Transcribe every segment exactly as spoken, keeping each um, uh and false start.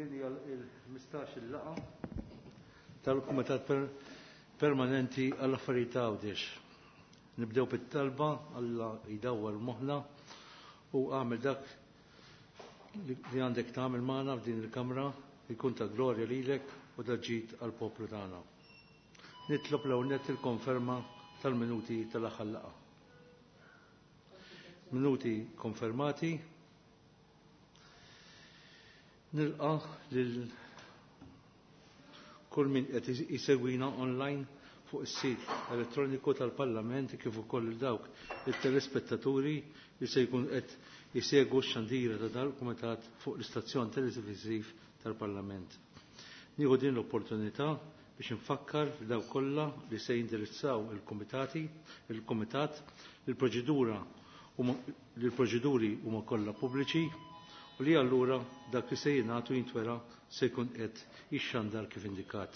Din hija l-ħmistax-il laqgħa tal-Kumitat Permanenti għall-Affarijiet ta' Għawdex. Nibdew bit-talba Alla jdawwar moħħna u għamel dak li għandek tagħmel magħna f'din il-kamra jkun ta' glorja lilek u ta' ġid għall-poplu tagħna. Nitlob l nett il-konferma tal-minuti tal-aħħar laqgħa. Minuti konfermati. Nilqa lil kull min qed isegwina online fuq is-sit elettroniku tal-Parlament kif ukoll il dawk it-telespettaturi li se jkun qed jisegwu x-xandira ta' dal-kumitat fuq l-istazzjon televiżiv tal-Parlament. Nieħu din l-opportunità biex infakkar dawk kollha li se jindirizzaw il-kumitati, il-kumitat, il-proċedura li l-proċeduri huma kollha pubbliċi u li allura dak li se jingħatu jintwera se jkun qed jixxandar kif indikat.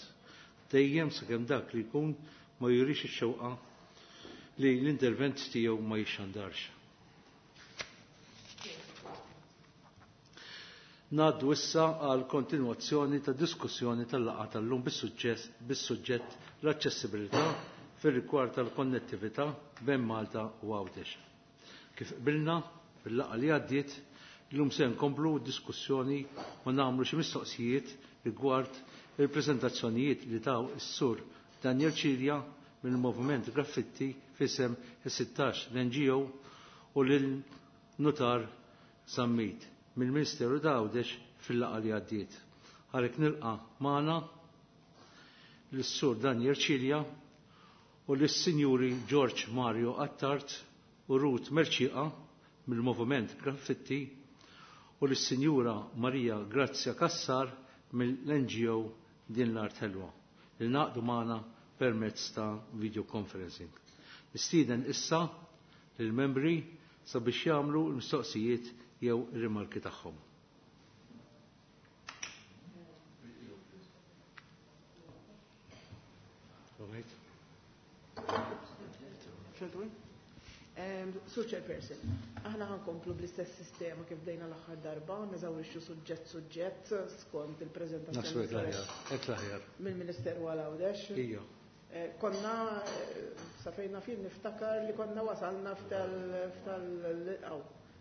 Dejjem sakemm dak li jkun ma jurix ix-xewqa li l-intervent tiegħu ma jixxandarx. Ngħaddu issa għal kontinwazzjoni ta' diskussjoni tal-laqgħa tal-lum bis-suġġett l-aċċessibilità fir-rigward tal-konnettività bejn Malta u Għawdex. Kif qbilna fil-laqgħa li għaddiet, illum se nkomplu diskussjoni u nagħmlu xi mistoqsijiet rigward il-preżentazzjonijiet li taw is-sur Daniel Cilia mill-Moviment Graffitti f'isem is-sittax l-N G O u lil Nutar Zammit mill-Ministeru ta' Għawdex fil-laqgħa li għaddiet. Għalhekk nilqa' magħna lis-sur Daniel Cilia u lis-Sinjuri George Mario Attard u Ruth Mercieca mill-Moviment Graffitti u lis-Sinjura Maria Grazia Cassar mill-N G O Din l-Art Ħelwa li naqdu magħna permezz ta' video conferencing. Nistieden issa lill-membri sabiex jagħmlu l-mistoqsijiet jew ir-rimarki tagħhom. Sur Chairperson, aħna ħankomplu bl-istess sistema kif bdejna l-aħħar darba, neżawrixxu suġġett suġġett skont il-preżentazzjoni Naħseb hekk l-aħjar, hekk l-aħjar. mill-Ministeru għal Għawdex. Ija. Eh, konna, eh, sa fejn naf jien niftakar li konna wasalna f'tal, f'tal, aw,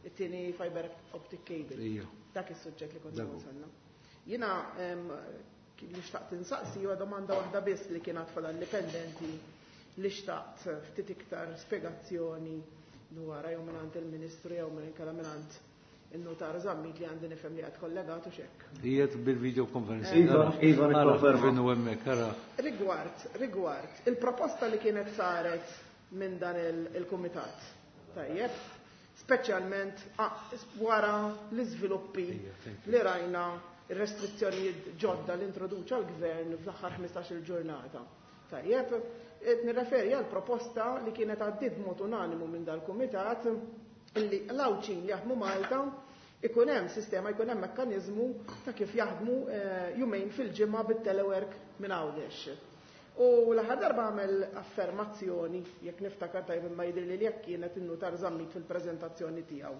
it-tieni fiber optic cable. Ija. Dak is-suġġett li konna Dak hu. wasalna. Jiena, ehm, li xtaqt insaqsi huwa domanda waħda biss li kienet fadal indipendenti li xtaqt ftit iktar spjegazzjoni dwar jew mingħand il-Ministru jew minn inkella mingħand in-Nutar Zammit li għandi nifhem li qed kollegat u x'hekk. Qiegħed bil-video conference. Iva, iva, Ara, nikkonferma. kif inhu hemmhekk, ara. Rigward, rigward, il-proposta li kienet saret minn dan il-, il-kumitat. Tajjeb, speċjalment, ah, wara l-iżviluppi Ija, thank you. li rajna ir-restrizzjonijiet ġodda li introduċa l-gvern fl-aħħar ħmistax-il ġurnata. Tajjeb, qed nirreferi għal proposta li kienet għaddiet b'mod unanimu minn dal-kumitat li l-Għawdxin li jaħdmu Malta ikun hemm sistema, ikun hemm mekkaniżmu ta' kif jaħdmu, eh, jumejn fil-ġimgħa bit-telework minn Għawdex. U l-aħħar darba għamel affermazzjoni, jekk niftakar tajjeb imma jidhirli li jekk kienet in-Nutar Zammit fil-preżentazzjoni tiegħu.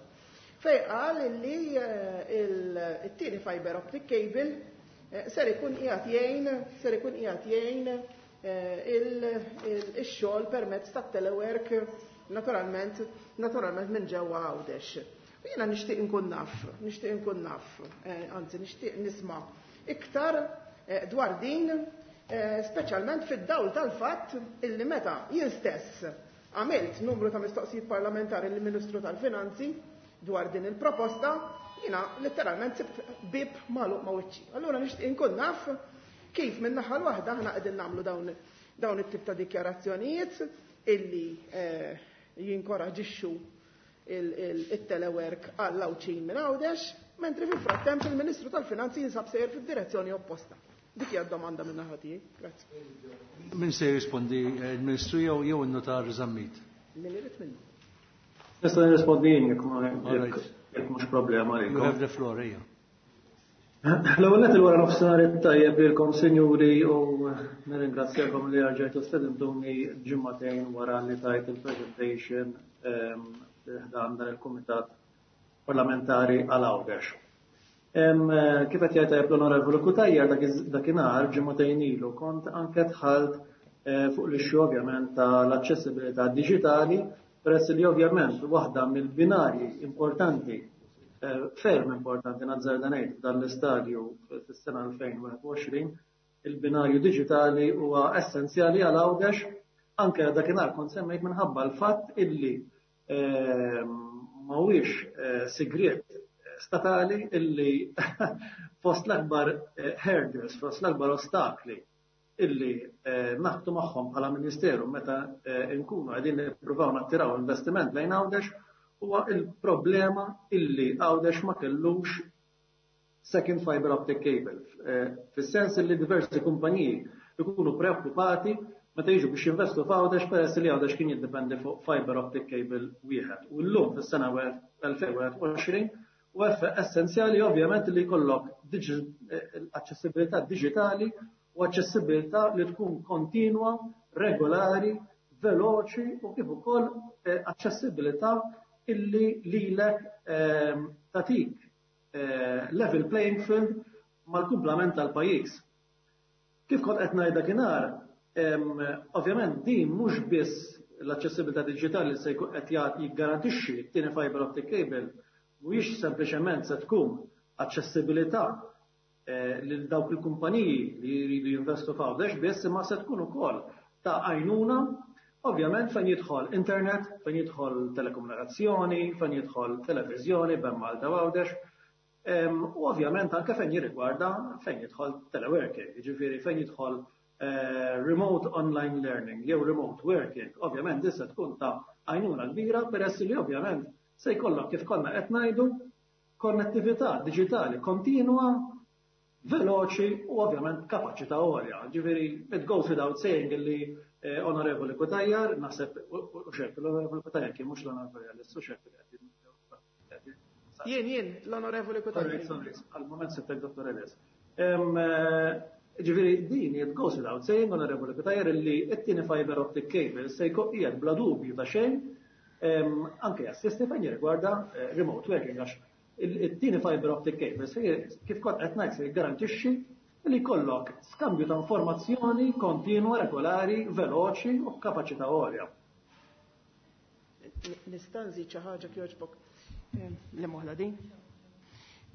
Fej qal li, eh, il-, it-tieni fiber optic cable, eh, ser ikun qiegħed jgħin, ser ikun qiegħed jgħin, eh, il-, il-, ix-xogħol permezz tat-telework naturalment, naturalment minn ġewwa Għawdex. U jiena nixtieq inkun naf, nixtieq inkun naf, eh, anzi nixtieq nisma' iktar, eh, dwar din, eh, speċjalment fid-dawl tal-fatt illi meta jien stess għamilt numru ta' mistoqsijiet parlamentari lill-Ministru tal-Finanzi dwar din il-proposta, jiena letteralment sibt bib magħluq ma' wiċċi. Allura nixtieq inkun naf kif minn naħa l-waħda aħna qegħdin nagħmlu dawn, dawn it-tip ta' dikjarazzjonijiet illi, eh, jinkoraġixxu il-, il-, il-telework għall-Għawdxin minn Għawdex, mentri fil-frattemp il-Ministru tal-Finanzi jinsab sejjer fid-direzzjoni opposta. Dik hija d-domanda minn naħa tiegħi. Grazzi. Min se jirrispondi, il-Ministru jew, jew in-Notar Zammit? Min irid minnu. Nista' nirrispondi jien jekk ma- All right. jekk mhux problema għalikom. You have the floor, ejja. L-ewwel nett il-wara nofsinhar it-tajjeb lilkom sinjuri u nirringrazzjakom li rġajtu stedintuni ġimgħatejn wara li tajt il-presentation, ehm, ħdan dan il-Kumitat Parlamentari għal Għawdex. Kif qed jgħid tajjeb l-Onorevoli Cutajar, dakinhar ġimagħtejn ilu kont anke dħalt fuq l-issue ovvjament tal-aċċessibilità diġitali, peress li ovvjament waħda mill-binarji importanti, ferm importanti nazzarda ngħid f'dan l-istadju fis-sena elfejn u wieħed u għoxrin, il-binarju diġitali huwa essenzjali għal Għawdex. Anke dakinhar kont semmejt minħabba l-fatt illi mhuwiex sigriet statali illi fost l-akbar hurdles, fost l-akbar ostakli illi naħbtu magħhom bħala Ministeru meta nkunu qegħdin nippruvaw nattiraw investiment lejn Għawdex huwa il-problema illi Għawdex ma kellux second fiber optic cable. Fis-sens illi diversi kumpaniji ikunu preokkupati meta jiġu biex jinvestu f'Għawdex peress li Għawdex kien jiddependi fuq fiber optic cable wieħed. U llum fis-sena elfejn u wieħed u għoxrin u essenzjali ovvjament li jkollok aċċessibilità diġitali u aċċessibilità li tkun kontinwa, regolari, veloċi u kif ukoll aċċessibilità illi lilek tatik level playing field mal-kumplament tal-pajjiż. Kif kont qed ngħid dakinhar, ovvjament din mhux biss l-aċċessibilità diġitali se jkun qed jiggarantixxi t-tieni fiber optic cable, mhuwiex sempliċement se tkun aċċessibilità lil dawk il-kumpaniji li jridu jinvestu f'Għawdex biss, imma se tkun ukoll ta' għajnuna ovvjament fejn jidħol internet, fejn jidħol telekomunikazzjoni, fejn jidħol televiżjoni bejn Malta u Għawdex, u ovvjament anke fejn jirrigwarda fejn jidħol teleworking, jiġifieri fejn jidħol remote online learning jew remote working, ovvjament din se tkun ta' għajnuna kbira peress li ovvjament se jkollok, kif konna qed ngħidu, konnettività diġitali kontinwa, veloċi u ovvjament kapaċità għolja. Ġifieri, it goes without saying illi eh, Onorevoli Cutajar, naħseb, u xek, l-Onorevoli Cutajar kien, mhux l-Onorevoli Ellis, u xek. Jien, jien, l-Onorevoli Cutajar. Sorry, għal-moment sibtek Dottor Ellis. Ġifieri, din, it goes without saying, Onorevoli Cutajar, illi it-tieni fiber optic cable se jkun qiegħed bla dubju ta' xejn anke jassisti fejn jirrigwarda eh, remote working, għax it-tieni fiber optic cable se, kif kont qed ngħid, se jiggarantixxi li jkollok skambju ta' informazzjoni kontinwa, regolari, veloċi u b'kapaċità għolja. Nista' nżid xi ħaġa kjoġbok li moħla din?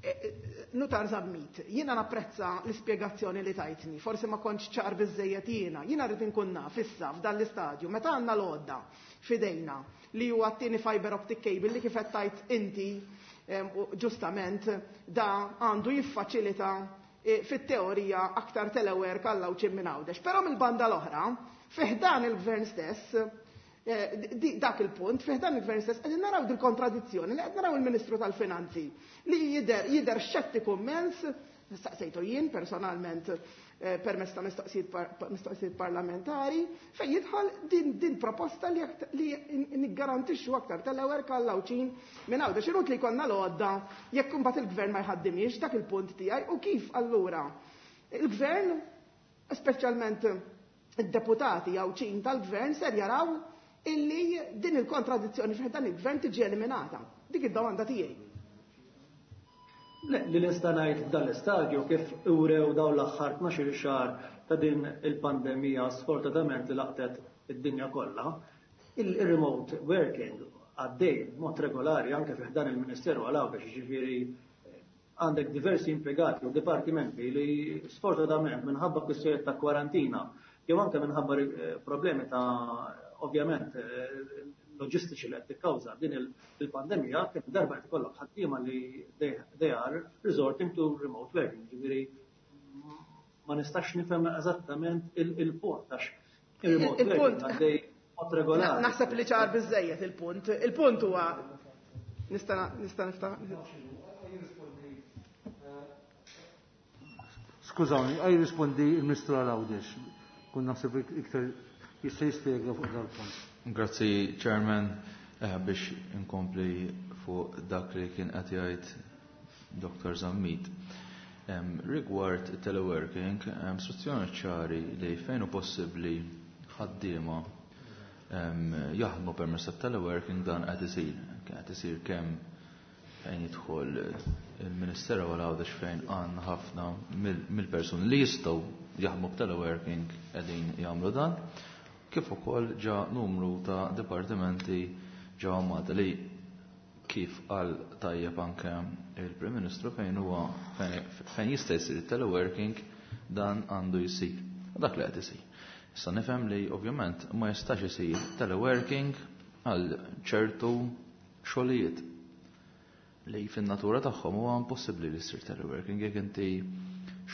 E, e, Nutar Zammit, jiena napprezza l-ispjegazzjoni li tajtni, forsi ma kontx ċar biżejjed jiena, jiena rrid inkun naf issa f'dan l-istadju, meta għandna l-għodda f'idejna li huwa t-tieni fiber optic cable li kif qed tajt inti ġustament da għandu jiffaċilita e, fit-teorija aktar telework għal Għawdxin minn Għawdex. Però mill-banda l-oħra, fi ħdan il-gvern stess, e, dak il-punt, fi ħdan il-gvern stess, qegħdin naraw dil-kontradizzjoni li qed naraw il-Ministru tal-Finanzi li jider, jider xettiku immens, staqsejtu jien personalment eh, permezz ta' mistoqsijiet parlamentari, fejn jidħol din, din proposta li, li niggarantixxu aktar telework għal Għawdxin minn Għawdex. Inutli li jkollna l-għodda jekk imbagħad il-gvern ma jħaddimiex, dak il-punt tiegħi, u kif allura il-gvern, speċjalment id-deputati Għawdxin tal-gvern, ser jaraw illi din il-kontradizzjoni fi dan il-gvern tiġi eliminata. Dik id-domanda tiegħi. Le, li nista' ngħid f'dan l-istadju, kif urew dawn l-aħħar tnax-il xahar ta' din il-pandemija sfortunatament li laqtet id-dinja kollha, il-remote working għaddej mod regolari anke fi dan il-Ministeru għal Għawdex, ġifieri għandek diversi impjegati u dipartimenti li sfortunatament minħabba kwistjonijiet ta' kwarantina jew anke minħabba eh, problemi ta' ovvjament eh, loġistiċi li qed tikkawża din il-pandemija, kif darba qed ikollok ħaddiema li they are resorting to remote working. Ġifieri ma nistax nifhem eżattament il-punt għax il-remote working għaddej mod regolari. Naħseb li ċar biżejjed il-punt. Il-punt huwa nista' nista' niftaħ. Skużawni, għaj rispondi il-Ministru għal Għawdex. Kun naħseb iktar jista' jispjega fuq dal-punt. Grazzi, Chairman, eh, biex inkompli fuq dak li kien qed jgħid Dottor Zammit. Um, rigward teleworking, istruzzjoni ċari li fejn hu possibbli ħaddiema um, jaħdmu permezz tat teleworking, dan qed isir. Qed isir kemm fejn jidħol il-Ministeru għal Għawdex fejn għandna ħafna mill-persuni li jistgħu jaħdmu b'teleworking qegħdin jagħmlu dan, kif ukoll ġa numru ta' dipartimenti ġewwa Malta li kif qal tajjeb anke il-Prim Ministru fejn huwa fejn jista' jsir teleworking dan għandu jsir. Dak li qed isir. Issa nifhem li ovvjament ma jistax isir teleworking għal ċertu xogħlijiet li fin-natura tagħhom huwa impossibbli li jsir teleworking jekk inti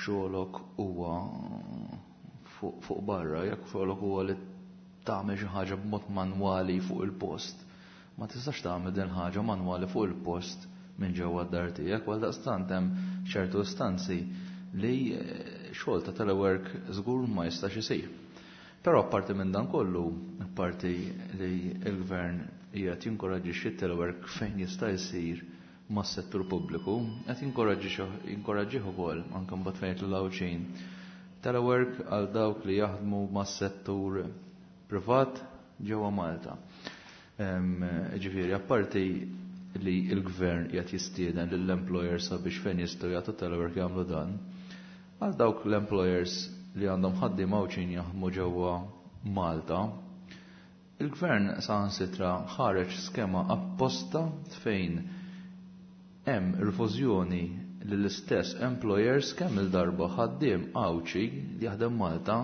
xogħlok huwa fuq barra, jekk xogħlok huwa li tagħmel xi ħaġa b'mod manwali fuq il-post. Ma tistax tagħmel din ħaġa manwali fuq il-post minn ġewwa d-dar tiegħek, għal daqstant hemm ċertu istanzi li xogħol ta' telework żgur ma jistax isir. Però apparti minn dan kollu, apparti li l-gvern qiegħed jinkoraġġixxi telework fejn jista' jsir mas-settur pubbliku, qed jinkoraġġih ukoll anke mbagħad fejn l-Għawdxin. Telework għal dawk li jaħdmu mas-settur privat ġewwa Malta. Ġifieri, apparti li l-gvern qiegħed jistieden lill-employers sabiex fejn jistgħu jagħtu telework jagħmlu dan, għal dawk l-employers li għandhom ħaddiema Għawdxin jaħdmu ġewwa Malta, il-gvern saħansitra ħareġ skema apposta fejn hemm rifużjoni lill-istess employers kemm il-darba ħaddiem Għawdxi li jaħdem Malta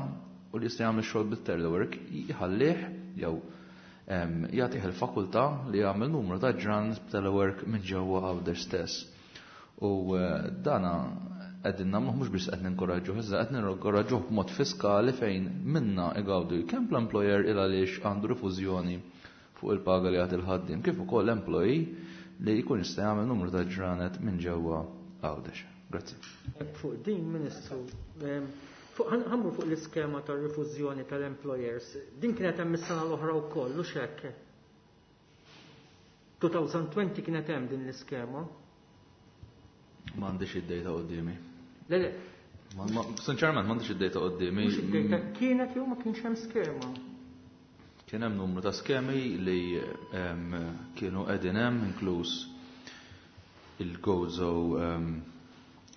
u li jista' jagħmel xogħol bit-telework jħallih jew jagħtih il-fakultà li jagħmel numru ta' ġranet b'telework minn ġewwa Għawdex stess. U dana qegħdin nagħmluh mhux biss qed ninkoraġġuh, iżda qed ninkoraġġuh b'mod fiskali fejn minna igawdu kemm l-employer il għaliex għandu rifużjoni fuq il-paga li jagħti il-ħaddiem, kif ukoll l-employee li jkun jista' jagħmel numru ta' ġranet minn ġewwa Għawdex. Grazzi. Fuq din, Ministru, ħammur fuq l-iskema tar-rifużjoni tal-employers, din kienet hemm is-sena l-oħra wkoll, u hekk. twenty twenty kienet hemm din l-iskema. M'għandix id-data quddiemi. Le, le. Sinċerament m'għandix id-data quddiemi. Mhux id-data, kienet jew ma kienx hemm skema. Kien hemm numru ta' skemi li kienu qegħdin hemm, inkluż il-Gozo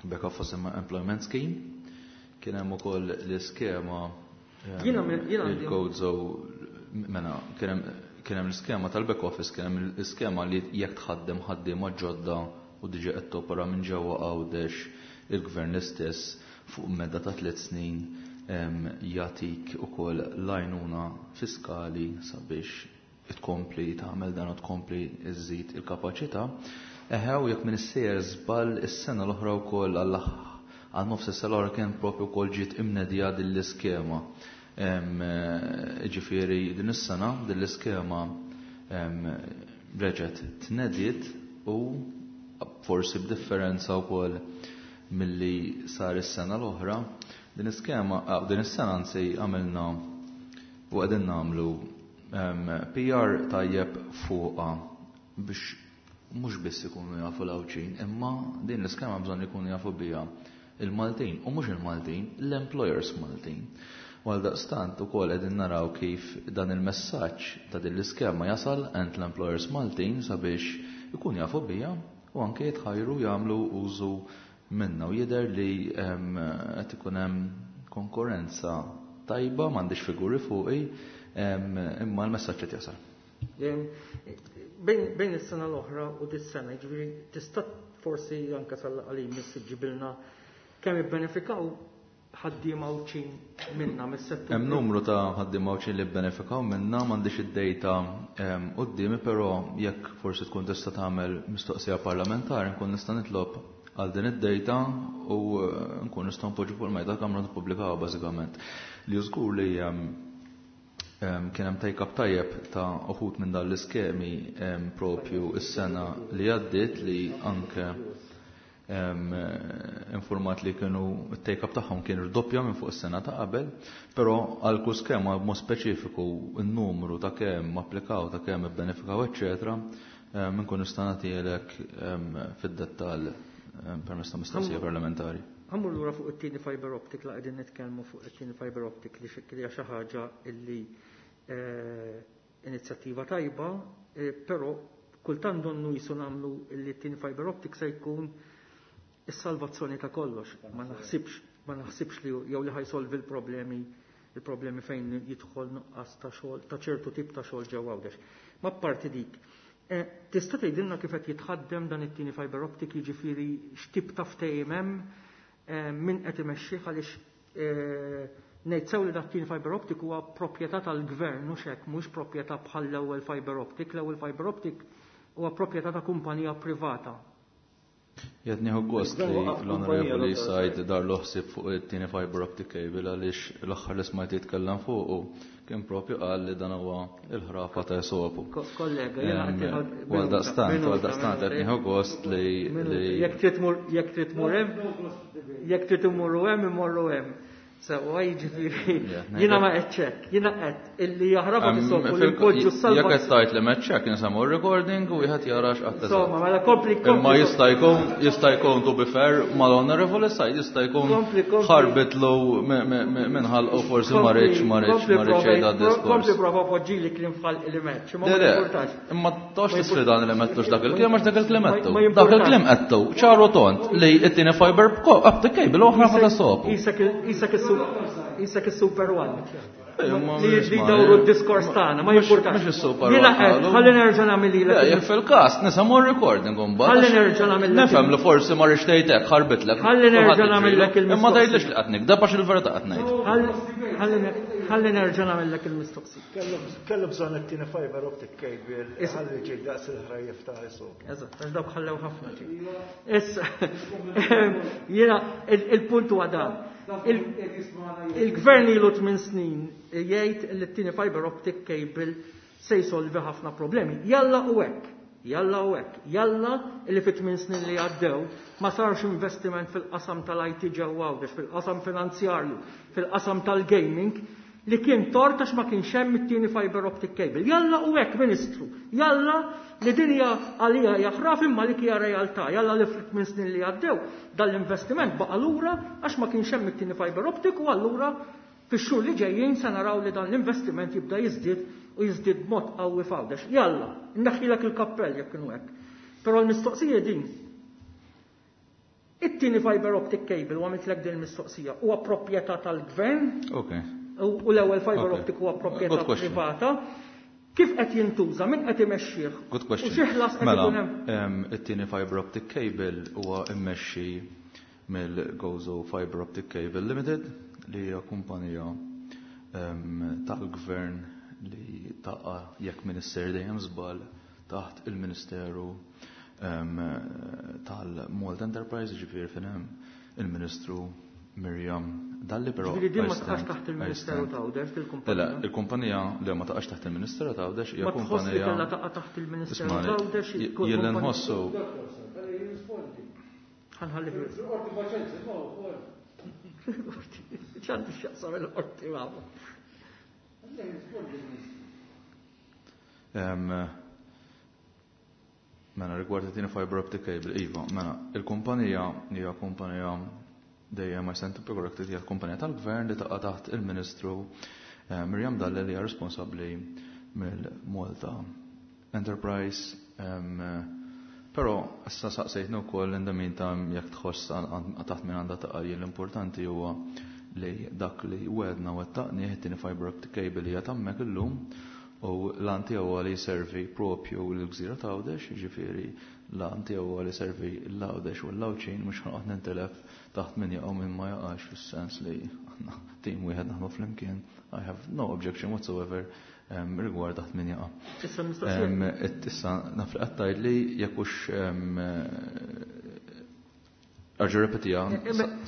Back Office Employment Scheme. Kien hemm ukoll l-iskema il-Gozo, mena kien hemm l-iskema tal-back office, kien hemm l-iskema li jekk tħaddem ħaddiema ġodda u diġà qed topera minn ġewwa Għawdex, il-gvern l-istess fuq medda ta' tliet snin jagħtik ukoll l-għajnuna fiskali sabiex tkompli tagħmel dan u tkompli iżżid il-kapaċità. Eħe, u jekk minn sejjer żball, is-sena l-oħra wkoll għal għal nofs is-sena l-oħra kien propju wkoll ġiet imnedija din l-iskema. Ġifieri din is-sena din l-iskema reġgħet tnediet u forsi b'differenza wkoll milli sar is-sena l-oħra, din iskema, din is-sena anzi, għamilna u qegħdin nagħmlu P R tajjeb fuqha biex mhux biss ikunu jafu l-Għawdxin, imma din l-iskema bżonn ikunu jafu biha il-Maltin u mhux il-Maltin, l-employers Maltin. Għal daqstant ukoll qegħdin naraw kif dan il-messaġġ ta' din l-iskema jasal għand l-employers Maltin sabiex ikun jafu biha u anke jitħajru jagħmlu użu minna, u jidher li qed ikun hemm konkurrenza tajba, m'għandix figuri fuqi, imma l-messaġġ qed jasal. Bejn is-sena l-oħra u dis-sena, jiġifieri tista' forsi anke sal-qalim ġibilna kemm ibbenefikaw ħaddiema Għawdxin minna mis-settur. Hemm numru ta' ħaddiema Għawdxin li bbenefikaw minna, m'għandix id-data quddiemi, però jekk forsi tkun tista' tagħmel mistoqsija parlamentari nkun nista' nitlob għal din id-data u nkun nistgħu npoġġu fuq il-mejda Kamra nippubblikaw bażikament. Li żgur li kien hemm take-up tajjeb ta' uħud minn dan l-iskemi propju is-sena li għaddiet, li anke informat li kienu take-up tagħhom kien irdoppja minn fuq is-sena ta' qabel, però għal kull skema b'mod speċifiku n-numru ta' kemm applikaw, ta' kemm ibbenefikaw, eċċetera, nkun nista' nagħtielek fid-dettall permezz ta' mistoqsija parlamentari. Ħa mmur lura fuq it-tieni fiber optic, la qegħdin nitkellmu fuq it-tieni fiber optic, li hija xi ħaġa illi inizjattiva tajba, però Kultant donnu jisu nagħmlu li t-tieni fiber optic se jkun is-salvazzjoni ta' kollox. Ma naħsibx, ma naħsibx li jew li ħajsolvi l-problemi il-problemi fejn jidħol nuqqas ta' xogħol ta' ċertu tip ta' xogħol ġewwa Għawdex. Ma parti dik. Eh, tista' tgħidilna kif qed jitħaddem dan it-tieni fiber optic, jiġifieri x'tip ta' ftehim hemm, eh, min qed imexxih, għaliex eh, ngħid sew li dak tieni fiber optic huwa proprjetà tal-gvern, mhux hekk, mhux proprjetà bħal l-ewwel fiber optic, l-ewwel fiber optic huwa proprjetà ta' kumpanija privata. Jed nieħu gost li l-Onorevoli Said dar l-ħsieb fuq it-tieni fiber optic cable, għaliex l-aħħar li smajt jitkellem fuq kien propju qal li dan huwa il-ħrafa ta' Esopu. Kollega, jiena Għal daqstant, għal daqstant qed nieħu gost li jekk trid mur jekk trid mur hemm, jekk trid imorru hemm, imorru hemm. Sewwa, jiġifieri jiena ma qed hekk, jiena qed illi jaħrabha tisolvu li npoġġu s-salva. Jekk qed tgħid li m'hekk hekk, insemmu recording u wieħed jara x'qatt. Insomma, mela kompli kompli. Imma jista' jkun jista' jkun to be fair mal-Honorable Said, jista' jkun ħarbitlu minn ħalqu, forsi ma rridx ma rridx ma rridx jgħid diskors. Kompli prova poġġili kliem f'ħalq li m'għedtx, ma jimpurtax. Imma tox tisfidan li m'għedtux dak il-kliem, għax dak il-kliem għedtu. Dak il-kliem għedtu, ċaru tont li t-tieni fiber optic cable u ħrafa ta' sopu. Isek Isek il-Super One. Li li dawru d-diskors tagħna, ma jimpurtax. Mhux is-Super Jiena qed, ħalli nerġa' nagħmel lilek. Jekk fil-każ nisimgħu recording imbagħad. Ħalli nerġa' nagħmel. Nifhem li forsi ma rridx tgħidek ħarbitlek. Ħalli nerġa' nagħmellek il-mistoqsija. Imma tgħidlix li qed nikdeb, għax il-verità qed ngħid. Ħalli nerġa' nagħmellek il-mistoqsija. Kellu bżonn it-tieni fiber optic cable ħalli ġej daqs il-ħrajjef ta' Esopu. Eżatt, għax dawk ħallew ħafna ġej. Issa, jiena il-punt huwa dan. Il-gvern ilu tmien snin jgħid li t-tieni fiber optic cable se jsolvi ħafna problemi. Jalla u hekk, jalla u hekk, jalla li fit tmien snin li għaddew ma sarx investiment fil-qasam tal-I T ġewwa Għawdex, fil-qasam finanzjarju, fil-qasam tal-gaming, li kien tort għax ma kienx hemm it-tieni fiber optic cable. Jalla u hekk, Ministru, jalla li din hija għalija jaħraf imma li hija realtà, jalla li ftit minn snin li għaddew dal-investiment baqa' lura għax ma kienx hemm it-tieni fiber optic, u allura fix-xhur li ġejjin se naraw li dan l-investiment jibda jiżdied u jiżdied b'mod qawwi f'Għawdex. Jalla, nneħħilek il-kappell jekk kienu hekk. Però l-mistoqsija din: it-tieni fiber optic cable, u għamiltlek din il-mistoqsija, huwa proprjetà tal-gvern? Okay. U l-ewwel fiber optic huwa proprjetà privata. Kif qed jintuża? Min qed imexxih? Good question. U xi ħlas qed Mela, ikun hemm? Em, it-tieni fiber optic cable huwa immexxi mill-Gozo Fiber Optic Cable Limited, li hija kumpanija em, tal-gvern li taqa', jekk minister dejjem żball, taħt il-Ministeru em, tal-Malta Enterprise, ġifieri fejn hemm il-Ministru Miriam Dalli, però Ġifieri din ma I taqax stand- taħt I il-Ministeru stand. ta' Għawdex Le, dil-kumpanija? il-kumpanija li ma taqax taħt il-Ministeru ta' Għawdex hija Ma tħoss li kumpanija. kellha taqa' taħt il-Ministeru Ismani, ta' Għawdex? j- jien li nħossu Ħa nħalli fil- ċanti x'jaqsam il-qorti magħhom. Em, Mela, rigward it-tieni fiber optic cable, iva, mela, il-kumpanija hija kumpanija, dejjem I stand to be corrected, hija kumpanija tal-gvern li taqa' taħt il-Ministru eh, Miriam Dalli, li hija responsabbli mill-Malta Enterprise. em, Però issa saqsejtni wkoll in the meantime jekk tħoss għal- taħt min għandha taqa'. Jien l-importanti huwa li dak li wedna wettaqni, it-tieni fiber optic cable hija hemmhekk illum u l-għan tiegħu huwa li jservi propju l-gżira ta' Għawdex, jiġifieri l-għan tiegħu huwa li jservi l-Għawdex u l-Għawdxin, mhux ħanoqgħod nintilef taħt min jaqgħu, min ma jaqax, fis-sens li aħna tim wieħed naħdmu flimkien. I have no objection whatsoever em, rigward taħt min jaqa'. Issa mistoqsija. Em, et Issa naf li qed li jekk hux em, arġu repetija,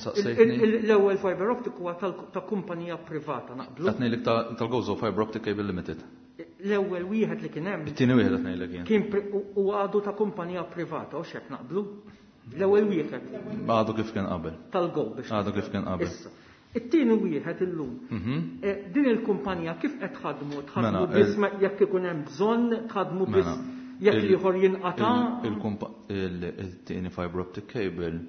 saqsejtni. L-ewwel fiber optic huwa tal- ta' kumpanija privata, naqblu? Qed ngħidlek ta' tal-Gozo Fiber Optic Cable Limited. L-ewwel wieħed li kien hemm It-tieni wieħed qed ngħidlek jien. kien pri- u u għadu ta' kumpanija privata, u xek naqblu? L-ewwel wieħed Għadu kif kien qabel. tal-Go biex. Għadu kif kien qabel. Issa, it-tieni wieħed illum. Mhm. Eh, Din il-kumpanija kif qed tħadmu? Tħadmu Mela, biss ma- jekk ikun hemm bżonn, tħadmu biss Mela, jekk il- ieħor jinqata'? il- il-kumpa- il- Il-tieni fiber optic cable,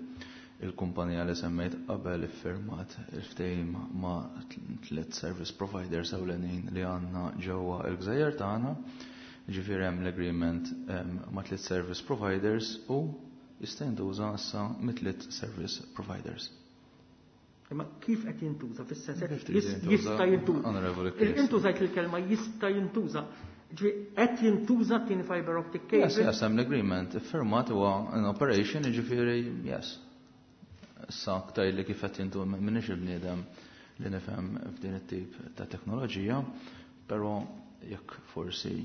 il-kumpanija li semmejt qabel iffirmat il-ftehim ma' tliet service providers ewlenin li għandna ġewwa il-gżejjer tagħna. Ġifieri hemm l-agreement ma' tliet service providers u jista' jintuża issa mit-tliet service providers. Imma kif qed jintuża fis-sens jista' jintuża? Intużajt il-kelma jista' jintuża. Qed jintuża tieni fiber optic cable? Yes, yes, hemm l-agreement iffirmat huwa in operation, jiġifieri yes. Issa tgħidli kif qed jintuża, m'iniex il-bniedem li nifhem f'din it-tip ta' teknoloġija, però jekk forsi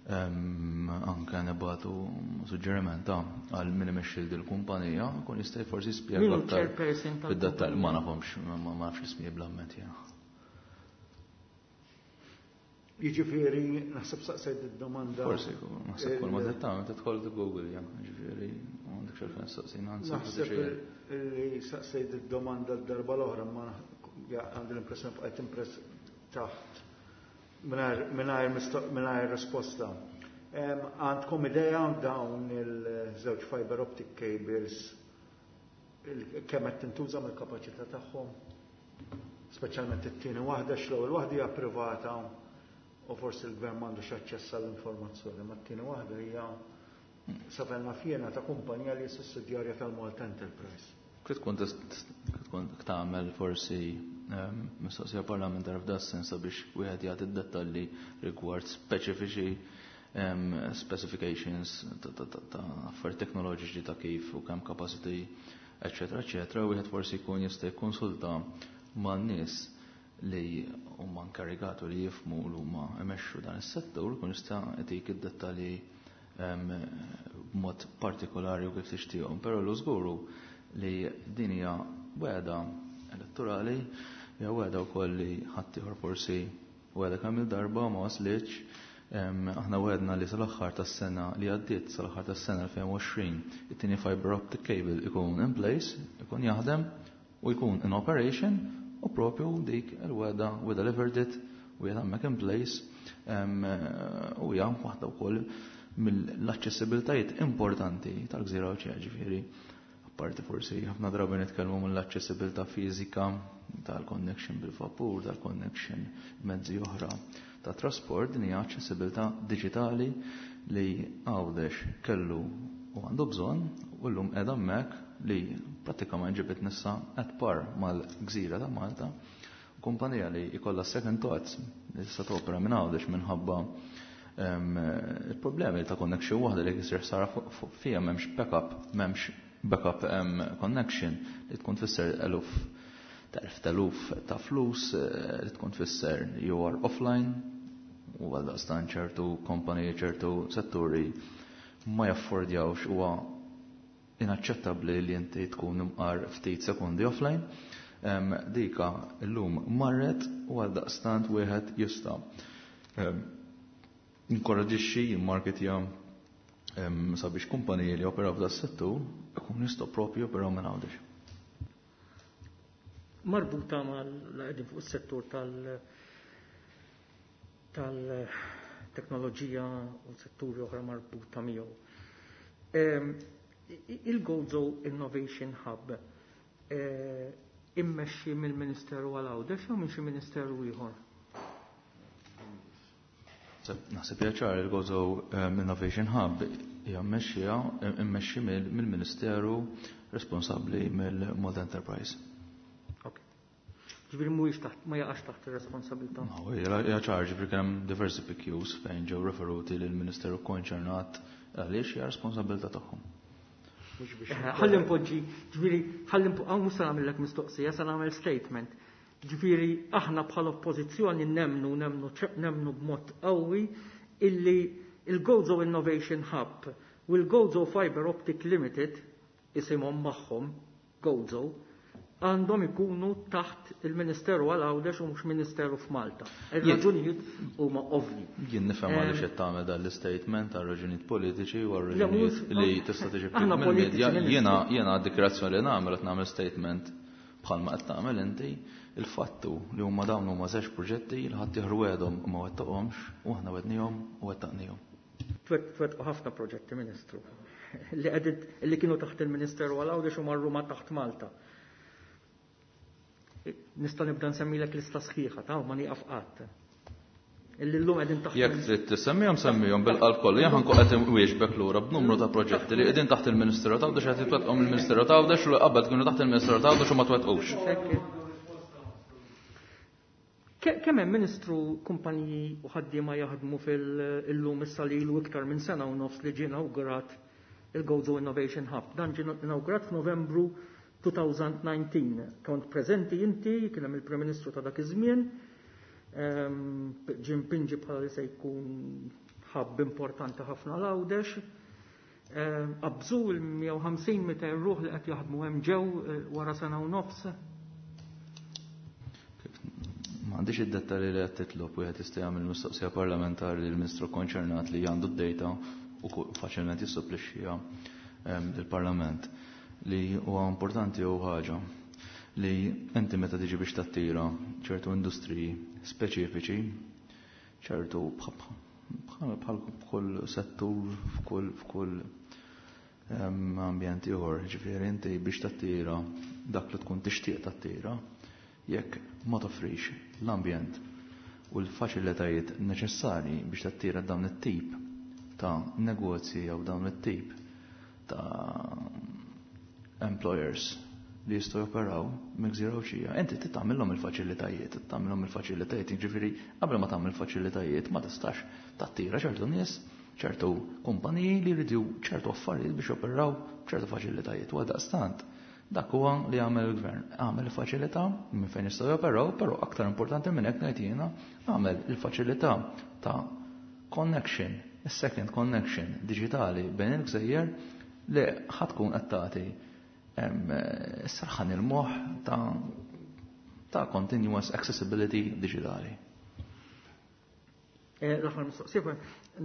anke nibatu suġġeriment għal min imexxi dil-kumpanija, kun jista' forsi jispjega aktar fid-dettall. Ma nafhomx, ma nafx l-ismijiet bl-amment jiena. Jiġifieri naħseb saqsejt id-domanda. Forsi, naħseb kull ma tagħmel tidħol Google, ja, jiġifieri m'għandekx għalfejn saqsina. Naħseb li saqsejt id-domanda d-darba l-oħra, ma għandi l-impressjoni bqajt impress taħt mingħajr risposta. Għandkom idea dawn il-żewġ fiber optic cables kemm qed tintuża mill-kapaċità tagħhom? Speċjalment it-tieni waħda, x'l-ewwel waħda hija privata u forsi l-gvern m'għandux aċċess għall-informazzjoni, ma t-tieni waħda hija sa fejn naf jiena ta' kumpanija li sussidjarja tal-Malta Enterprise. Kif tkun tkun tagħmel forsi mistoqsija parlamentari f'da sens sabiex wieħed jagħti d-dettalji rigward speċifiċi specifications ta' affarijiet teknoloġiċi ta' kif u kemm capacity, eċetera, eċetera, wieħed forsi jkun jista' jikkonsulta man-nies li huma inkarigatu li jifhmu li huma imexxu dan is-settur, kun jista' jtik id-dettalji b'mod partikolari u kif tixtieqhom, però l żguru li din hija wegħda elettorali, hija wegħda wkoll li ħaddieħor forsi wegħda kemm il-darba ma waslitx. Aħna wegħdna li sal-aħħar tas-sena li għaddiet, sal-aħħar tas-sena elfejn u għoxrin, it-tieni fiber optic cable ikun in place, ikun jaħdem u jkun in operation, u propju dik il-wegħda we delivered it, u hija hemmhekk in place, u hija waħda wkoll mill-aċċessibiltajiet importanti tal-gżira Għawdxija, ġifieri apparti forsi ħafna drabi nitkellmu mill-aċċessibilità fiżika tal-connection bil-vapur, tal-connection mezzi oħra ta' trasport, din hija aċċessibilità diġitali li Għawdex kellu u għandu bżonn, u llum qiegħda hemmhekk li prattikament ġibet nissa at par mal-gżira ta' Malta, kumpanija li jkollha second thoughts li tista' topera minn Għawdex minħabba il-problemi ta' connection waħda li jsir sara fija m'hemmx backup, m'hemmx backup connection li tkun tfisser eluf telf teluf ta' flus, li tkun tfisser you are offline, u għaldaqstant ċertu kompaniji, ċertu setturi ma jaffordjawx, huwa inaċċettabbli li inti tkun imqar ftit sekundi offline. Dika llum marret u għaldaqstant wieħed jista' inkoraġixxi, jimmarketja sabiex kumpaniji li operaw f'da settur ikun jistgħu propju operaw minn Għawdex. Marbuta mal-qegħdin fuq is-settur tal- tal-teknoloġija u setturi oħra marbuta miegħu. Il-Gozo Innovation Hub immexxi mill-Ministeru għal Għawdex jew minn xi ministeru ieħor? Naħseb hija ċar, il-Gozo Innovation Hub hija mmexxija immexxi mill-Ministeru responsabbli mill-Malta Enterprise. Ok. Ġifieri mhuwiex taħt, ma jaqax taħt ir-responsabilità. No, hija ċar, ġifieri kien hemm diversi P Qs fejn ġew referuti lill-Ministeru konċernat għaliex hija responsabilità tagħhom. Ħalli npoġġi, ġifieri ħalli npo-, hawn mhux se nagħmellek mistoqsija, se nagħmel statement. Ġifieri aħna bħala oppożizzjoni nemnu, nemnu, nemnu b'mod qawwi illi il-Gozo Innovation Hub u l-Gozo Fiber Optic Limited, isimhom magħhom Gozo, għandhom ikunu taħt il-Ministeru għal Għawdex u mhux Ministeru f'Malta. Ir-raġunijiet huma ovvji. Jien nifhem Em, għaliex qed tagħmel dan l-istatement għal raġunijiet politiċi u għal Le, mhux raġunijiet li tista' tiġi aħna mill-medja. politiċi, Ministru. Jiena, jiena d-dikjarazzjoni li nagħmel qed nagħmel statement bħalma qed tagħmel inti, il-fattu li huma dawn huma żewġ proġetti li ħadd jieħru għedhom u ma wettaqhomx u aħna wednihom u wettaqnihom. Twet-, twettqu ħafna proġetti, Ministru, li qegħdin, li kienu taħt il-Ministeru għal Għawdex u marru ma taħt Malta. Nista' nibda nsemmilek lista sħiħa, ta' ma nieqaf qatt. Illi llum qegħdin taħt. Jekk trid tisemmihom semmihom bil-qalb kollu, jien ħankun qed inwieġbek lura b'numru ta' proġetti li qegħdin taħt il-Ministeru ta' Għawdex qed jitwettqhom il-Ministeru ta' Għawdex u qabel kienu taħt il-Ministeru ta' Għawdex u ma twettqux. Kemm hemm Ministru kumpaniji u ħaddiema jaħdmu fil-lum issa li ilu iktar minn sena u nofs li ġie inawgurat il-Gozo Innovation Hub. Dan ġie inawgurat f'Novembru elfejn u dsatax. Kont preżenti inti, kien hemm il-Prim Ministru ta' dak iż-żmien. Ġie mpinġi bħala li se jkun hub importanti ħafna l-Għawdex. Qabżu l-mija u ħamsin mitejn ruħ li qed jaħdmu hemm ġew wara sena u nofs. M'għandix id-dettalji li qed titlob, wieħed jista' jagħmel mistoqsija parlamentari lill-Ministru konċernat li għandu d-data u faċilment jissupplixxiha lill-Parlament. Li huwa importanti hu ħaġa li inti meta tiġi biex tattira ċertu industriji speċifiċi, ċertu bħal f'kull settur, f'kull, f'kull ambjent ieħor, ġifieri inti biex tattira dak li tkun tixtieq tattira, jekk ma toffrix l-ambjent u l-faċilitajiet neċessarji biex tattira dawn it-tip ta' negozji jew dawn it-tip ta' employers li jistgħu joperaw mill-gżira Għawdxija, inti trid tagħmilhom il-faċilitajiet, trid tagħmilhom il-faċilitajiet, jiġifieri qabel ma tagħmel faċilitajiet ma tistax tattira ċertu nies, ċertu kumpaniji li jridu ċertu affarijiet biex joperaw ċertu faċilitajiet. U għaldaqstant dak huwa li għamel il-gvern, għamel il-faċilità minn fejn jistgħu joperaw, però aktar importanti minn hekk ngħid jiena għamel il-faċilità ta' connection, is-second connection diġitali bejn il-gżejjer li ħatkun qed tagħti serħan il-moħħ ta', ta' continuous accessibility digitali. L-aħħar mistoqsija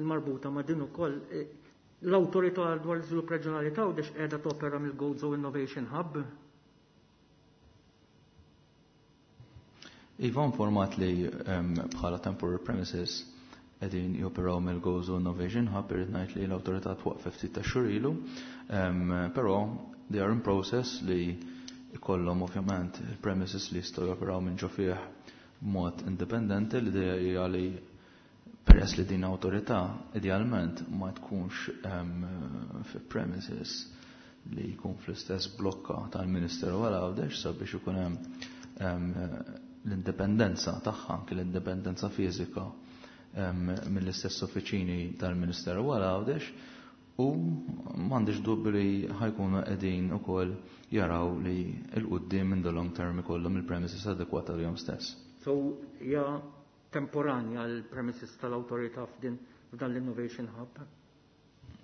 marbuta ma' din ukoll, l-Awtorità dwar l-Iżvilupp Reġjonali ta' Għawdex qiegħda topera mill-Gozo Innovation Hub. Iva informat li bħala temporary premises qegħdin joperaw mill-Gozo Innovation Hub, irrid ngħid li l-awtorità twaqqfet ftit ta' xhur ilu, però they are in process li ikollhom ovvjament il-premises li jistgħu joperaw minn ġo fih b'mod indipendenti. L-idea hija li peress li din awtorità idealment ma tkunx fi premises li jkun fl-istess blokka tal-Ministeru għal Għawdex sabiex ikun hemm l-indipendenza tagħha, anke l-indipendenza fiżika mill-istess uffiċini tal-Ministeru għal Għawdex, u m'għandix dubju li ħajkunu qegħdin ukoll jaraw li l-quddiem in the long term ikollhom il-premises adekwata għalihom stess. So hija temporanja l-premises tal-awtorità f'din f'dan l-Innovation Hub?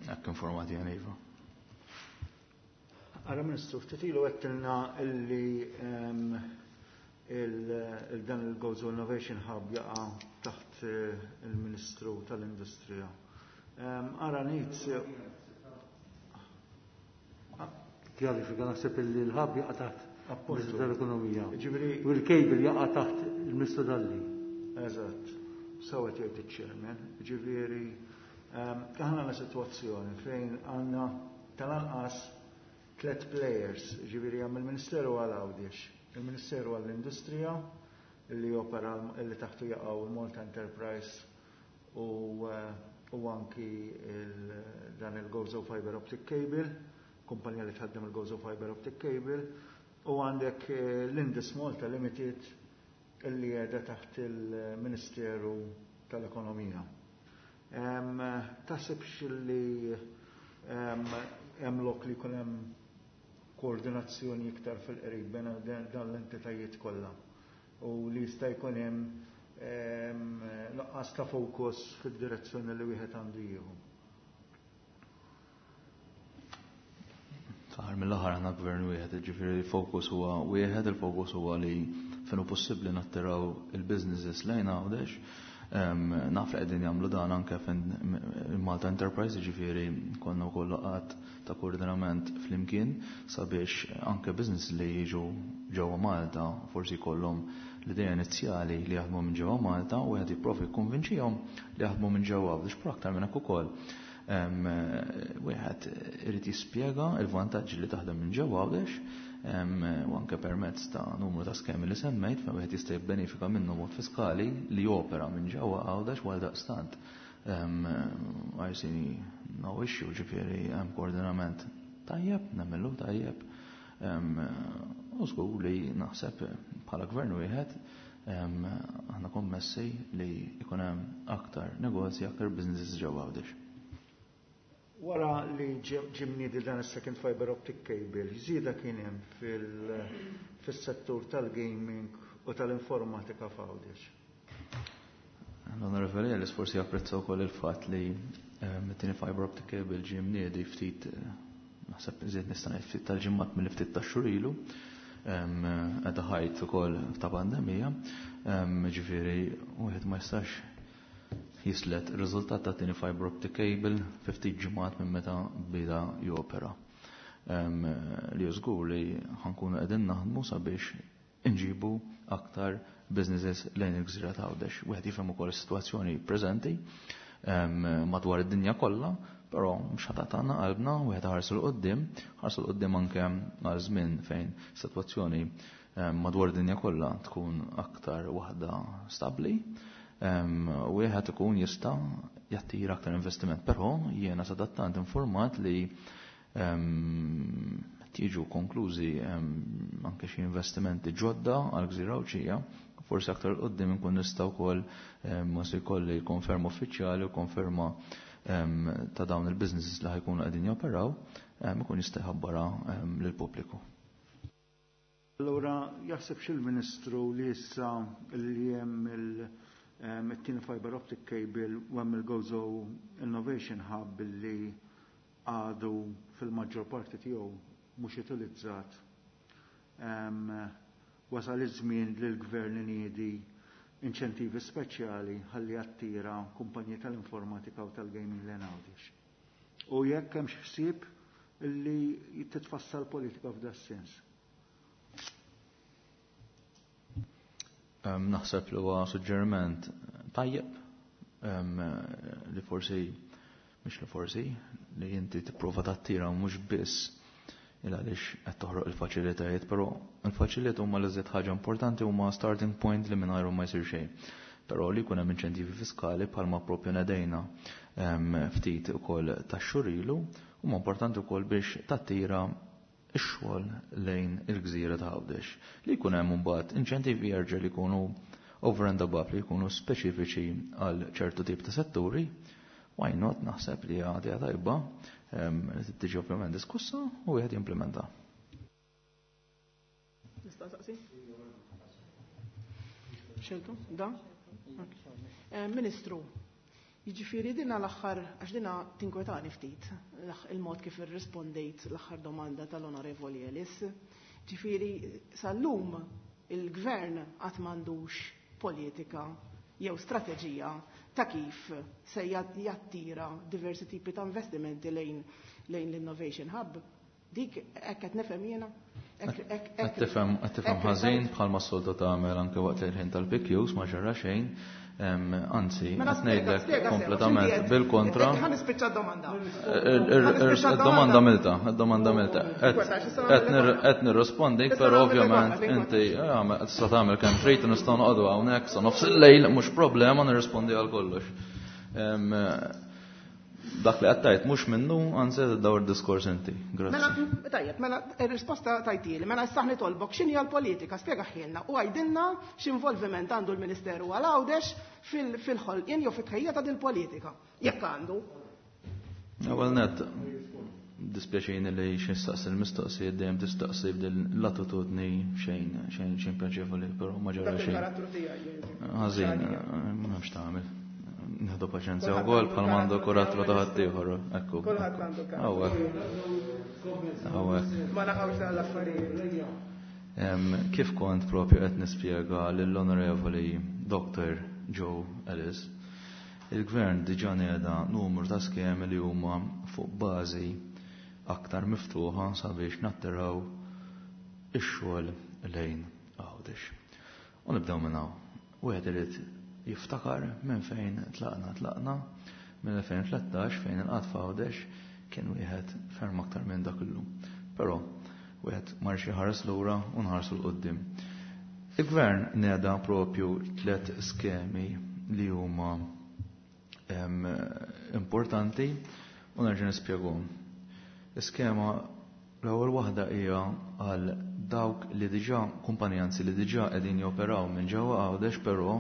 Hekk informati jien iva. Ara Ministru, ftit ilu għedtilna illi il-dan il-Gozo Innovation Hub jaqa' taħt il-Ministru tal-Industrija. Ara ngħid Kjarifika, naħseb illi l-hub jaqa' taħt il-Ministru tal-Ekonomija. Ġifieri U l-cable jaqa' taħt il-Ministru Dalli. Eżatt, sewa jgħid iċ-chairman. Ġifieri aħna għandna sitwazzjoni fejn għandna tal-anqas tliet players, ġifieri hemm il-Ministeru għal Għawdex, il-Ministeru għall-Industrija li opera li taħtu jaqgħu il-Malta Enterprise u, u anki dan il-Gozo Fiber Optic Cable, kumpanija li tħaddem il-Gozo Fiber Optic Cable, u għandek l-Indus Malta Limited illi qiegħda taħt il-Ministeru tal-Ekonomija. Taħsibx li hemm lok li jkun hemm koordinazzjoni iktar fil-qrib bejn dan l-entitajiet kollha u li jista' jkun hemm nuqqas ta' fokus fid-direzzjoni li wieħed għandu jieħu? Fl-aħħar mill-aħħar aħna gvern wieħed, ġifieri il-fokus huwa wieħed, il-fokus huwa li fejn hu possibbli nattiraw il-businesses lejn Għawdex. Naf li qegħdin jagħmlu dan anke fejn Malta Enterprise, ġifieri konna wkoll laqgħat ta' koordinament flimkien sabiex anke business li jiġu ġewwa Malta forsi jkollhom l-idea inizjali li jaħdmu minn ġewwa Malta u wieħed jipprovi jikkonvinċihom li jaħdmu minn ġewwa Għawdex, però aktar minn hekk ukoll wieħed irid jispjega l-vantaġġi li taħdem minn ġewwa Għawdex u anke permezz ta' numru ta' skemi li semmejt fejn wieħed jista' jibbenefika minnu mod fiskali li jopera minn ġewwa Għawdex għal daqstant. I see no issue, ġifieri hemm koordinament tajjeb, nagħmlu tajjeb. U żgur li naħseb bħala gvern wieħed aħna kommessi li jkun hemm aktar negozji, aktar businesses ġewwa Għawdex. Wara li ġie mniedi dan is-second fiber optic cable, żieda kien hemm fis-settur tal-gaming u tal-informatika f'Għawdex. L-Onorevoli Ellis forsi japprezza wkoll il-fatt li it-tieni fiber optic cable ġie mniedi ftit, naħseb iżjed nista' ngħid ftit tal-ġimgħat milli ftit tax-xhur ilu, qiegħda ħajt ukoll ta' pandemija, ġifieri wieħed ma jistax jislet ir-riżultat ta' tieni fiber optic cable fi ftit ġimgħat minn meta bida jopera. Li żgur li ħankunu qegħdin naħdmu sabiex inġibu aktar businesses lejn il-gżira ta' Għawdex. Wieħed jifhem ukoll is-sitwazzjoni preżenti madwar id-dinja kollha, però mhux ħadd tagħna qalbna, wieħed ħarsu 'l quddiem, ħarsu 'l quddiem anke għal żmien fejn sitwazzjoni madwar id-dinja kollha tkun aktar waħda stabbli. Wieħed ikun jista' jattira aktar investiment, però jiena sadattant informat li tiġu konklużi anke xi investimenti ġodda għal gżira Għawdxija, forsi aktar qudiem inkun nista' wkoll ma se jkolli konferma uffiċjali u konferma ta' dawn il-businesses li ħajkunu qegħdin joperaw, ikun jista' jħabbarha lill-pubbliku. Allura jaħseb il-Ministru li issa li hemm il-tieni fiber optic cable u hemm il-Gozo Innovation Hub li għadu fil-maġġor parti tiegħu mhux utilizzat. Wasal iż-żmien li l-gvern iniedi inċentivi speċjali ħalli attira kumpanji tal-informatika u tal-gaming lejn Għawdex. U jekk hemm xi ħsieb li titfassal politika f'da sens. Naħseb li huwa suġġeriment tajjeb li forsi mhux li forsi li inti tipprova tattira mhux biss il għaliex qed toħroq il-faċilitajiet, però il-faċilitajiet huma l-iżjed ħaġa importanti, huma starting point li mingħajrhom ma jsir xejn. Però li jkun hemm inċentivi fiskali bħalma propju nedejna ftit ukoll tax-xhur ilu, huma importanti wkoll biex tattira ix-xogħol lejn il-gżira ta' Għawdex. Li jkun hemm imbagħad inċentivi jerġa' li jkunu over and above, li jkunu speċifiċi għal ċertu tip ta' setturi, why not, naħseb li għadija tajba li tiġi ovvjament diskussa u wieħed jimplementa. Nista' saqsi? Xeltu? Da? Ministru, jiġifieri dina l-aħħar, għax dina tinkwetani ftit, il-mod kif irrispondejt l-aħħar domanda tal-Onorevoli Ellis. Ġifieri sal-lum il-gvern qatt m'għandux politika jew strateġija ta' kif se jattira diversi tipi ta' investimenti lejn lejn l-Innovation Hub. Dik hekk qed nifhem jiena? Qed tifhem qed tifhem ħażin bħalma s-soltu tagħmel anke waqt il-ħin tal-P Qs ma ġara xejn. Anzi, qed ngħidlek kompletament bil-kontra. Ħa nispiċċa d-domanda. Id-domanda milta, id-domanda milta. Qed nirrispondik, però ovvjament inti tista' tagħmel kemm trid, nistgħu noqogħdu hawnhekk sa nofs il-lejl, mhux problema, nirrispondi għal kollox. Dak li qed tgħid mhux minnu, anzi qed iddawwar diskors inti. Grazzi. Mela, tajjeb, mela ir-risposta tajtieli, mela issa nitolbok x'inhi l-politika, spjega ħielna u għajdilna x'involviment għandu l-Ministeru għal Għawdex fil-ħolqien jew fit-tħejja ta' dil-politika, jekk għandu. Ewwel nett, dispjaċini li xi nistaqsi l-mistoqsijiet dejjem tistaqsi b'din l-attitudni xejn, xejn, xejn pjaċevoli, però ma ġara Dak xejn. il-karattru tiegħi, jiġifieri. Ħażin, m'hemmx tagħmel. Nieħdu paċenzja wkoll bħal m'għandu kurattru ta' ħaddieħor, ekku. Kulħadd għandu karattru. Hawnhekk. Hawnhekk. Ma naqgħux dawn l-affarijiet. Kif kont propju qed nispjega lill-Onorevoli Doctor Joe Ellis, il-Gvern diġà nieda numru ta' skemi li huma fuq bażi aktar miftuħa sabiex nattiraw ix-xogħol lejn Għawdex. U nibdew minn hawn. Wieħed irid jiftakar minn fejn tlaqna. Tlaqna minn elfejn tlettax fejn il-qgħad f'Għawdex kien wieħed ferm aktar minn dak illum. Però Wieħed ma jridx iħares lura u nħarsu 'l quddiem. Il-gvern neda propju tliet skemi li huma importanti u nerġa' nispjegahom. Iskema l-ewwel waħda hija għal dawk li diġà kumpaniji anzi li diġà qegħdin joperaw minn ġewwa Għawdex, però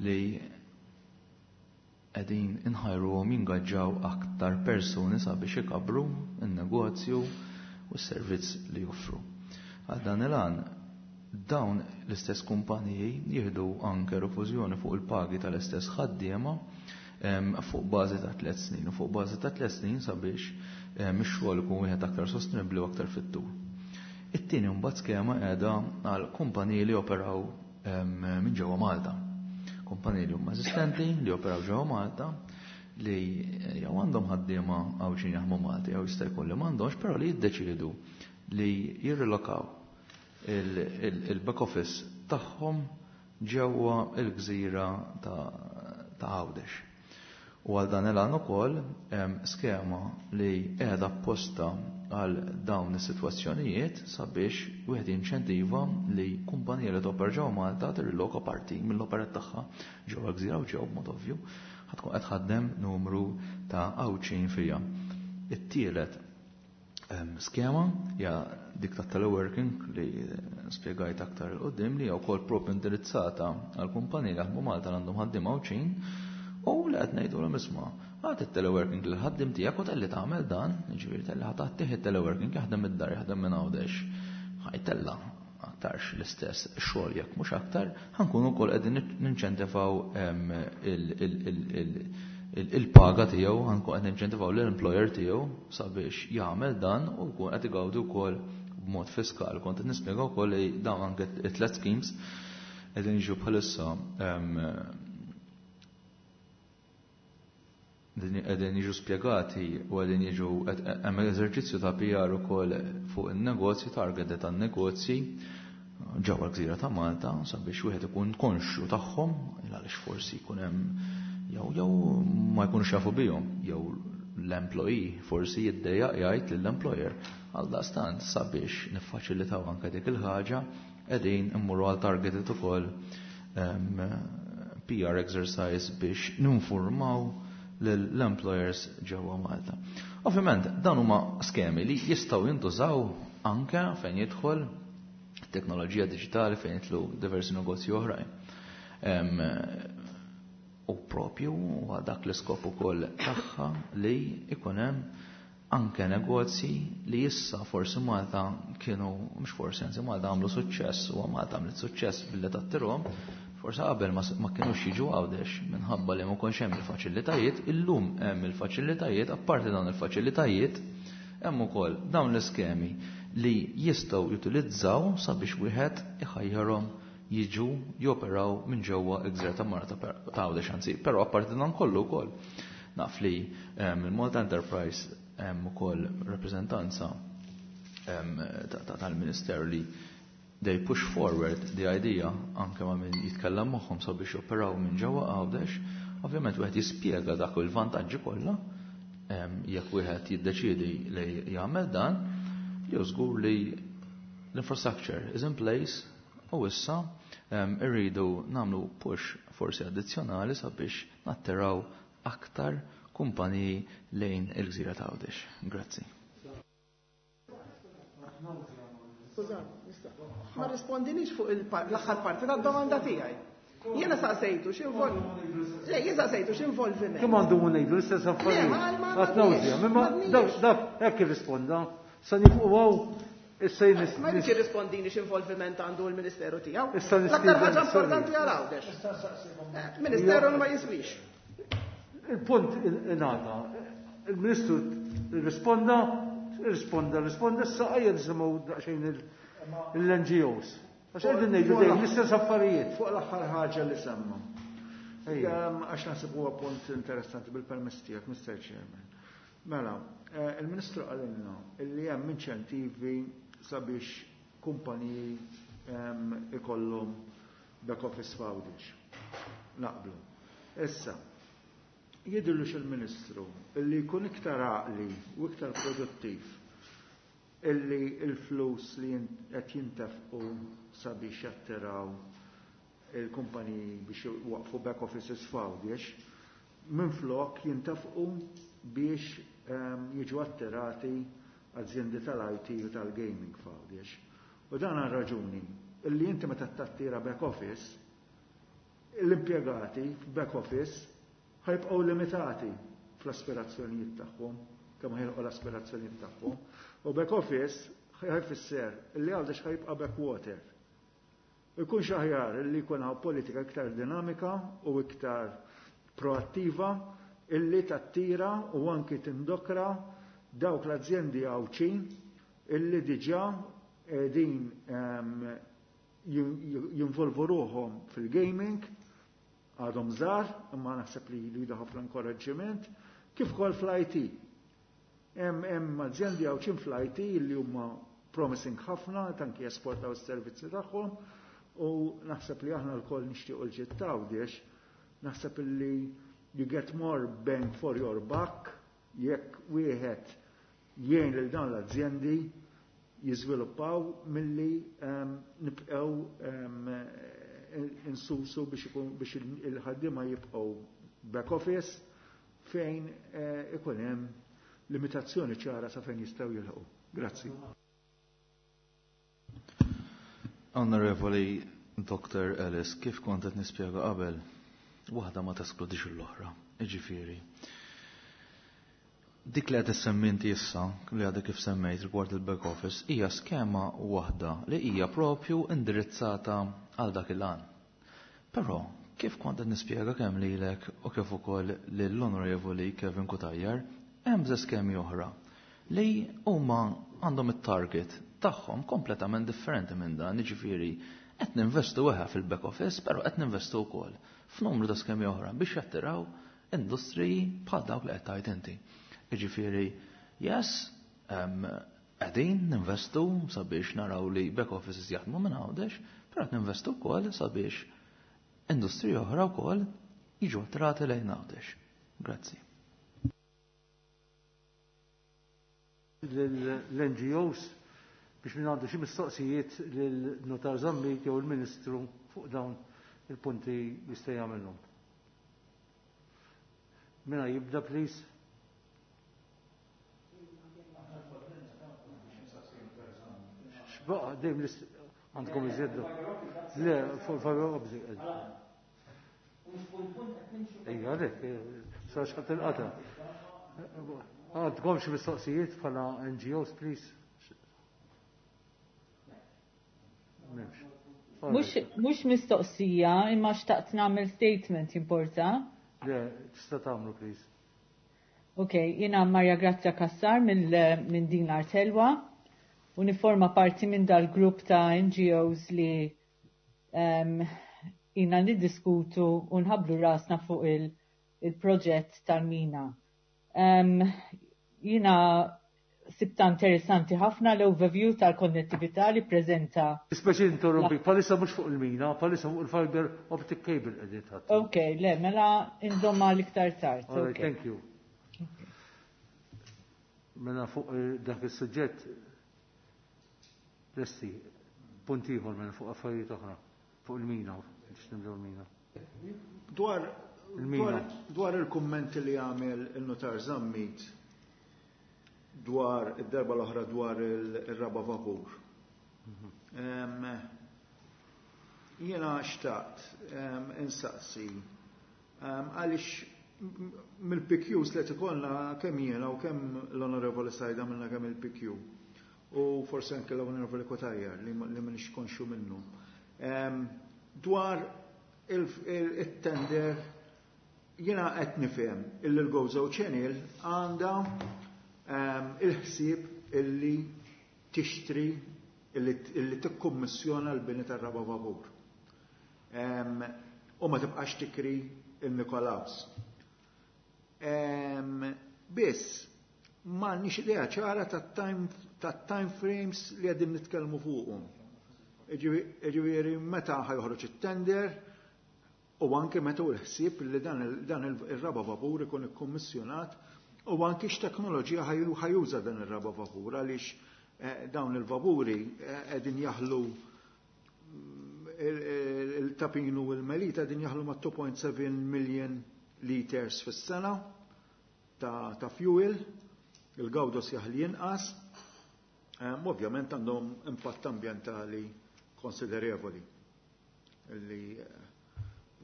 li qegħdin inħajruhom jingaġġaw aktar persuni sabiex ikabru n-negozju u s-servizz li joffru. Għal dan il-għan, dawn l-istess kumpaniji jieħdu anke rifużjoni fuq il-pagi tal-istess ħaddiema fuq bażi ta' tliet snin u fuq bażi ta' tliet snin sabiex ix-xogħol ikun wieħed aktar sostenibbli u aktar fit-tul. It-tieni mbagħad skema qiegħda għal kumpaniji li operaw minn ġewwa Malta. Kumpaniji li huma eżistenti li operaw ġewwa Malta, li jew għandhom ħaddiema Għawdxin jaħdmu Malta jew jista' jkun li m'għandhomx, però li jiddeċiedu li jirrilokaw il-back office tagħhom ġewwa il-gżira ta' Għawdex. U għal dan il-għan ukoll skema li qiegħda apposta għal dawn is-sitwazzjonijiet sabiex wieħed jinċentiva li kumpanija li topera ġewwa Malta tirriloka parti mill-operat tagħha ġewwa l-gżira u ġewwa b'mod ovvju ħa tkun qed tħaddem numru ta' Għawdxin fiha. It-tielet skema hija dik ta' teleworking li spjegajt aktar 'il quddiem, li hija wkoll propju indirizzata għal kumpaniji li jaħdmu Malta li għandhom ħaddiema Għawdxin u li qed ngħidulhom, isma', agħti it-teleworking lil ħaddiem tiegħek u talli tagħmel dan, jiġifieri talli ħa tagħtih it-teleworking jaħdem id-dar, jaħdem minn Għawdex, ħa jtella' aktarx l-istess xogħol jekk mhux aktar, ħa nkunu wkoll qegħdin ninċentivaw il-paga tiegħu, ħa nkun qed ninċentivaw l-employer tiegħu sabiex jagħmel dan u jkun qed igawdi wkoll b'mod fiskal. Kont qed nispjega wkoll li dawn anke it-tliet schemes qegħdin jiġu bħalissa qegħdin jiġu spjegati u qegħdin jiġu hemm eżerċizzju ta' P R ukoll fuq in-negozji, targeted tan-negozji ġewwa l-gżira ta' Malta sabiex wieħed ikun konxju tagħhom, għaliex forsi jkun hemm jew jew ma jkunux jafu bihom, jew l-employee forsi jiddejjaq jgħid lill-employer. Għal daqstant, sabiex niffaċilitaw anke dik il-ħaġa, qegħdin immorru għal targeted ukoll P R exercise biex ninformaw l-employers ġewwa Malta. Ovvjament, dan huma skemi li jistgħu jintużaw anke fejn jidħol teknoloġija diġitali, fejn jidħlu diversi negozji oħrajn. U propju huwa dak l-iskop ukoll tagħha li ikun hemm anke negozji li issa forsi Malta kienu, mhux forsi, anzi Malta għamlu suċċess u Malta għamlet suċċess billi tattirhom, forsi qabel ma kienux jiġu Għawdex minħabba li ma kienx hemm il-faċilitajiet. Illum hemm il-faċilitajiet, apparti dawn il-faċilitajiet hemm ukoll dawn l-iskemi li jistgħu jutilizzaw sabiex wieħed iħajjarhom jiġu joperaw minn ġewwa l-gżira ta' Malta, ta' Għawdex anzi, però apparti dan kollu wkoll naf li il-Malta Enterprise hemm ukoll rappreżentanza tal-Ministeru li they push forward the idea anke ma' min jitkellem magħhom sabiex joperaw minn ġewwa Għawdex. Ovvjament wieħed jispjega dak il-vantaġġi kollha jekk wieħed jiddeċiedi li jagħmel dan, jew żgur li l-infrastructure is in place u issa irridu nagħmlu push forsi addizzjonali sabiex nattiraw aktar kumpaniji lejn il-gżira ta' Għawdex. Grazzi. Ma rispondinix fuq l-aħħar parti tad-domanda tiegħi. Jiena saqsejtu x'invol. Le, jien saqsejtu x'involviment. Kemm għandu ngħidu l-istess affarijiet? Għat nawżja, imma dak hekk irrisponda. Sa nifqu issa. Ma jridx jirrispondini x'involviment għandu l-Ministeru tiegħu. L-aktar ħaġa importanti għal Għawdex. Ministeru ma jiswix. Il-punt ingħata. Il-Ministru risponda, risponda, risponda, issa ejja nisimgħu daqsxejn l-N G Os. Għax qegħdin ngħidu dejjem l-istess affarijiet. Fuq l-aħħar ħaġa li semma. Għax naħseb huwa punt interessanti, bil-permess tiegħek, Mister Chairman. Mela, eh, il-Ministru qalilna illi hemm inċentivi sabiex kumpaniji ikollhom back office f'Għawdex. Naqblu. Issa, jidhirlux il-Ministru illi jkun iktar għaqli u iktar produttiv illi il-flus li qed jintefqu sabiex jattiraw il-kumpaniji biex waqfu back offices f'Għawdex, minflok jintefqu biex ehm, jiġu attirati azjendi tal-I T u tal-gaming f'Għawdex. U dan għal raġuni illi inti meta tattira back office, l-impjegati f'back office ħa jibqgħu limitati fl-aspirazzjonijiet tagħhom, kemm ħa jilħqu l-aspirazzjonijiet tagħhom. U back office ħa jfisser illi Għawdex ħa jibqa' backwater. Ikun aħjar illi jkun hawn politika iktar dinamika u iktar proattiva illi tattira u anki tindokra dawk l-azjendi Għawdxin illi diġà din jinvolvu ruħhom fil-gaming, għadhom żgħar, imma naħseb li jridu ħafna inkoraġġiment, kif ukoll fl-I T. Hemm hemm azjendi Għawdxin fl-I T li huma promising ħafna, anki jesportaw is-servizzi tagħhom, u naħseb li aħna lkoll nixtiequ l-ġid t'Għawdex, naħseb li you get more bang for your buck jekk wieħed jgħin lil dawn l-azjendi jiżviluppaw milli um, nibqgħu um, insusu biex ikun biex il-ħaddiema jibqgħu back office fejn eh, ikun hemm limitazzjoni ċara sa fejn jistgħu jilħqu. Grazzi. Onorevoli Doctor Ellis, kif kont qed nispjega qabel, waħda ma teskludix l-oħra, iġifieri. Dik li qed issemmi inti issa, li għadek kif semmejt rigward il-back office, hija skema waħda li hija propju indirizzata għal dak il-għan. Però, kif kont qed nispjega kemm lilek u kif ukoll lill-Onorevoli Kevin Cutajar, hemm ze skemi oħra li huma għandhom it-target tagħhom kompletament differenti minn dan, jiġifieri qed ninvestu weħa fil-back office, però qed ninvestu wkoll f'numru ta' skemi oħra biex jattiraw industriji bħal dawk li qed tgħid inti. Jiġifieri, yes, qegħdin ninvestu sabiex naraw li back offices jaħdmu minn Għawdex, però qed ninvestu wkoll sabiex industriji oħra wkoll jiġu attirati lejn Għawdex. Grazzi. L-N G Os biex min għandu xi mistoqsijiet lil-Notar Zammit jew il-Ministru fuq dawn il-punti jista' jagħmilhom. Mina jibda, please. Xbaqa, dejjem għandkom iżjeddu. Le, fuq il-fiber optic. Ejja, għalek, sa xħat il-qata. Għandkom xi mistoqsijiet bħala N G Os, please? M'hemmx. Mhux mistoqsija, imma xtaqt nagħmel statement, jimporta? Le, tista' tagħmlu, please. Ok, jiena Maria Grazia Cassar minn min Din l-Art Ħelwa u niforma parti minn dal-grupp ta' N G Os li um, jina niddiskutu u nħablu rasna fuq il-proġett il tal-mina. Um, jina sibta interessanti ħafna l-overview tal-konnettività li prezenta. Speċi interrompi, bħalissa mhux fuq il-mina, bħalissa fuq il-fiber optic cable qegħdin ħadd. Ok, le, mela inżomma l-iktar tard. All right, thank you. Mela fuq eh, dak is-suġġett lesti, punt ieħor mela fuq affarijiet oħra, fuq il-mina, biex nibdew il-mina. Dwar Il-mina. Dwar il-kummenti li għamel il-notar Zammit dwar id-darba l-oħra dwar il-raba vapur. Em, Jiena xtaqt em, insaqsi em, għaliex mill-P Qs li ikollna kemm jiena u kemm l-Onorevoli Sajda minna kemm il-P Q u forse anke l-Onorevoli Cutajar li li m'iniex konxju minnu. Em, Dwar il-tender jiena qed nifhem illi l-Gozo Channel għandha em, il-ħsieb illi tixtri illi illi tikkummissjona l-bini tar-raba vapur. Em, U ma tibqax tikri il-Nikolaus. Em, Biss, m'għandniex idea ċara tat-time tat-time frames li qegħdin nitkellmu fuqhom. Ġifieri meta ħa joħroġ it-tender u anke meta hu l-ħsieb li dan il- dan il-raba vapur ikun ikkummissjonat u anke x'teknoloġija ħa juża dan ir-raba vapur, għaliex Dawn il-vapuri qegħdin jaħlu il-Ta' Pinu u l-Melita qegħdin jaħlu ma' two point seven million liters fis-sena ta', ta fuel, il-Gawdos jaħli inqas. Ovvjament għandhom impatt ambjentali konsiderevoli li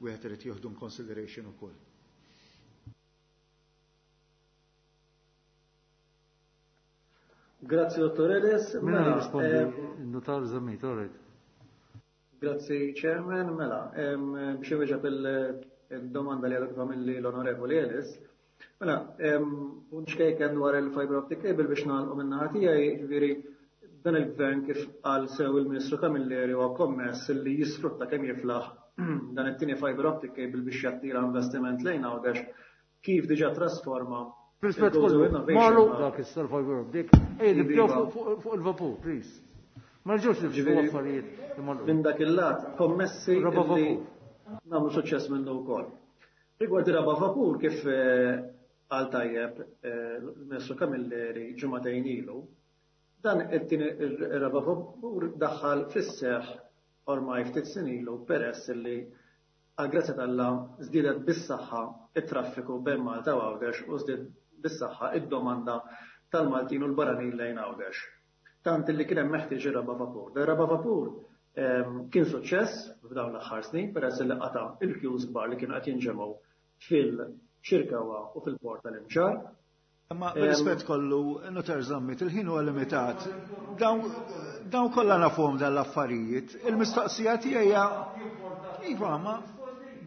wieħed irid jieħdu consideration ukoll. Grazzi Dottor Ellis. Mela jirrispondi notar Zammit, all right. Grazzi Chairman, mela, biex inwieġeb il-domanda li għadha kif l-Onorevoli Ellis. Mela, punt xkejken dwar il-fiber optic cable biex nagħlqu min-naħa tiegħi, jiġifieri dan il-gvern kif qal sew il-Ministru Camilleri huwa kommess li jisfrutta kemm jiflaħ dan it-tieni fiber optic cable biex jattira investiment lejn Għawdex kif diġà trasforma. Rispett kollu, marru dak issa l-fiber optic, ej nibdew fuq il-vapur, please. Ma rġewx nibdew affarijiet. Minn dak il-lat kommessi li nagħmlu suċċess minnu wkoll. Rigward ir-raba' vapur kif qal tajjeb il-Ministru Camilleri ġimagħtejn ilu, dan it-tieni ir-raba' vapur daħħal fis-seħħ ormai ftit snin ilu peress li għal grazzja t'Alla żdiedet bis-saħħa it-traffiku bejn Malta u Għawdex u żdied bis-saħħa id-domanda tal-Maltin u l-barranin lejn Għawdex. Tant li kien hemm meħtieġ ir-raba' vapur. Dan ir-raba' vapur kien suċċess f'dawn l-aħħar snin peress li qata' il-queues kbar li kienu qed jinġemgħu fil-Ċirkewwa u fil-port tal-Imġarr. Ma b'rispett kollu, Notar Zammit, il-ħin huwa limitat. Dawn kollha nafhom dan l-affarijiet. Il-mistoqsija tiegħi hija iva, ma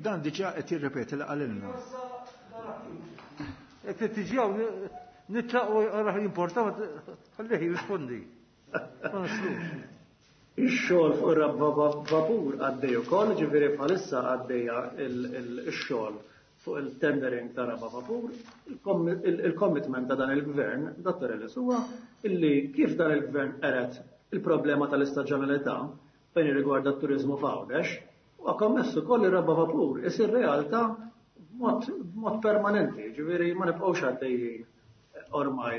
dan diġà qed jirrepeti li qalilna. Qed tiġi hawn nitlaqu raħ jimporta, ħallih jirrispondi. Ma naslux. Ix-xogħol fuq ir-raba' vapur għaddej ukoll, ġifieri bħalissa għaddejja x-xogħol fuq il-tendering ta' raba' vapur. Il-commitment ta' dan il-gvern, Dottor Ellis, huwa illi kif dan il-gvern qeret il-problema tal-istaġjonalità fejn irrigwarda t-turiżmu f'Għawdex, huwa kommess ukoll ir-raba' vapur isir realtà b'mod permanenti, ġifieri ma nibqgħux għaddejjin ormai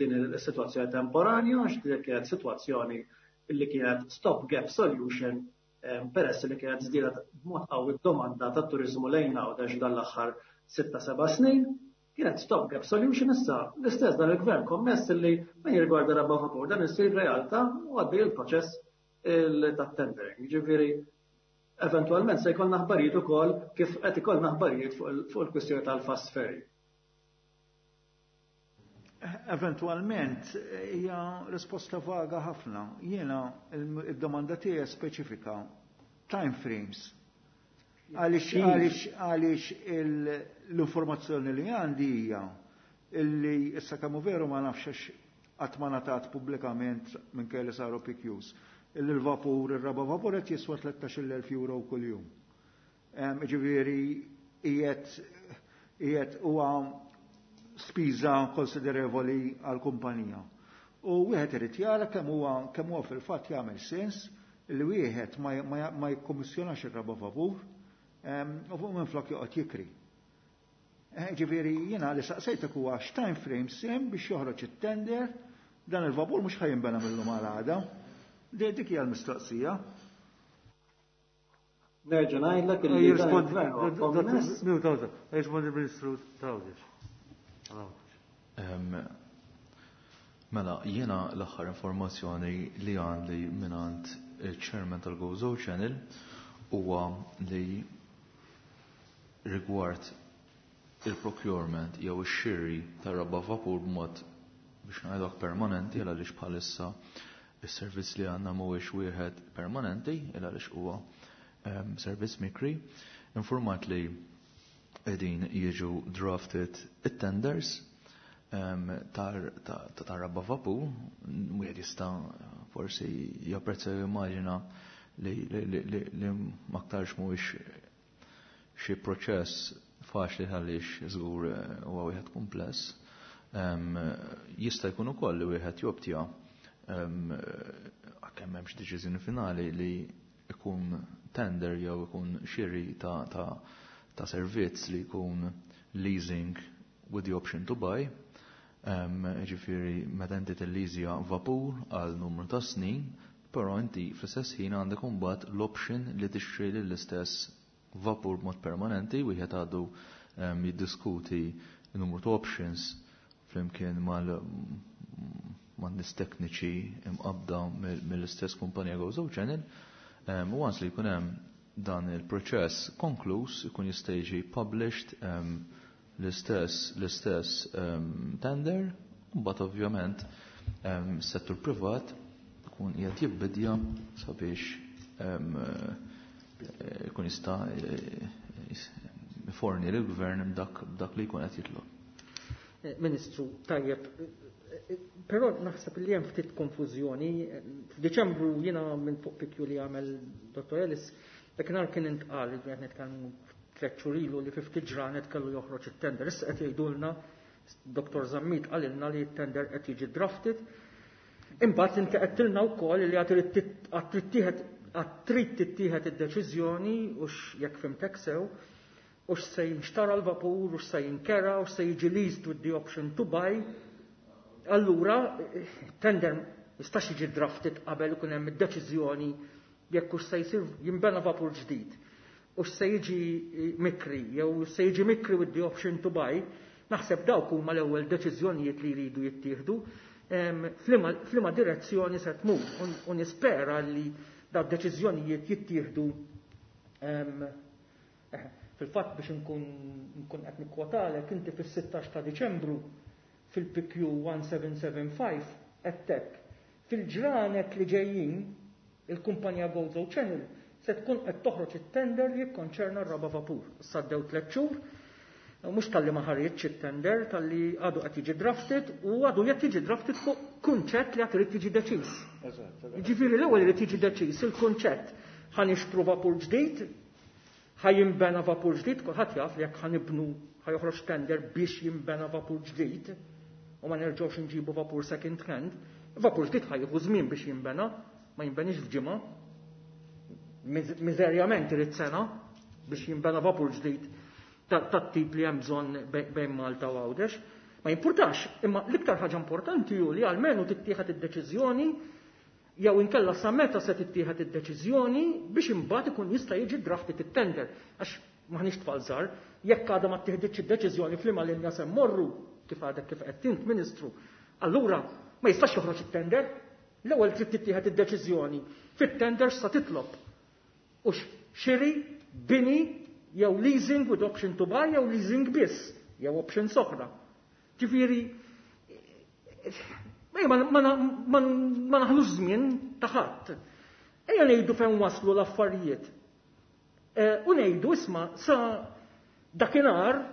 din is-sitwazzjoni temporanja, għax dik kienet sitwazzjoni illi kienet stop gap solution peress li kienet żdiedet b'mod qawwi d-domanda tat-turiżmu lejn Għawdex dan l-aħħar sitta seba' snin, kienet stop gap solution. Issa l-istess dan il-gvern kommess li fejn jirrigwarda raba' vapur dan isir realtà u għaddej il-proċess tat-tendering. Ġifieri eventwalment se jkollna aħbarijiet ukoll kif qed ikollna aħbarijiet fuq il-kwistjoni tal-fast ferry. Eventualment hija risposta vaga ħafna. Jiena id-domanda tiegħi speċifika time frames. Għaliex għaliex għaliex l-informazzjoni li għandi hija illi issa kemm veru ma nafx għax qatt ma ngħatat pubblikament minkejja li saru P Qs. Illi l-vapur, ir-raba' vapur qed jiswa tlettax-il elf euro kuljum. Ġifieri qiegħed qiegħed huwa spiża konsiderevoli għal kumpanija. U wieħed irid jara kemm huwa kemm huwa fil-fatt jagħmel sens li wieħed ma, ma, ma jikkommissjonax ir-raba' vapur u fuq minflok joqgħod jikri. Ġifieri jiena li saqsejtek huwa x'time frame sem biex joħroġ it-tender, dan il-vapur mhux ħajinbena mill-lum għal għada. Dik hija l-mistoqsija. Nerġa' ngħidlek illi Jirrispondi il-Ministru Tawdex. Mela, jiena l-aħħar informazzjoni li għandi mingħand il-Chairman tal-Gozo Channel huwa li rigward il-procurement jew ix-xiri tar-raba' vapur b'mod biex ngħidlek permanenti għaliex bħalissa is-servizz li għandna mhuwiex wieħed permanenti għaliex huwa servizz mikri, informat li qegħdin jiġu drafted it-tenders tar raba' vapur, wieħed jista' forsi japprezza jew immaġina li li m'aktarx mhuwiex xi proċess faċli għaliex żgur huwa wieħed kumpless. Jista' jkun ukoll li wieħed jobtja kemm hemmx deċiżjoni finali li ikun tender jew ikun xiri ta' ta' ta' servizz li jkun leasing with the option to buy. Ġifieri meta inti tillizja vapur għal numru ta' snin, però inti fl-istess ħin għandek imbagħad l-option li tixtri lill-istess vapur b'mod permanenti, wieħed għadu jiddiskuti numru ta' options flimkien mal man nies tekniċi imqabda mill-istess kumpanija Gozo Channel. U once li jkun hemm dan il-proċess konkluż, ikun jista' jiġi published l-istess l-istess tender, mbagħad ovvjament settur privat ikun qiegħed jibbidja sabiex ikun jista' forni lill-gvern b'dak li jkun qed jitlob. Ministru, tajjeb, però naħseb li hemm ftit konfużjoni. F'Diċembru jiena minn fuq P Q li għamel Dottor Ellis, dakinhar kien intqal li qed nitkellmu tliet xhur ilu li fi ftit ġranet kellu joħroġ it-tender. Issa qed jgħidulna, Dottor Zammit qalilna li t-tender qed jiġi drafted. Imbagħad inti qed tilna wkoll li għad trid tittieħed id-deċiżjoni u jekk fhimtek sew u se jinxtara l-vapur, u se jinkera, u se jiġi leased with the option to buy. Allura, tender jistax jiġi drafted qabel ikun hemm id-deċiżjoni jekk hux se jsir jinbena vapur ġdid u se jiġi mikri, jew se jiġi mikri with the option to buy. Naħseb dawk huma l-ewwel deċiżjonijiet li jridu jittieħdu f'liema direzzjoni se tmur u nispera li dawn deċiżjonijiet jittieħdu. Fil-fatt, biex nkun nkun qed nikkwotalek, inti fis-sittax ta' Diċembru fil-P Q seventeen seventy-five qed fil-ġranet li ġejjin il-kumpanija Gozo Channel se tkun qed toħroġ it-tender li jikkonċerna r-raba vapur. Għaddew tliet xhur, mhux talli ma ħareġx it-tender, talli għadu qed jiġi drafted u għadu qed jiġi drafted fuq kunċett li għad irid jiġi deċiż. Jiġifieri l-ewwel irid jiġi deċiż il-kunċett: ħa nixtru vapur ġdid, ħa jinbena vapur ġdid? Kulħadd jaf li jekk ħa nibnu, ħa joħroġ tender biex jinbena vapur ġdid u ma nerġgħux nġibu vapur second hand, vapur ġdid ħa jieħu żmien biex jinbena, ma jinbenix f'ġimgħa. Miżerjament irid sena biex jinbena vapur ġdid tat-tip li hemm bżonn bejn Malta u Għawdex. Ma jimpurtax, imma l-iktar ħaġa importanti hu li almenu tittieħed id-deċiżjoni jew inkella sa meta se tittieħed id-deċiżjoni biex imbagħad ikun jista' jiġi drafted it-tender. Għax maħniex tfal żgħar, jekk għadha ma tieħditx id-deċiżjoni f'liema linja se mmorru, kif għadek kif qed int, Ministru, allura ma jistax joħroġ it-tender. L-ewwel trid tittieħed id-deċiżjoni fit-tender sa titlob. U xiri, bini, jew leasing with option to buy, jew leasing biss, jew option oħra. Ġifieri, ma, ma, ma, ma naħlux żmien ta' ħadd. Ejja ngħidu fejn waslu l-affarijiet. E, u ngħidu, isma', sa dakinhar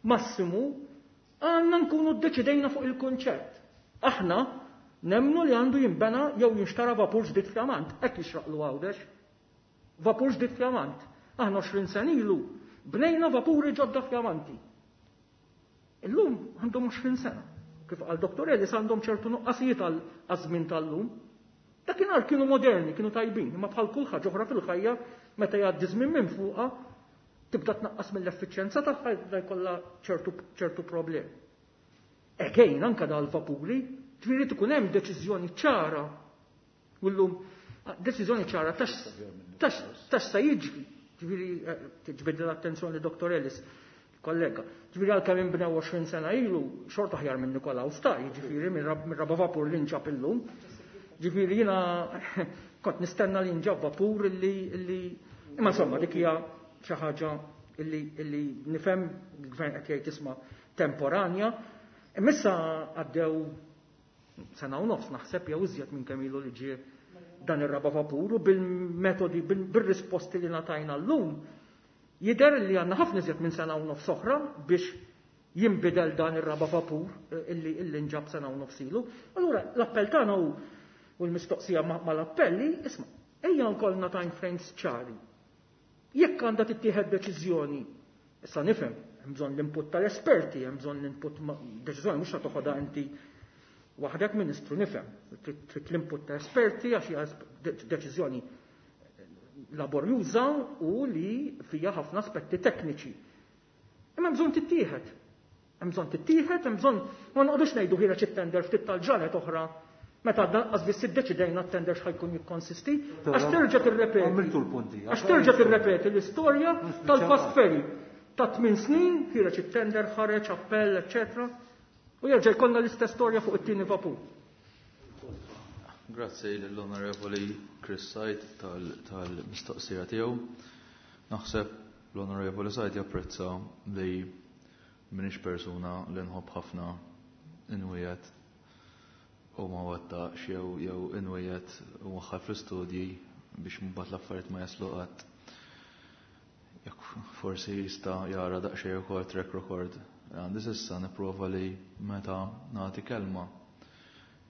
massimu għandna nkunu ddeċidejna fuq il-kunċett. Aħna nemnu li għandu jinbena jew jinxtara vapur ġdid fjamant, hekk jixraqlu Għawdex. Vapur ġdid fjamant. Aħna għoxrin sena ilu bnejna vapuri ġodda fjamanti. Illum għandhom għoxrin sena. Kif qal Dottor Ellis, għandhom ċertu nuqqasijiet għal żmien tal-lum. Dakinhar kienu moderni, kienu tajbin, imma bħal kull ħaġa oħra fil-ħajja, meta jgħaddi żmien minn fuqha tibda tnaqqas mill-effiċjenza tagħha, jibda jkollha ċertu ċertu problemi. Again, anka dal-vapuri, ġifieri tkun hemm deċiżjoni ċara. U llum deċiżjoni ċara tax tax se jiġri. Ġifieri tiġbed l-attenzjoni Dottor Ellis, kollega. Ġifieri għalkemm inbnew għoxrin sena ilu, xorta aħjar minn Nikolaw sta, ġifieri minn raba vapur li nġab illum. Ġifieri jiena kont nistenna li nġab vapur illi illi imma insomma dik hija xi ħaġa illi illi nifhem il-gvern qed jgħid, isma', temporanja. Imma issa għaddew sena u nofs naħseb jew iżjed minn kemm ilu li ġie dan ir-raba vapur u bil-metodi, bil-risposti li ngħatajna llum jidher li għandna ħafna iżjed minn sena u nofs oħra biex jinbidel dan ir-raba vapur illi illi nġab sena u nofs ilu. Allura l-appell tagħna hu u l-mistoqsija mal-appelli, isma', ejja nkollna time frames ċari. Jekk għandha tittieħed deċiżjoni, issa nifhem, hemm bżonn l-input tal-esperti, hemm bżonn l-input, deċiżjoni mhux toħodha inti waħdek, Ministru, nifhem. Trid l-input ta' esperti għax hija deċiżjoni laborjuża u li fija ħafna aspetti tekniċi. Imma bżonn tittieħed. Hemm bżonn tittieħed, hemm bżonn ma noqogħdux ngħidu ħireġ it-tender ftit tal-ġranet oħra meta lanqas biss iddeċidejna t-tender x'ħa jkun jikkonsisti, għax terġa' tirrepeti. Għamiltu l-punti. Għax terġa' tirrepeti l-istorja tal-fast ferry. Ta' tmien snin ħireġ it-tender, ħareġ appell, eċetera. U jerġa' jkollna l-istess storja fuq it-tieni vapur. Grazzi l-Onorevoli Chris Said tal-mistoqsija tiegħu. Naħseb l-Onorevoli Said japprezza li m'iniex persuna li nħobb ħafna inwiegħed u ma wettaqx jew jew inwiegħed u waħħal fl-istudji biex mbagħad l-affarijiet ma jaslu qatt. Jekk forsi jista' jara daqsxejn ukoll track record. Għandi s'issa nipprova li meta nagħti kelma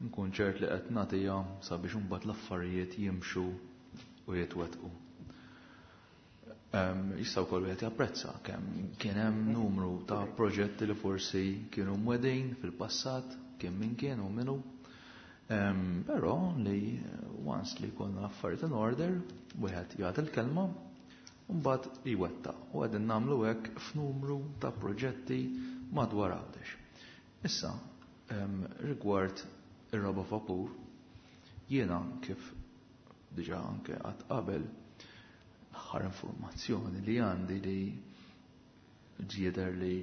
nkun ċert li qed nagħtiha sabiex imbagħad l-affarijiet jimxu u jitwettqu. Jista' wkoll wieħed japprezza kemm kien hemm numru ta' proġetti li forsi kienu mwedin fil-passat, kien min kien u minnu. Però li once li jkollna l-affarijiet in order, wieħed jagħti l-kelma u mbagħad jwettaq. U qegħdin nagħmlu hekk f'numru ta' proġetti madwar Għawdex. Issa, rigward ir-raba' vapur, jiena kif diġà anke qatt qabel l-aħħar informazzjoni li għandi li ġieder li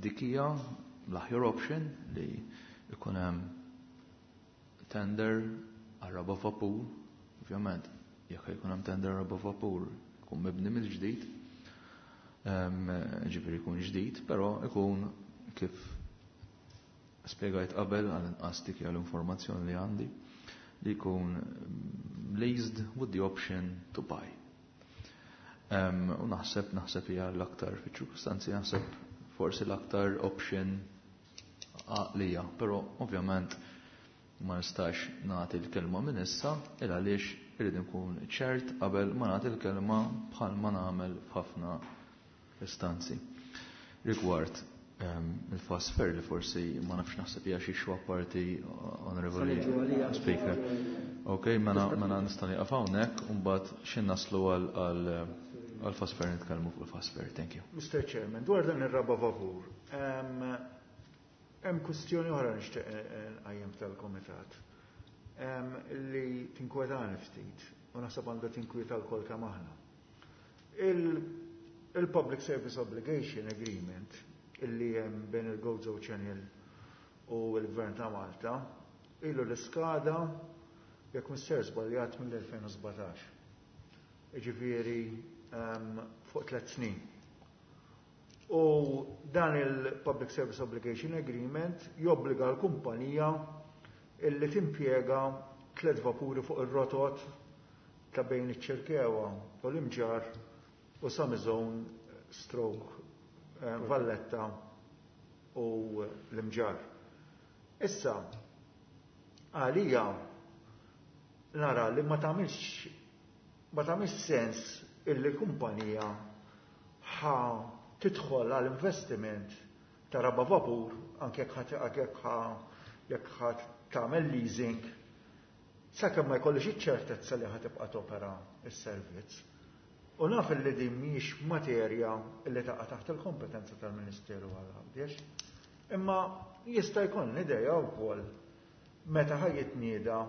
dik hija l-aħjar option li ikun hemm tender għar-raba' vapur, ovvjament jekk jkun hemm tender għar-raba' vapur ikun mibni mill-ġdid, ġifieri jkun ġdid, però ikun kif spjegajt qabel għal inqas dik hija l-informazzjoni li għandi li jkun leased with the option to buy. U naħseb naħseb hija l-aktar fiċ-ċirkustanzi naħseb forsi l-aktar option għaqlija, però ovvjament ma nistax nagħti l-kelma minn issa il għaliex irrid nkun ċert qabel ma nagħti l-kelma bħal ma nagħmel f'ħafna istanzi. Rigward il-fast ferry li forsi ma nafx naħseb hija xi xwa parti Honorable Speaker. Ok, mela mela nista' nieqaf hawnhekk u mbagħad xi naslu għal għal fast ferry nitkellmu fuq il-fast ferry. Thank you. Mister Chairman, dwar dan ir-raba' vapur, hemm kwistjoni oħra nixtieq nqajjem tal-Kumitat li tinkwetani ftit u naħseb għandha tinkwieta lkoll kemm aħna. Il-Public Service Obligation Agreement illi hemm bejn il-Gozo Channel u l-Gvern ta' Malta ilu l-iskada jekk mister żbaljat mill-elfejn u sbatax. Jiġifieri fuq tliet snin. U dan il-Public Service Obligation Agreement jobbliga l-kumpanija illi timpjega tliet vapuri fuq ir-rotot ta' bejn iċ-Ċirkewwa u l-Imġarr u Sami Zone stroke Valletta u l-Imġarr. Issa, għalija nara li ma tagħmilx ma tagħmilx sens illi kumpanija ħa tidħol għal investiment ta' raba' vapur anke jekk ħa jekk ħa tagħmel leasing sakemm ma jkollix iċ-ċertezza li ħa tibqa' topera s-servizz. U naf li din mhijiex materja li taqa' taħt il-kompetenza tal-Ministeru għal Għawdex. Imma jista' jkun idea wkoll meta ħa jitnieda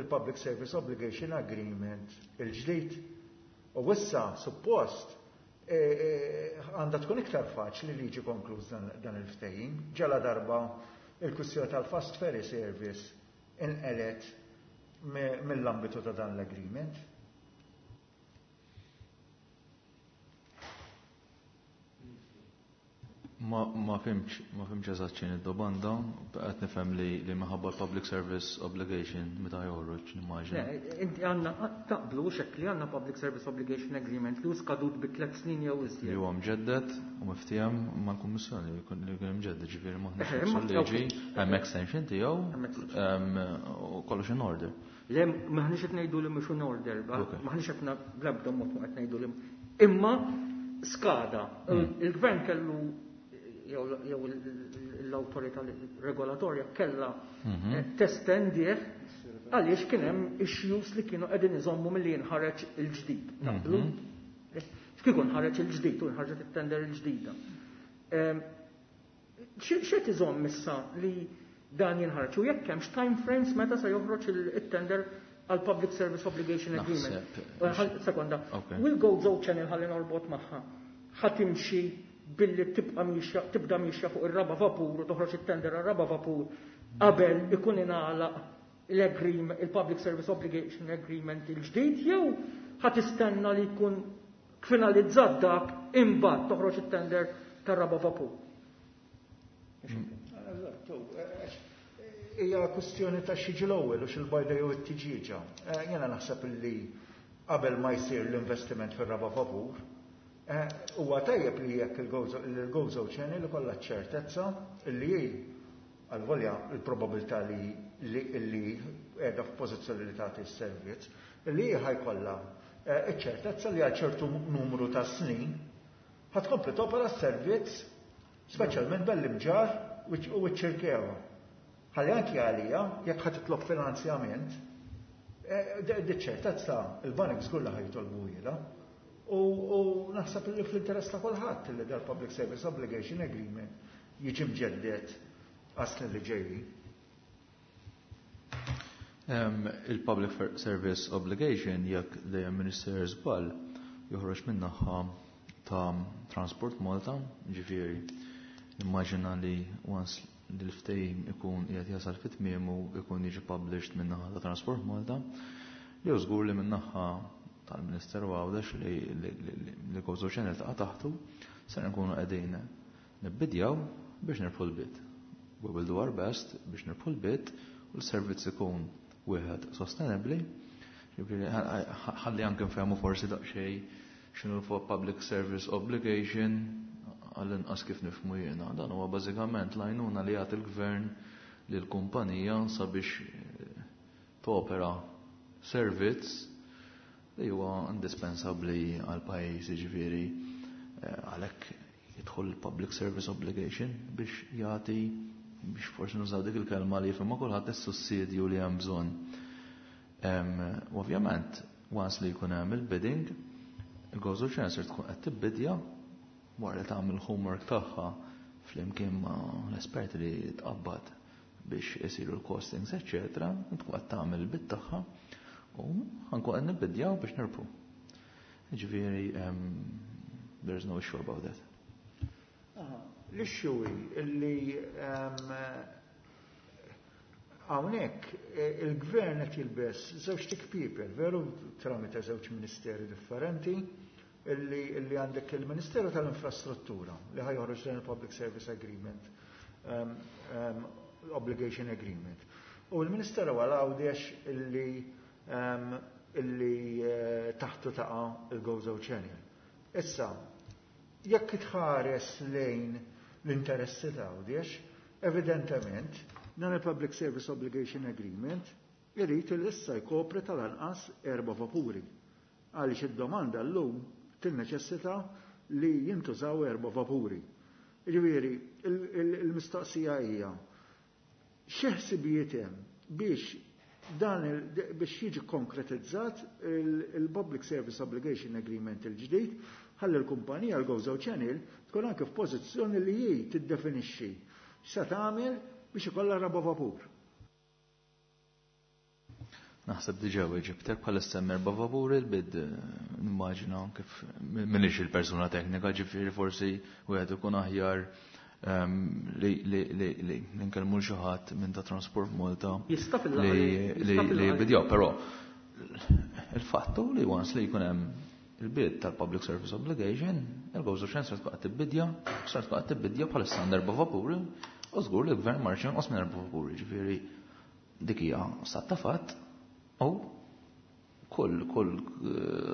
il-Public Service Obligation Agreement il-ġdid. U issa suppost għandha tkun iktar faċli li jiġi konkluż dan il-ftehim. Ġala darba il-kwistjoni tal-Fast Ferry Service inqelet mill-ambitu ta' dan l-agreement. Ma, ma fimx, ma fimx eżatt x'inhi d-domanda, qed nifhem li, li minħabba l-Public Service Obligation meta joħroġ, nimmaġina. Le, inti għandna taqblu xekk li għandna Public Service Obligation Agreement li hu skadut bi tliet snin jew iżjed. Li huwa mġedded u miftiehem mal-Kummissjoni li jkun li jkun imġedded, ġifieri m'aħniex Eħe, imma nifsu liġi, hemm extension tiegħu, Hemm extension. u kollox in order. Le, m'aħniex qed ngħidu li mhux in order, ba- Ok. m'aħniex qed na-, bl-ebda mod ma qed ngħidu li imma skada. Mm. Il-gvern kellu jew jew l-awtorità regolatorja kellha Mhm. eh, testendih għaliex kien hemm issues li kienu qegħdin iżommu milli jinħareġ il-ġdid. Naqblu? Mhm. X'kieku nħareġ il-ġdid u nħarġet it-tender il-ġdida. Em, X'qed iżomm issa li dan jinħarġ u jekk hemmx time frames meta se joħroġ il-tender għal Public Service Obligation Agreement? Sekonda. Will Gozo Channel, ħalli norbot magħha, ħa timxi billi tibqa' mixja, tibda mixja fuq ir-raba' vapur u toħroġ it-tender għar-raba' vapur qabel ikun ingħalaq l-agreement, il-Public Service Obligation Agreement il-ġdid, jew ħa tistenna li jkun finalizzat dak, imbagħad toħroġ it-tender tar-raba' vapur? Hija kwestjoni ta' x'jiġi l-ewwel u x'il-bajda jew it-tiġieġa. Jiena naħseb li qabel ma jsir l-investiment fir-raba' vapur, huwa tajjeb li jekk il-Gozo Channel ikollha ċertezza li għal-volja il-probabilità li li qiegħda f'pożizzjoni li tagħti s-servizz, li ħa jkollha iċ-ċertezza li għal ċertu numru ta' snin ħa tkompli topera s-servizz, speċjalment bell-Imġarr u ċ-Ċirkewwa. Ħalli anki għalija, jekk ħa titlob finanzjament, diċ-ċertezza il-banek żgur li ħa jitolbu. U naħseb li fl-interess ta' kulħadd li dal-Public Service Obligation Agreement jiġi mġeddet għas-snin li ġejjin. Il-Public Service Obligation, jekk dejjem Minister żball, joħroġ min-naħa ta' Transport Malta, ġifieri immaġina li once li l-ftehim ikun qiegħed jasal fit tmiemu ikun jiġi published min-naħa ta' Transport Malta, jew żgur li min-naħa tal-Ministeru Għawdex li li Gozo Channel taqa' taħtu, ser nkunu qegħdin nibbidjaw biex nirbħu l-bid. We will do our best biex nirbħu l-bid u l-servizz ikun wieħed sostenibbli. Ħalli anke nfehmu forsi daqsxejn x'inhu l-Public Service Obligation, għall-inqas kif nifhmu jiena. Dan huwa bażikament l-għajnuna li jagħti l-gvern lil kumpanija sabiex topera servizz li huwa indispensabbli għal pajjiż, jiġifieri għalhekk jidħol il-Public Service Obligation biex jagħti, biex forsi nużaw dik il-kelma li jifhimha kulħadd, is-sussidju li hemm bżonn. Ovvjament, once li jkun hemm il-bidding, il-Gozo Channel tkun qed tibbidja wara li tagħmel homework tagħha flimkien ma' l-esperti li tqabbad biex isiru l-costings, eċċetera, tkun qed tagħmel il-bid tagħha u ħa nkun qed nibbidjaw biex nirbħu. Ġifieri there's no issue about that. L-issue illi hawnhekk il-gvern qed jilbes żewġ people, veru, tramite żewġ ministeri differenti, illi illi għandek il-Ministeru tal-Infrastruttura li ħa joħroġ dan il-Public Service Agreement, um, um, Obligation Agreement. U l-Ministeru għal Għawdex illi um, illi uh, taħtu taqa' il-Gozo Channel. Issa, jekk tħares lejn l-interessi ta' Għawdex, evidentement, dan il-Public Service Obligation Agreement irid il issa jkopri tal-anqas erba' vapuri. Għaliex id-domanda llum tinneċessita li jintużaw erba' vapuri. Ġifieri, il-mistoqsija hija xi ħsibijiet hemm biex dan biex jiġi konkretizzat il-Public Service Obligation Agreement il-ġdid, ħalli l-kumpanija l-Gozo Channel tkun anke f'pożizzjoni li hi tiddefinixxi x'se tagħmel biex ikollha raba' vapur. Naħseb diġà weġibtek. Bħalissa hemm erba' vapuri, l-bid nimmaġina kif m'iniex il-persuna teknika, ġifieri forsi wieħed ikun aħjar li li li li nkellmu xi ħadd minn ta' Transport Malta li li bidjaw, però il-fattu li once li jkun hemm il-bid tal-Public Service Obligation, il-Gozo Channel se tkun qed tibbidja, se tkun qed tibbidja bħalissa għandha erba' vapuri, u żgur li l-gvern ma rridx jonqos minn erba' vapuri, ġifieri dik hija stat ta' fatt. U kull kull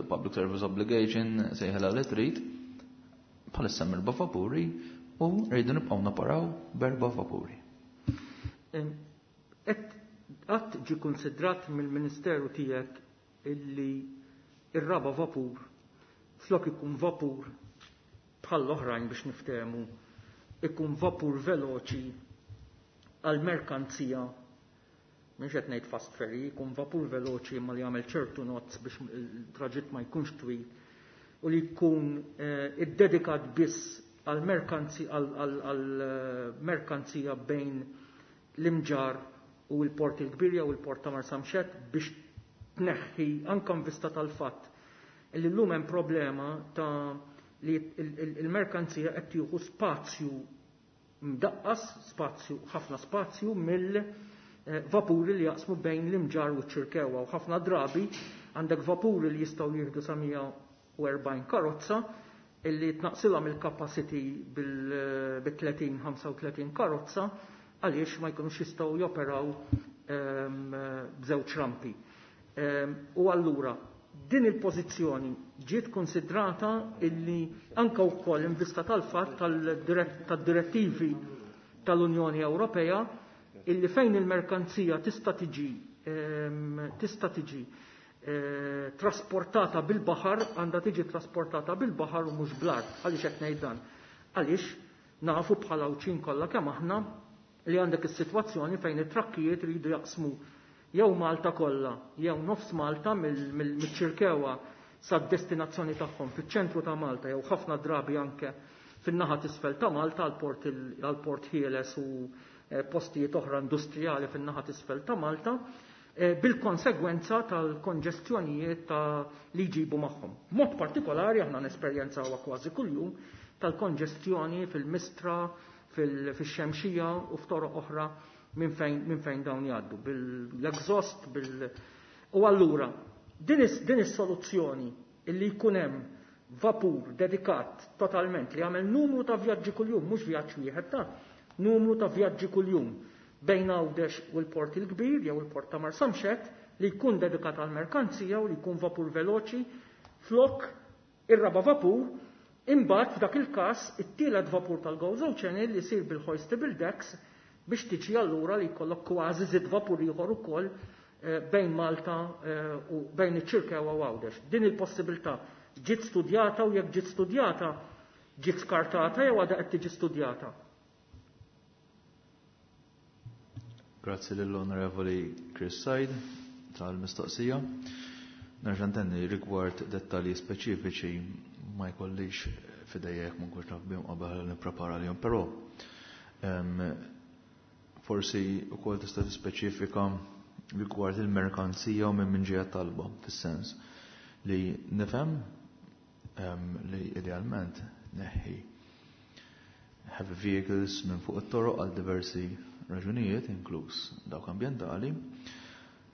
Public Service Obligation, sejħela li trid, bħalissa hemm erba' vapuri u rridu nibqgħu naparaw b'erba' vapuri. Qatt ġie konsidrat mill-Ministeru tiegħek illi ir-raba' vapur flok ikun vapur bħall-oħrajn, biex niftehmu, ikun vapur veloċi għal merkanzija, mhux qed ngħid fast ferry, jkun vapur veloċi ma li jagħmel ċertu knots biex il-traġitt ma jkunx twil u li jkun iddedikat biss għal merkanzija bejn l-Imġarr u l-Port il-Kbir jew il-Port ta' Marsamxett biex tneħħi anke vista tal-fatt li llum hemm problema ta' li il-merkanzija qed tieħu spazju mdaqqas, spazju, ħafna spazju mill-vapuri li jaqsmu bejn l-Imġarr u ċ-Ċirkewwa, u ħafna drabi għandek vapuri li jistgħu jieħdu sa mija u erbgħin karozza illi tnaqsilhom il-capacity bil-tletin ħamsa u tletin karozza għaliex ma jkunux jistgħu joperaw b'żewġ rampi. U allura din il-pożizzjoni ġiet konsidrata illi anka wkoll in vista tal-fatt tad-direttivi tal-Unjoni Ewropea illi fejn il-merkanzija tista' tiġi tista' tiġi trasportata bil-baħar għandha tiġi trasportata bil-baħar u mhux bl-art. Għaliex qed ngħid dan? Għaliex nafu bħala Għawdxin kollha kemm aħna li għandek is-sitwazzjoni fejn it-trakkijiet iridu jaqsmu jew Malta kollha jew nofs Malta mill-Ċirkewwa sad-destinazzjoni tagħhom fiċ-ċentru ta' Malta jew ħafna drabi anke fin-naħa t'isfel ta' Malta għall-Port Ħieles u postijiet oħra industrijali fin-naħa t'isfel ta' Malta, bil-konsegwenza tal-konġestjonijiet ta' li jġibu magħhom. Mod partikolari aħna nesperjenzawha kważi kuljum tal-konġestjoni fil-Mistra, fil-Xemxija u f'toroq oħra minn fejn, minn fejn dawn jgħaddu, bil-exhaust, bil U allura din is-soluzzjoni illi jkun hemm vapur dedikat totalment li jagħmel numru ta' vjaġġi kuljum, mhux vjaġġ wieħed ta' numru ta' vjaġġi kuljum bejn Għawdex u l-Port il-Kbir jew il-Port ta' Marsamxett li jkun dedikat għal merkanzija u li jkun vapur veloċi flok ir-raba vapur, imbagħad f'dak il-każ it-tielet vapur tal-Gozo Channel li jsir bil-hoistable decks biex tiġi allura li jkollok kważi żid vapur ieħor ukoll bejn Malta u bejn iċ-Ċirkewwa u Għawdex. Din il-possibilità ġiet studjata u jekk ġiet studjata ġiet skartata jew għadha qed tiġi studjata. Grazzi lill-Onorevoli Chris Said tal-mistoqsija. Nerġa' ntenni rigward dettalji speċifiċi ma jkollix f'idejja jekk ma nkunx naf bihom qabel nipprepara lihom, però forsi wkoll tista' tispeċifika rigward il-merkanzija u minn min ġejja talba, fis-sens li nifhem li idealment neħħi heavy vehicles minn fuq it-toroq għal diversi raġunijiet, inkluż dawk ambjentali,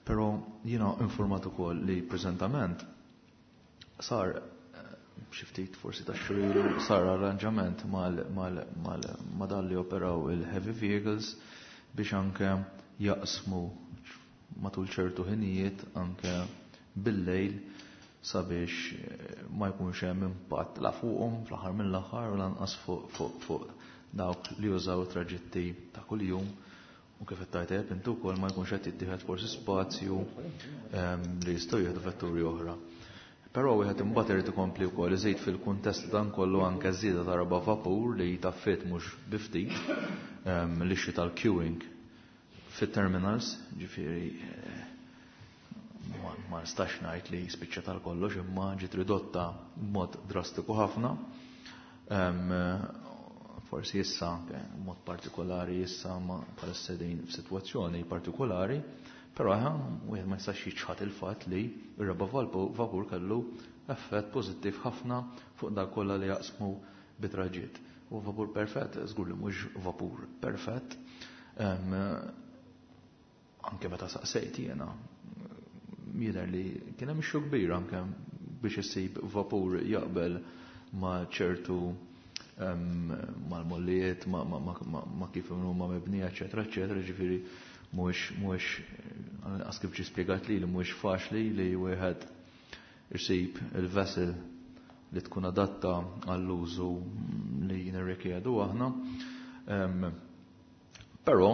però jiena informat ukoll li preżentament sar xi ftit forsi ta' xhur sar arranġament ma' dan li operaw il-heavy vehicles biex anke jaqsmu matul ċertu ħinijiet anke bil-lejl sabiex ma jkunx hemm impatt la fuqhom fl-aħħar mill-aħħar u lanqas fuq fuq dawk li jużaw traġitti ta' kuljum u kif qed tajteb intu wkoll ma jkunx qed jittieħed forsi spazju li jistgħu jieħdu vetturi oħra. Però wieħed imbagħad irid ikompli wkoll iżid fil-kuntest dan kollu anke żieda ta' raba' vapur li taffit mhux bi ftit l-issue tal-queuing fit-terminals, ġifieri ma nistax ngħid li spiċċa tal-kollox imma ġiet ridotta b'mod drastiku ħafna. Forsi issa anke mod partikolari issa ma bħalissa din f'sitwazzjoni partikolari, però eħe wieħed ma jistax jiċħad il-fatt li r-raba' vapur kellu effett pożittiv ħafna fuq dak kollha li jaqsmu bitraġiet. U vapur perfett, żgur li mhux vapur perfett. Anke meta saqsejt jiena, jidher li kien hemm issue kbir anke biex issib vapur jaqbel ma' ċertu mal-mollijiet, ma' kif huma mibnija, eċetera, eċetera, ġifieri mhuwiex mhuwiex għas kif ġie spjegat li li mhuwiex faċli li wieħed isib il-vessel li tkun adatta għall-użu li nirrikjedu aħna. Però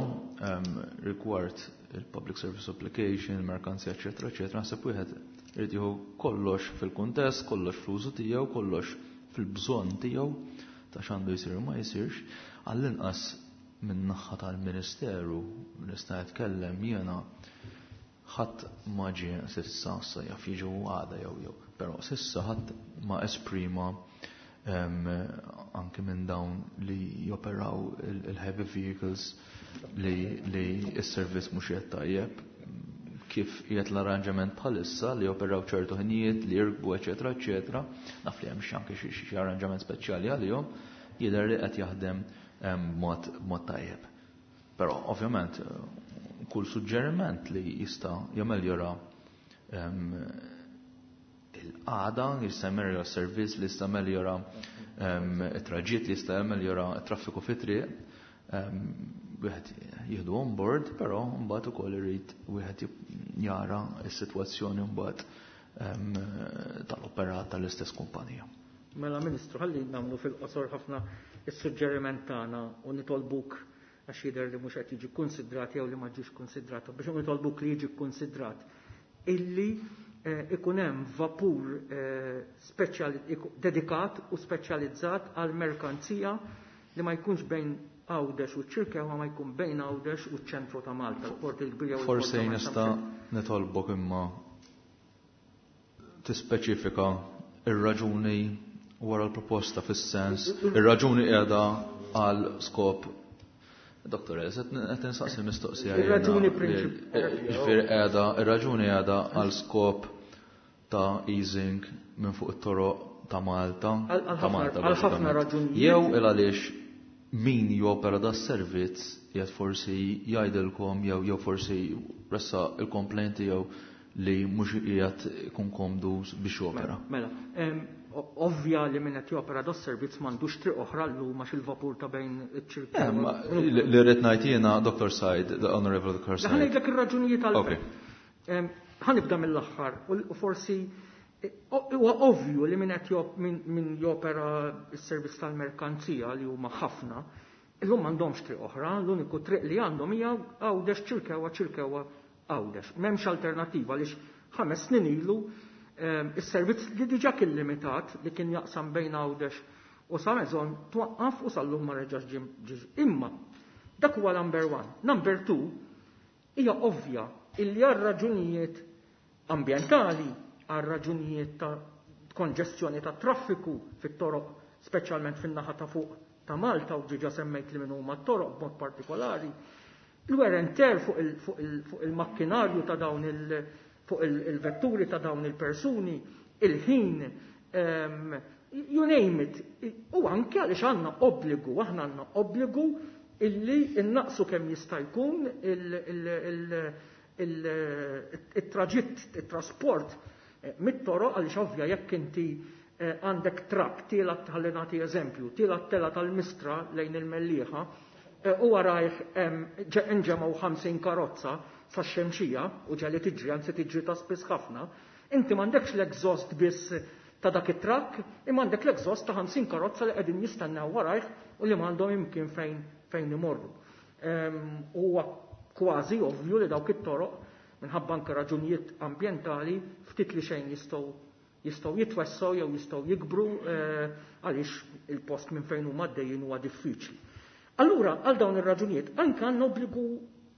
rigward il-public service application, il-merkanzija, eċetera, eċetera, naħseb wieħed irid jieħu kollox fil-kuntest, kollox fl-użu tiegħu, kollox fil-bżonn tiegħu ta' x'għandu jsir u ma jsirx, għall-inqas min-naħa tal-Ministeru nista' nitkellem jiena ħadd ma ġie sissa, issa jaf jiġu għada jew jew, però sissa ħadd ma esprima anke minn dawn li joperaw il-heavy vehicles li li s-servizz mhux qed tajjeb, kif qiegħed l-arranġament bħalissa li joperaw ċertu ħinijiet li jirkbu, eċetera, eċetera, naf li hemm xi anke xi arranġament speċjali għalihom, jidher li qed jaħdem b'mod b'mod tajjeb. Però ovvjament kull suġġeriment li jista' jameljora il-qagħda, jista' jameljora s-servizz, li jista' jameljora it-traġitt, li jista' jameljora t-traffiku fit-triq, wieħed jieħdu on board, però mbagħad ukoll irid wieħed jara s-sitwazzjoni mbagħad tal-operat tal-istess kumpanija. Mela Ministru, ħalli nagħmlu fil-qosor ħafna is-suġġeriment tagħna u nitolbuk, għax jidher li mhux qed jiġi kkunsidrat jew li ma ġiex kkunsidrat, biex nitolbuk li jiġi kkunsidrat illi ikun hemm vapur dedikat u speċjalizzat għal merkanzija li ma jkunx bejn Għawdex u ċ-Ċirkewwa, ma jkun bejn Għawdex u ċ-ċentru ta' Malta, l-Port il-Kbir jew il-Port Forsi nista' nitolbok imma tispeċifika ir-raġuni wara l-proposta, fis-sens ir-raġuni qiegħda għal skop. Doktor, qed insaqsi mistoqsija. Ir-raġuni prinċipali. Ġifieri qiegħda, ir-raġuni qiegħda għal skop ta' easing minn fuq it-toroq ta' Malta. Ta' Malta għal ħafna raġunijiet. Jew il għaliex min jopera da servizz jgħid forsi jgħidilkom jew jew forsi ressa il-komplenti jew li mhux qiegħed ikun komdu biex jopera. Mela, ovvja li min qed jopera da servizz m'għandux triq oħra llum għax il-vapur ta' bejn iċ-Ċirkewwa. Li rrid ngħid jiena, Doctor Said, the Honorable Doctor Said. Ħa ngħidlek ir-raġunijiet għal. Ħa nibda mill-aħħar u forsi huwa ovvju li min qed min jopera s-servizz tal-merkanzija, li huma ħafna, illum m'għandhomx triq oħra, l-uniku triq li għandhom hija Għawdex Ċirkewwa, Ċirkewwa Għawdex. M'hemmx alternattiva għaliex ħames snin ilu is-servizz li diġà kien limitat, li kien jaqsam bejn Għawdex u San Mezon, twaqqaf u sal-lum ma reġax ġie. Imma dak huwa number one. Number two, hija ovvja illi għal raġunijiet ambjentali, għal raġunijiet ta' konġestjoni ta' traffiku fit-toroq, speċjalment fin-naħa ta' fuq ta' Malta, u diġà semmejt li minn huma t-toroq b'mod partikolari, l-wear and tear fuq il-makkinarju ta' dawn il- fuq il-vetturi ta' dawn il-persuni, il-ħin, you name it. U anke għaliex għandna obbligu, aħna għandna obbligu illi innaqsu kemm jista' jkun il-traġitt, il-trasport mit-toroq, għaliex ovvja jekk inti għandek trakk tiela', ħalli nagħti eżempju, tiela' tela tal-Mistra lejn il-Mellieħa, u warajh inġemgħu ħamsin karozza sa xemxija u ġali tiġri, anzi tiġri ta' spiss ħafna, inti m'għandekx l-exhaust biss ta' dak it-trakk, imma għandek l-exhaust ta' ħamsin karozza li qegħdin jistennew warajh u li m'għandhom imkien fejn fejn imorru. Huwa kważi ovvju li dawk it-toroq minħabba anke raġunijiet ambjentali ftit li xejn jistgħu jistgħu jitwessgħu jew jistgħu jikbru, għaliex il-post minn fejn huma għaddejjin huwa diffiċli. Allura, għal dawn ir-raġunijiet, anke għandna obbligu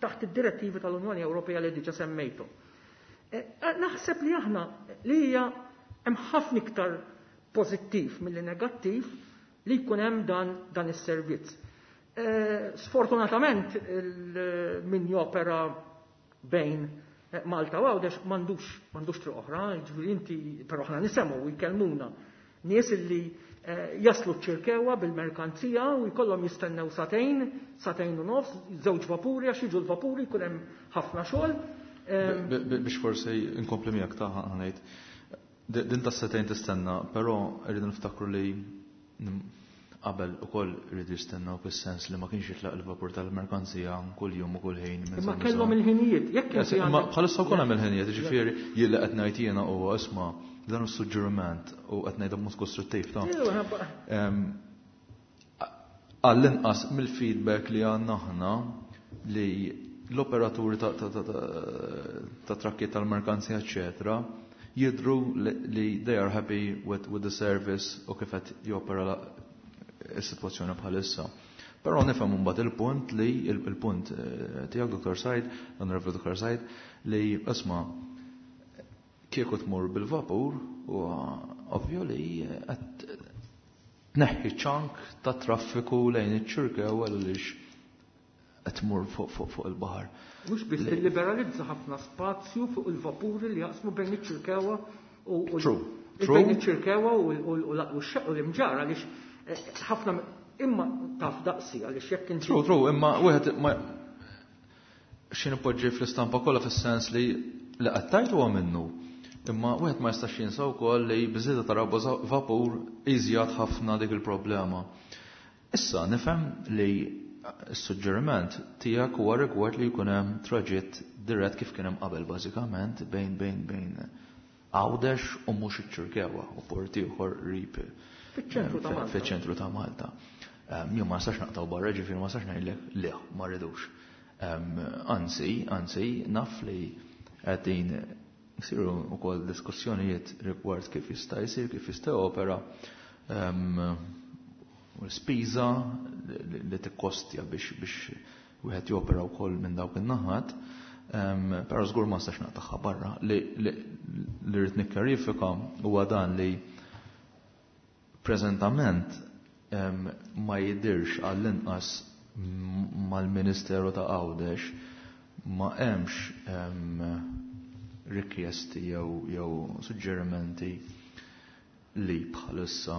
taħt id-direttivi tal-Unjoni Ewropea li diġà semmejtu. Naħseb li aħna li hija hemm ħafna iktar pożittiv milli negattiv li jkun hemm dan dan is-servizz. Sfortunatament min jopera bejn Malta u Għawdex m'għandux m'għandux triq oħra, jiġifieri inti, però aħna nisemgħu u jkellmuna nies illi jaslu ċ-Ċirkewwa bil-merkanzija u jkollhom jistennew sagħtejn, sagħtejn u nofs, żewġ vapuri, għax jiġu l-vapuri jkun hemm ħafna xogħol. Biex forsi inkompli miegħek ta' ngħid. Din ta' sagħtejn tistenna, però rridu niftakru li qabel ukoll rridu jistennew fis-sens li ma kienx jitlaq il-vapur tal-merkanzija kull jum u kull ħin. Imma kellhom il-ħinijiet, jekk inti Imma bħalissa wkoll hemm il-ħinijiet, jiġifieri jien li qed ngħid jiena huwa, isma', dan is-suġġeriment u qed ngħidha b'mod kostruttiv ta' għall-inqas mill-feedback li għandna aħna li l-operaturi ta' trakkiet tal-merkanzija eċetera jidru li they are happy with, with the service u kif qed jopera is-sitwazzjoni bħalissa. Però nifhem mbagħad il-punt li il-punt tiegħek, Doctor Said, Honorable Doctor Said, li isma' kieku tmur bil-vapur u ovvju li qed tneħħi ċank ta' traffiku lejn iċ-Ċirkewwa għaliex qed tmur fuq fuq fuq il-baħar. Mhux biss tilliberalizza ħafna spazju fuq il-vapuri li jaqsmu bejn iċ-Ċirkewwa u True. Bejn iċ-Ċirkewwa u u l-Imġarr għaliex eh, ħafna imma taf daqsi għaliex jekk inti. True, true, imma wieħed ma xi nipoġġi fl-istampa kollha fis-sens li li qed tgħid huwa minnu. Imma wieħed ma jistax jinsa wkoll li biżieda ta' raba vapur iżjad ħafna dik il-problema. Issa nifhem li s-suġġeriment tiegħek huwa rigward li jkun hemm traġitt dirett kif kien hemm qabel bażikament bejn bejn bejn Għawdex u mhux iċ-Ċirkewwa u port ieħor qrib Fiċ-ċentru ta' Malta. Fiċ-ċentru ta' Malta. Jien ma nistax naqtaw barra, ġifieri ma nistax ngħidlek le, ma rridux. Anzi, anzi, naf li qegħdin isiru wkoll diskussjonijiet rigward kif jista' jsir, kif jista' opera u l-spiża li tikkostja biex biex wieħed jopera wkoll minn dawk in-naħat. Però żgur ma nistax naqtagħha barra. Li rrid nikkjarifika huwa dan li preżentament ma jidirx għall-inqas mal-Ministeru ta' Għawdex ma hemmx rikjesti jew jew suġġerimenti li bħalissa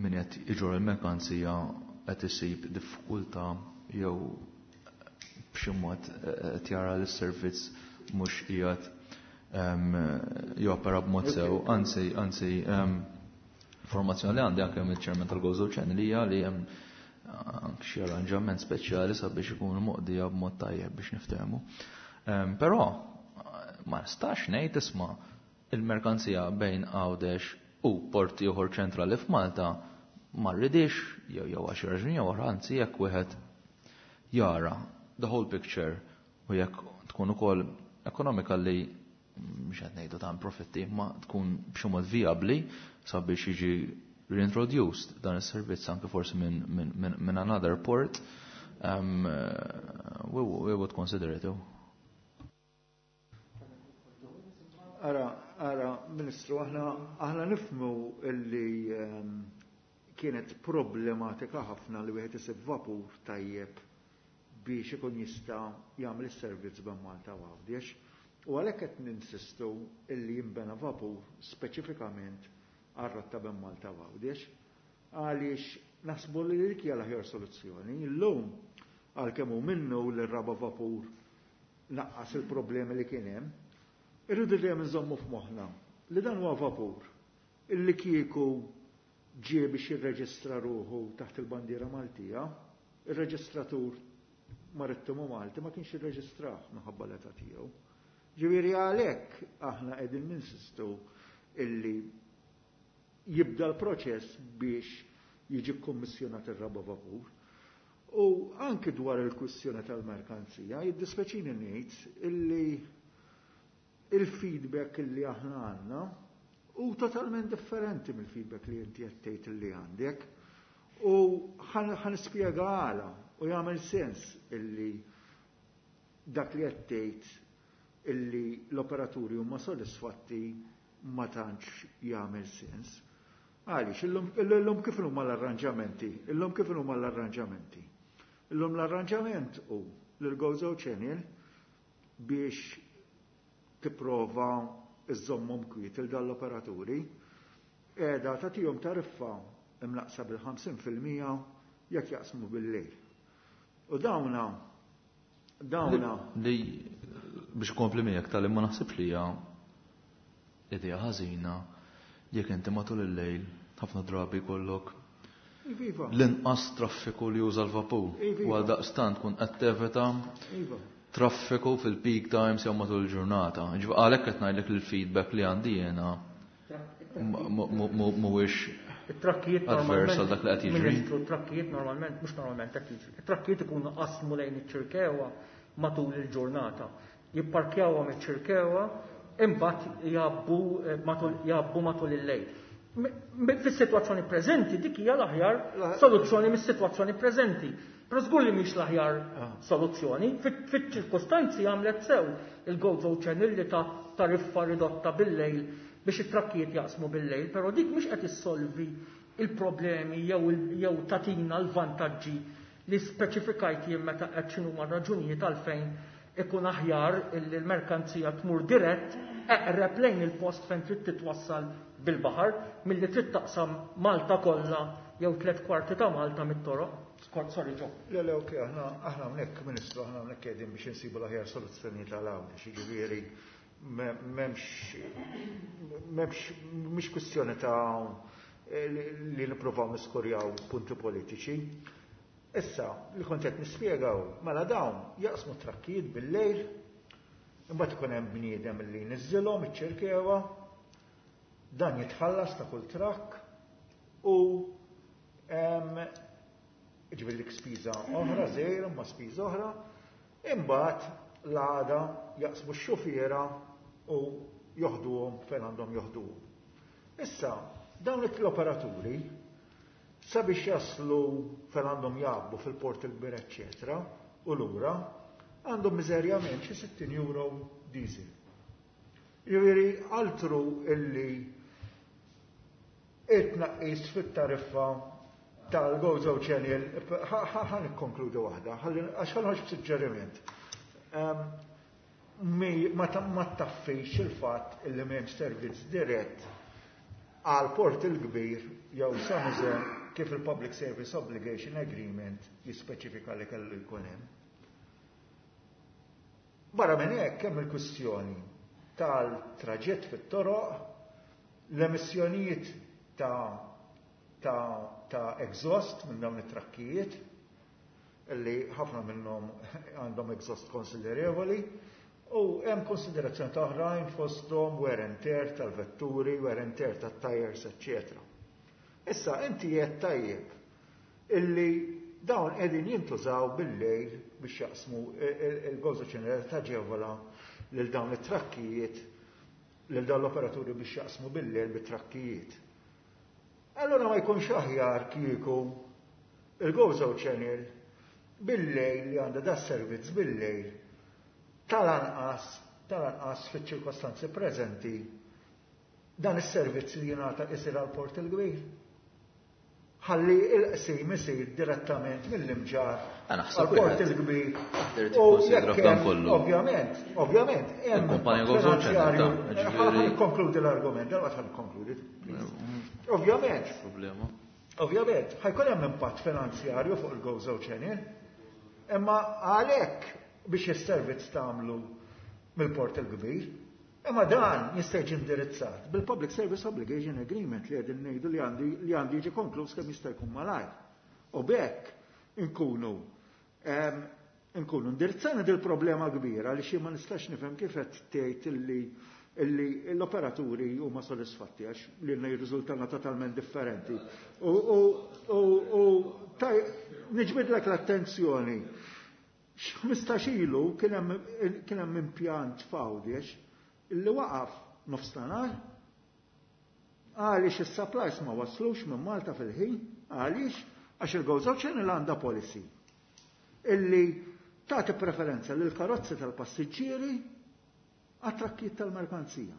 min qed iġorr il-merkanzija qed isib diffikultà jew b'xi mod qed jara li s-servizz mhux qiegħed jopera b'mod sew. Anzi, anzi, informazzjoni li għandi anke mill-ċermen tal-Gozo Channel hija li hemm anke xi arranġament speċjali sabiex ikunu moqdija b'mod tajjeb biex niftehmu. Però ma nistax ngħid isma' il-merkanzija bejn Għawdex u port ieħor ċentrali f'Malta ma rridix jew jew għax raġuni jew oħra, anzi jekk wieħed jara the whole picture u jekk tkun ukoll ekonomika li mhux qed ngħidu ta' profitti ma tkun b'xi mod vijabbli sabiex jiġi reintroduced dan is-servizz anke forsi minn min, min, min another port, um, we, we would consider it. Ara, ara, Ministru, aħna, aħna nifhmu illi um, kienet problematika ħafna li wieħed isib vapur tajjeb biex ikun jista' jagħmel is-servizz bejn Malta u Għawdex. U għalhekk qed ninsistu illi jinbena vapur speċifikament għar-rotta bejn Malta u Għawdex, għaliex naħsbu li dik hija l-aħjar soluzzjoni. Illum għalkemm hu minnu li r-raba vapur naqqas il-problemi li kien hemm, irridu dejjem nżommu f'moħħna li dan huwa vapur illi kieku ġie biex jirreġistra ruħu taħt il-bandiera Maltija, ir-reġistratur marittimu Malti ma kienx irreġistrah minħabba l-età tiegħu. Ġifieri għalhekk aħna qegħdin ninsistu illi jibda l-proċess biex jiġi kkommissjonat ir-raba vapur. U anki dwar il-kwistjoni tal-merkanzija, jiddispeċini ngħid illi il-feedback illi aħna għandna u totalment differenti mill-feedback li inti qed tgħid illi għandek. U ħa nispjega għala u jagħmel sens illi dak li qed tgħid illi l-operaturi huma sodisfatti ma tantx jagħmel sens. Għaliex, illum, illum kif huma l-arranġamenti? Illum kif huma l-arranġamenti? Illum l-arranġament hu l-Gozo Channel biex tipprova iżżommhom kwiet il dan l-operaturi qiegħda tagħtihom tariffa imnaqsa bil-ħamsin fil-mija jekk jaqsmu bil-lejl. U dawna dawna li biex kompli miegħek tal ma naħsibx li hija idea ħażina jekk inti matul il-lejl ħafna drabi jkollok Iva. l-inqas traffiku li juża l-vapur. Iva. U għal daqstant tkun qed tevita Iva. traffiku fil-peak times jew matul il-ġurnata. Ġifieri għalhekk qed ngħidlek il-feedback li għandi jiena mhuwiex it-trakkijiet adverse għal dak li qed jiġri. Ministru, it-trakkijiet normalment, mhux normalment qed jiġri. It-trakkijiet ikunu qasmu lejn iċ-Ċirkewwa matul il-ġurnata. Jipparkjawhom iċ-Ċirkewwa, imbagħad jgħabbu matul jgħabbu matul il-lejl. Fis-sitwazzjoni preżenti dik hija l-aħjar soluzzjoni mis-sitwazzjoni preżenti. Però żgur li mhix l-aħjar soluzzjoni, fiċ-ċirkostanzi għamlet sew il-Gozo Channel li ta' tariffa ridotta bil-lejl biex it-trakkijiet jaqsmu bil-lejl, però dik mhix qed issolvi il-problemi jew tagħtina l-vantaġġi li speċifikajt jien meta qed x'inhuma raġunijiet għalfejn ikun aħjar illi l-merkanzija tmur dirett eqreb lejn il-post fejn trid titwassal bil-baħar milli trid taqsam Malta kollha jew tliet kwarti ta' Malta mit-toroq. Sorry, Joe. Le, le, ok, aħna aħna hawnhekk, Ministru, aħna hawnhekk qegħdin biex insibu l-aħjar soluzzjonijiet għal Għawdex, jiġifieri m'hemmx m'hemmx mhix kwistjoni ta' li nippruvaw niskorjaw punti politiċi. Issa, li kont qed nispjegaw, mela dawn jaqsmu trakkijiet bil-lejl, imbagħad ikun hemm bniedem li jniżżilhom iċ-Ċirkewwa, dan jitħallas ta' kull trakk u ġifieri dik spiża oħra, żgħira ma spiża oħra, imbagħad l-għada jaqsmu x-xufiera u joħduhom fejn għandhom joħduhom. Issa, dawn l-operaturi sabiex jaslu fejn għandhom jgħabbu fil-Port il-Kbir, eċċetera, u lura, għandhom miżerjament xi sittin euro diesel. Jiġifieri altru illi it-tnaqqis fit-tariffa tal-Gozo Channel, ħa nikkonkludu waħda, għax ħa noħroġ b'suġġeriment. Ma taffix il-fatt illi m'hemmx servizz dirett għal Port il-Kbir jew San Jose kif il-Public Service Obligation Agreement jispeċifika li kellu jkun hemm. Barra minn hekk hemm il-kwistjoni tal-traġett fit-toroq, l-emissjonijiet ta' ta' ta' exhaust minn dawn it-trakkijiet, illi ħafna minnhom għandhom exhaust konsiderevoli, u hemm konsiderazzjoni ta' oħrajn fosthom wear and tear tal-vetturi, wear and tear tat-tires, eċċetera. Issa inti qed tajjeb illi dawn qegħdin jintużaw bil-lejl biex jaqsmu il-Gozo Channel taġevola lil dawn it-trakkijiet, lil dawn l-operaturi biex jaqsmu bil-lejl bit-trakkijiet. Allora ma jkunx aħjar kieku il-Gozo Channel bil-lejl li għandha da servizz bil-lejl tal-anqas tal-anqas fiċ-ċirkostanzi preżenti dan is-servizz li jingħata isir għal Port il-Kbir. Ħalli il-qsim isir direttament mill-Imġarr għal Port il-Kbir. U jekk ovvjament, ovvjament, hemm finanzjarju. Ħa nikkonkludi l-argument, dalwaqt ħa nikkonkludi. Ovvjament. Problema. Ovvjament, ħa jkun hemm impatt finanzjarju fuq il-Gozo Channel, imma għalhekk biex is-servizz tagħmlu mill-Port il-Kbir, imma dan jista' jiġi indirizzat bil-Public Service Obligation Agreement li qegħdin ngħidu li għandi li għandi jiġi konkluż kemm jista' jkun malajr. U b'hekk inkunu inkunu indirizzana dil problema kbira li xi ma nistax nifhem kif qed tgħid illi illi l-operaturi huma sodisfatti għax lilna jirriżultana totalment differenti. U u u u niġbidlek l-attenzjoni. X'ħmistax ilu kien hemm impjant f'Għawdex illi waqaf nofstanhar għaliex is-supplies ma waslux minn Malta fil-ħin, għaliex għax il-Gozo Channel għandha policy illi tagħti preferenza lil karozzi tal-passiġġieri għat-trakkijiet tal-merkanzija.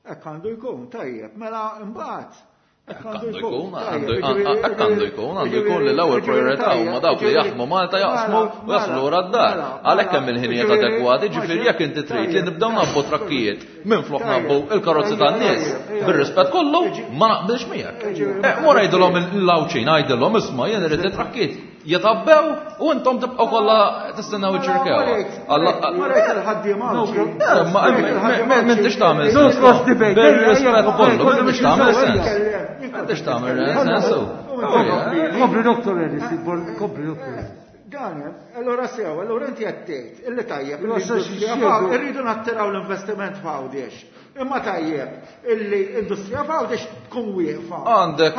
Hekk għandu jkun, tajjeb, mela imbagħad Hekk għandu jkun, hekk għandu jkun, għandu jkun li l-ewwel priorità huma dawk li jaħdmu Malta jaqsmu u jaslu lura d-dar. Għalhekk hemm il-ħinijiet adekwati, ġifieri jekk inti trid li nibdew nabbu trakkijiet minflok nabbu il-karozzi tan-nies, bir-rispett kollu ma naqbilx miegħek. Mur għidilhom il-Għawdxin, għidilhom isma' jien irid trakkijiet jitabbew u intom tibqgħu kollha tistennew iċ-Ċirkewwa. M'intix tagħmel sens. Bir-rispett kollu, m'intix tagħmel sens. M'intix tagħmel sens. Kompli Doktor Ellis, kompli Doktor Ellis. Dan, allora sew, allora inti qed tgħid illi tajjeb irridu nattiraw l-investiment f'Għawdex. Imma tajjeb illi industrija f'Għawdex tkun wieqfa. Għandek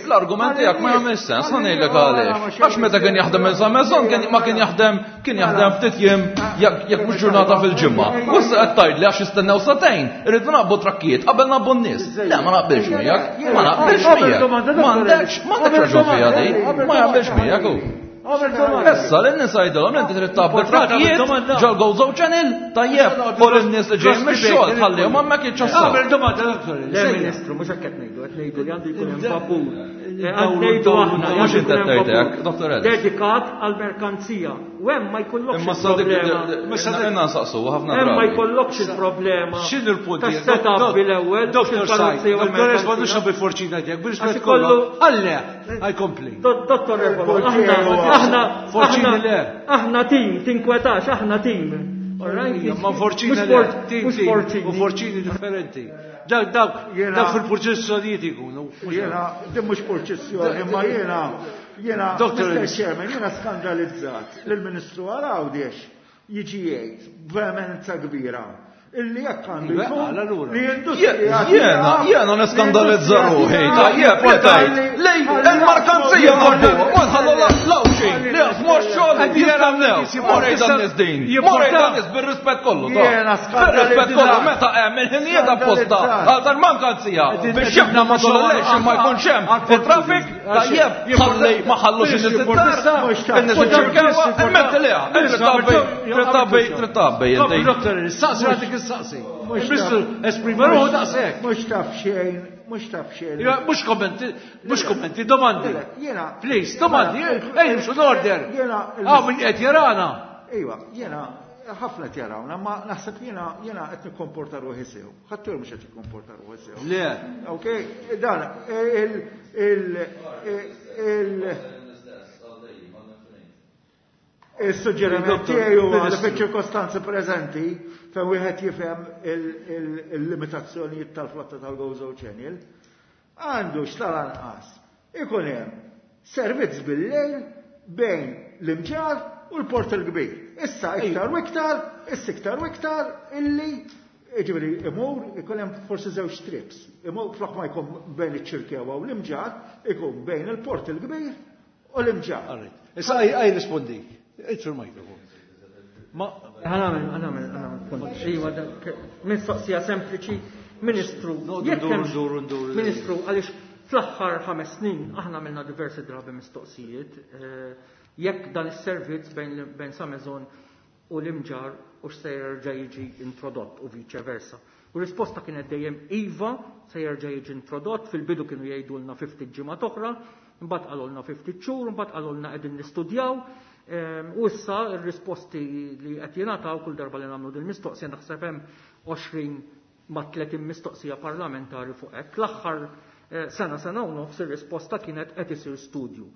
l-argument tiegħek ma jagħmel sens, ħa ngħidlek għaliex. Għax meta kien jaħdem minn San Mezzon ma kien jaħdem kien jaħdem ftit jiem jekk mhux ġurnata fil-ġimgħa. U issa qed tgħidli għax jistennew sagħtejn, irridu naqbu trakkijiet qabel nabbu n-nies. Le ma naqbilx miegħek, ma naqbilx miegħek. M'għandekx m'għandekx raġun fiha di, ma jaqbilx miegħek hu. Issa lin-nies għidilhom inti trid tgħabbi trakkijiet ġol-Gozo Channel, tajjeb, u lin-nies li ġejjin mix-xogħol tħallihom hemmhekk jiċċassaw. Għamel domanda, Dottor. Le, Ministru, mhux hekk qed ngħidu, qed ngħidu li għandu jkun hemm vapur. Qed ngħidu aħna li Mhux għandu inti jkun hemm qed tgħid hekk, vapur Dottor Ellis. Dedikat għall-merkanzija. U hemm ma jkollokx Imma sa dik il-problema. inna nsaqsu ħafna Hemm ma drabi. jkollokx il-problema. X'inhu l-punt? Tas-setup bil-ewwel, Dottor Said, il-karozzi u Dottor Ellis, ma l-merkanzija. nux bil-forċina tiegħek, bil-rispett Għax kollu. ikollu- Għalle, għaj kompli. Do- Dottor Refalo, Il-portier aħna, huwa- aħna, Forċini aħna, le. aħna tim, tinkwetax, aħna tim. All right? Ma forċina Mhux le, for- tim, mhux tim, forċini. u forċini differenti. Dak, dak, Jena- dak fil-proċessjonijiet ikunu. Jena, din mhux purċissjoni, imma jena, jena, Doctor Mister Ellis. Chairman, jena skandalizzat lill-Ministru għal Għawdex jiġi jgħid b'veemenza kbira illi jekk għandu Iva, jkun għala lura. li l-industrija Jena, jena neskandalizza ruħi, tajjeb, li tajt, lej, il-markanzija nabbuha, ma nħallu l-lawxin, li jaħdmu x-xogħol jistennew, morej dan nies din, morej dan nies bir-rispett kollu, ta' Jena bir-rispett kollu, skandalizzat. meta hemm il-ħinijiet apposta għal tal-mankanzija biex jibna ma tollex ma jkunx hemm it-traffic, tajjeb, ħalli ma ħallux in-nies id-dar, in-nies iċ-ċirkewa, immetti liha, trid tgħabbi, trid tgħabbi, trid tgħabbi, Kompli, inti. Dottor Ellis, saqsi għadik il-saqsi. Il-Ministru esprima ruħu daqshekk. Mhux taf xejn, mhux taf xejn. Iva, mhux kommenti, mhux kommenti, domandi. Le, jena- Please, domandi, Jena- ej, nimxu l-order. Jena- Ah, min qed jarana. Iva, jena ħafna qed jarawna, ma naħseb jena jena qed nikkomporta ruħi sew. Ħadd mhux qed jikkomporta ruħi sew. Le. Ok, dan il il il il-suġġeriment tiegħi huwa li fiċ-ċirkostanzi preżenti fejn wieħed jifhem il-limitazzjonijiet tal-flotta tal-Gozo Channel, għandu x'tal-anqas ikun hemm servizz bil-lejl bejn l-Imġarr u l-Port il-Kbir. Issa iktar u iktar, issa iktar u iktar illi ġifieri imur ikun hemm forsi żewġ trips. Imur flok ma jkun bejn iċ-Ċirkewwa u l-Imġarr, ikun bejn il-Port il-Kbir u l-Imġarr. All right. Issa għaj għaj rispondi. Itsu l-mikrofon. Ma Ħanamel, ħanamel, ħanamel punt. Iva, dak, mistoqsija sempliċi, Ministru, Noqogħdu jekk nduru, hemmx- nduru, nduru. Ministru, għaliex fl-aħħar ħames snin aħna għamilna diversi drabi mistoqsijiet, eh, jekk dan is-servizz bejn bejn Sa Maison u l-Imġarr u x'se jerġa' jiġi introdott u vice versa. U risposta kienet dejjem iva, se jerġa' jiġi introdott, fil-bidu kienu jgħidulna fifty ġimgħa oħra, mbagħad qalulna fifty xhur, mbagħad qalulna qegħdin nistudjaw. Ehm, u issa r-risposti li qed jingħataw kull darba li nagħmlu din mistoqsija naħseb hemm għoxrin ma' tletin mistoqsija parlamentari fuq hekk. L-aħħar, eh, sena, sena u nofs ir-risposta kienet qed isir studju.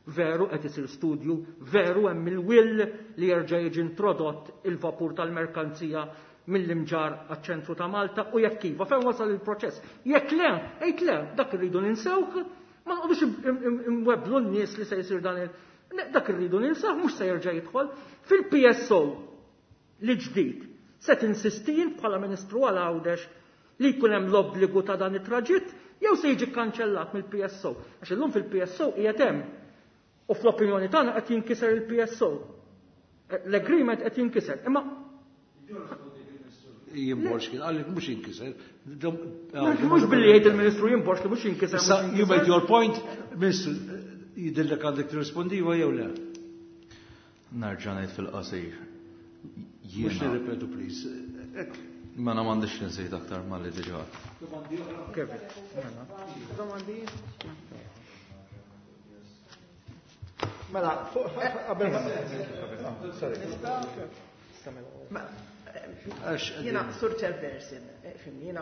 Veru qed isir studju, veru hemm il-will li jerġa' jiġi introdott il-vapur tal-merkanzija mill-Imġarr għaċ-ċentru ta' Malta u jekk iva, fejn wasal il-proċess. Jekk le, għid le, dak irridu ninsewh, ma nqogħdux im-, im-, im-, imwebblu n-nies li se jsir dan il-, ne, dak irridu ninsewh, mhux se jerġa' jidħol. Fil-P S O li ġdid, se tinsisti int bħala Ministru għal Għawdex li jkun hemm l-obbligu ta' dan it-traġitt jew se jiġi kkanċellat mill-P S O. Għax illum fil-P S O qiegħed hemm. U fl-opinjoni tagħna qed jinkiser il-P S O. L-agreement qed jinkiser. Imma Jimborx kien, għalli mhux jinkiser. Mhux billi jgħid il-Ministru jimborx li mhux jinkiser, Issa, mhux you made jinkiser. your point, Ministru, jidillek għandek tirrispondi jew le? Nerġa' ngħid fil-qasir. Mhux Jiena. nirripetu, please. Ek. Mela m'għandix nżid aktar malli diġà. Domandi oħra? Kevin, mela. Domandi? Mela, fuq, qabel ma. Sorry. Ma, Għax, jiena, Sur Chairperson, eh, fimni, jiena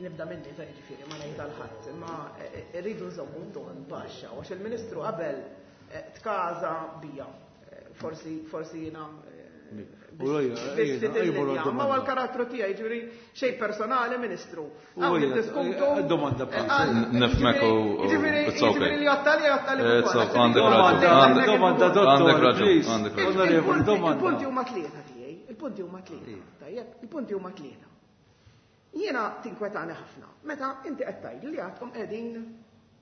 nibda minni ta' ġifieri ma ngħid għal ħadd, imma, eh, eh, rridu nżommu ton baxxa, għax il-Ministru qabel, eh, tkaża bija. Eh, forsi, forsi jiena, eh, U rojja, biex ejja, ftit ejja, il-linja, domanda. ma huwa l-karattru tiegħi, ġifieri xejn personali, Ministru. U Hawn hija, niddiskutu, eh, domanda eh, please. għal- Nifmek u- u- ġifieri, it's okay. ġifieri li jottali, jottali It's ukoll. okay, għandek Domanda, raġun, għandek- Domanda, dottor, għandek raġun, please. għandek raġun. Onorevoli, Il-punti- domanda. Il-punti huma tlieta tiegħi, il-punti huma tlieta, tajjeb, il-punti huma tlieta. Jiena tinkwetani ħafna. Meta inti qed tgħid li għadkom qegħdin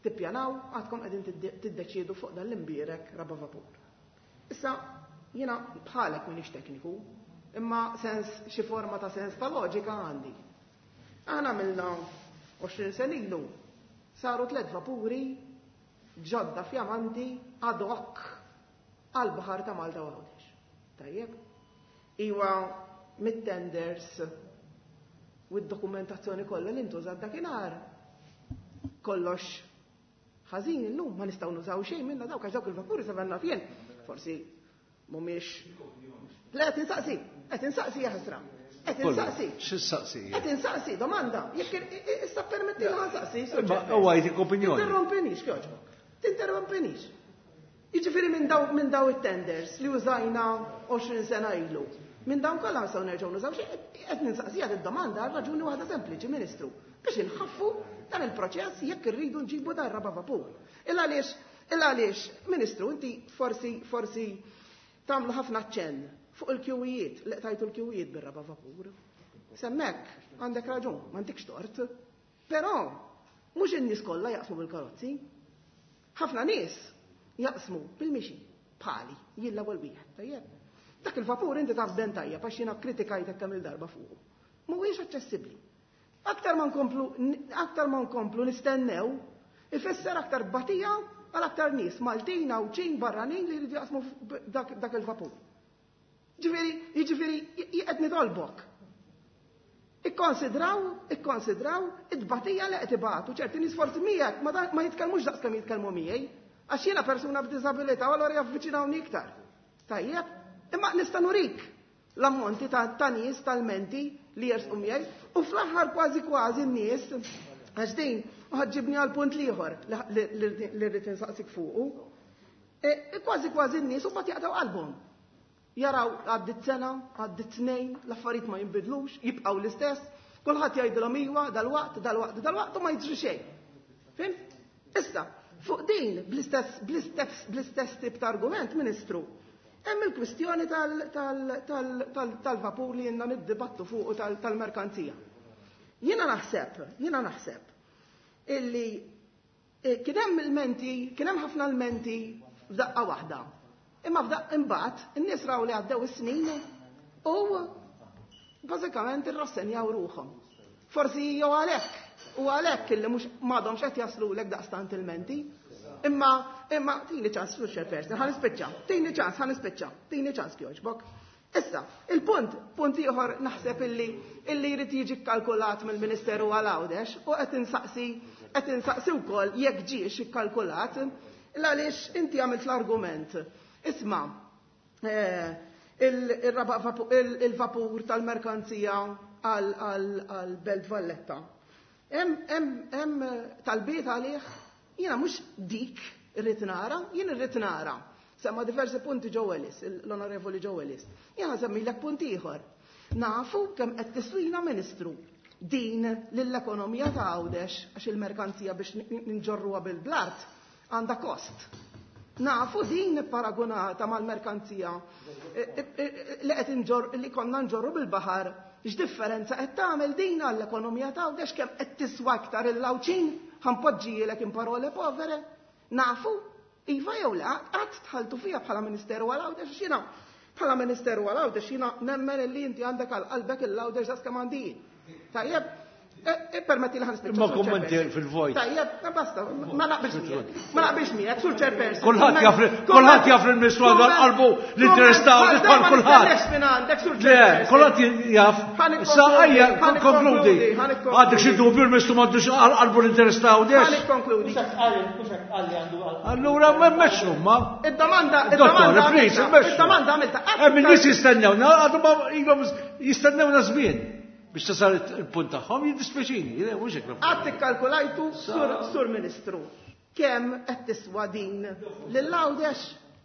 tippjanaw, għadkom qegħdin tidde-, tiddeċiedu fuq dan l-imbierek raba vapur. Issa jiena bħalek m'iniex tekniku, imma sens xi forma ta' sens ta' loġika għandi. Aħna għamilna għoxrin sen ilu saru tliet vapuri ġodda fjamanti ad hoc għal-baħar ta' Malta u Għawdex. Tajjeb? Iwa mit-tenders u d-dokumentazzjoni kollha li ntużat dakinhar. Kollox ħażin illum ma nistgħu nużaw xejn minna dawk għax dawk il-vapuri sa naf jien. Forsi mhumiex. Le qed insaqsi, qed insaqsi ja ħasra. Qed insaqsi. X'issaqsi? Qed insaqsi domanda. Jekk issa permetti li nsaqsi. Huwa jtik opinjoni. Tinterrompinix kjoġbok. Tinterrompinix. Jiġifieri minn daw minn daw it-tenders li użajna għoxrin sena ilu. Minn dawn kollha nistgħu nerġgħu nużaw xi qed ninsaqsija id-domanda għal raġuni waħda sempliċi, Ministru, biex inħaffu dan il-proċess jekk irridu nġibu dan raba' vapur. Illa għaliex, illa għaliex, Ministru, inti forsi forsi tagħmlu ħafna ċenn fuq il-kjuwijiet, li qtajtu l-kjuwijiet bir-raba' vapur. Semmek, għandek raġun, m'għandekx tort. Però mhux in-nies kollha jaqsmu bil-karozzi. Ħafna nies jaqsmu bil-mixi, bħali, jien l-ewwel wieħed, tajjeb. Dak il-vapur inti taf ben tajjeb għax jiena kritikajtek kemm il-darba fuqu. Mhuwiex aċċessibbli. Aktar ma nkomplu aktar ma nkomplu nistennew, ifisser aktar batija għal aktar nies Maltin, Għawdxin, barranin li jridu jaqsmu dak, dak il-vapur. Ġifieri, jiġifieri qed nitolbok. Ikkonsidraw, ikkonsidraw it-tbatija li qed ibatu ċerti nies forsi miegħek ma, ma jitkellmux daqs kemm jitkellmu miegħi, għax jiena persuna b'diżabilità u allura javviċinawni iktar. Tajjeb, imma nista' nurik l-ammonti ta', ta' nies tal-menti li jersqu miegħi u fl-aħħar kważi kważi n-nies għax din ħaġġibni għal punt l-ieħor li rrid insaqsik fuqu. E, kważi kważi n-nies u mbagħad jaqtgħu qalbhom. Jaraw għaddit sena, għaddit tnejn, l-affarijiet ma jinbidlux, jibqgħu l-istess, kulħadd jgħidilhom iwa dal-waqt, dal-waqt, dal-waqt u ma jiġri xejn. Fhimt? Issa, fuq din bl-istess bl-istess bl-istess tip ta' argument, Ministru, hemm il-kwistjoni tal-vapur li jenna niddibattu fuq tal-merkanzija. Jiena naħseb, jiena naħseb illi kien hemm il-menti, kien hemm ħafna l-menti f'daqqa waħda. Imma f'daqqa imbagħad in-nies raw li għaddew is-snin u bażikament irrassenjaw ruħhom. Forsi jew għalhekk, u għalhekk illi mhux m'għadhomx qed jaslulek daqstant il-menti. Imma imma tini ċans sur chairperson, ħa nispiċċa, tini ċans, ħa nispiċċa, tini ċans kjoġbok. Issa, il-punt, punt ieħor naħseb illi illi jrid jiġi kkalkulat mill-Ministeru għal Għawdex u qed insaqsi qed insaqsi wkoll jekk ġiex ikkalkulat għaliex inti għamilt l-argument. Isma', il-vapur tal-merkanzija għal Belt Valletta. Hemm talbiet għalih, jiena mhux dik irrid nara, jien irrid nara. Semma diversi punti Joe Ellis, l-Onorevoli Joe Ellis. Jiena semmilek punt ieħor. Nafu kemm qed tiswina Ministru din lill-ekonomija ta' Għawdex għax il-merkanzija biex ninġorruha bil-blart għandha kost. Nafu din paragonata mal-merkanzija li qed inġor li konna nġorru bil-baħar, x'differenza qed tagħmel din għall-ekonomija ta' Għawdex kemm qed tiswa iktar il-Għawdxin, ħanpoġġielek in parole povere. Nafu, iva jew le, qatt tħaltu fija bħala Ministeru għal Għawdex jiena bħala Ministeru għal Għawdex jiena nemmen li inti għandek għal qalbek il-Għawdex daqs kemm għandi jien. Tajjeb, permetti li ħanispiċċa. Imma kummenti fil-vojt. Tajjeb, basta, ma naqbilx miegħek. Ma naqbilx miegħek, sur chairperson. Kulħadd jaf kulħadd jaf il-Ministru għal qalbu l-interess ta' Għawdex bħal kulħadd. Le, kulħadd jaf. Issa ejja konkludi. Għandek xi dubju l-Ministru m'għandux għal qalbu l-interess ta' Għawdex? Ħanikkonkludi. Allura ma mmexxu ma. Id-domanda, id-domanda, id-domanda għamilta. Hemm in-nies jistennewna, għadu ma ilhom jistennewna żmien. Biex tasal il-punt tagħhom jiddispjaċini, mhux hekk. Qatt ikkalkulajtu sur Ministru kemm qed tiswa din lil Għawdex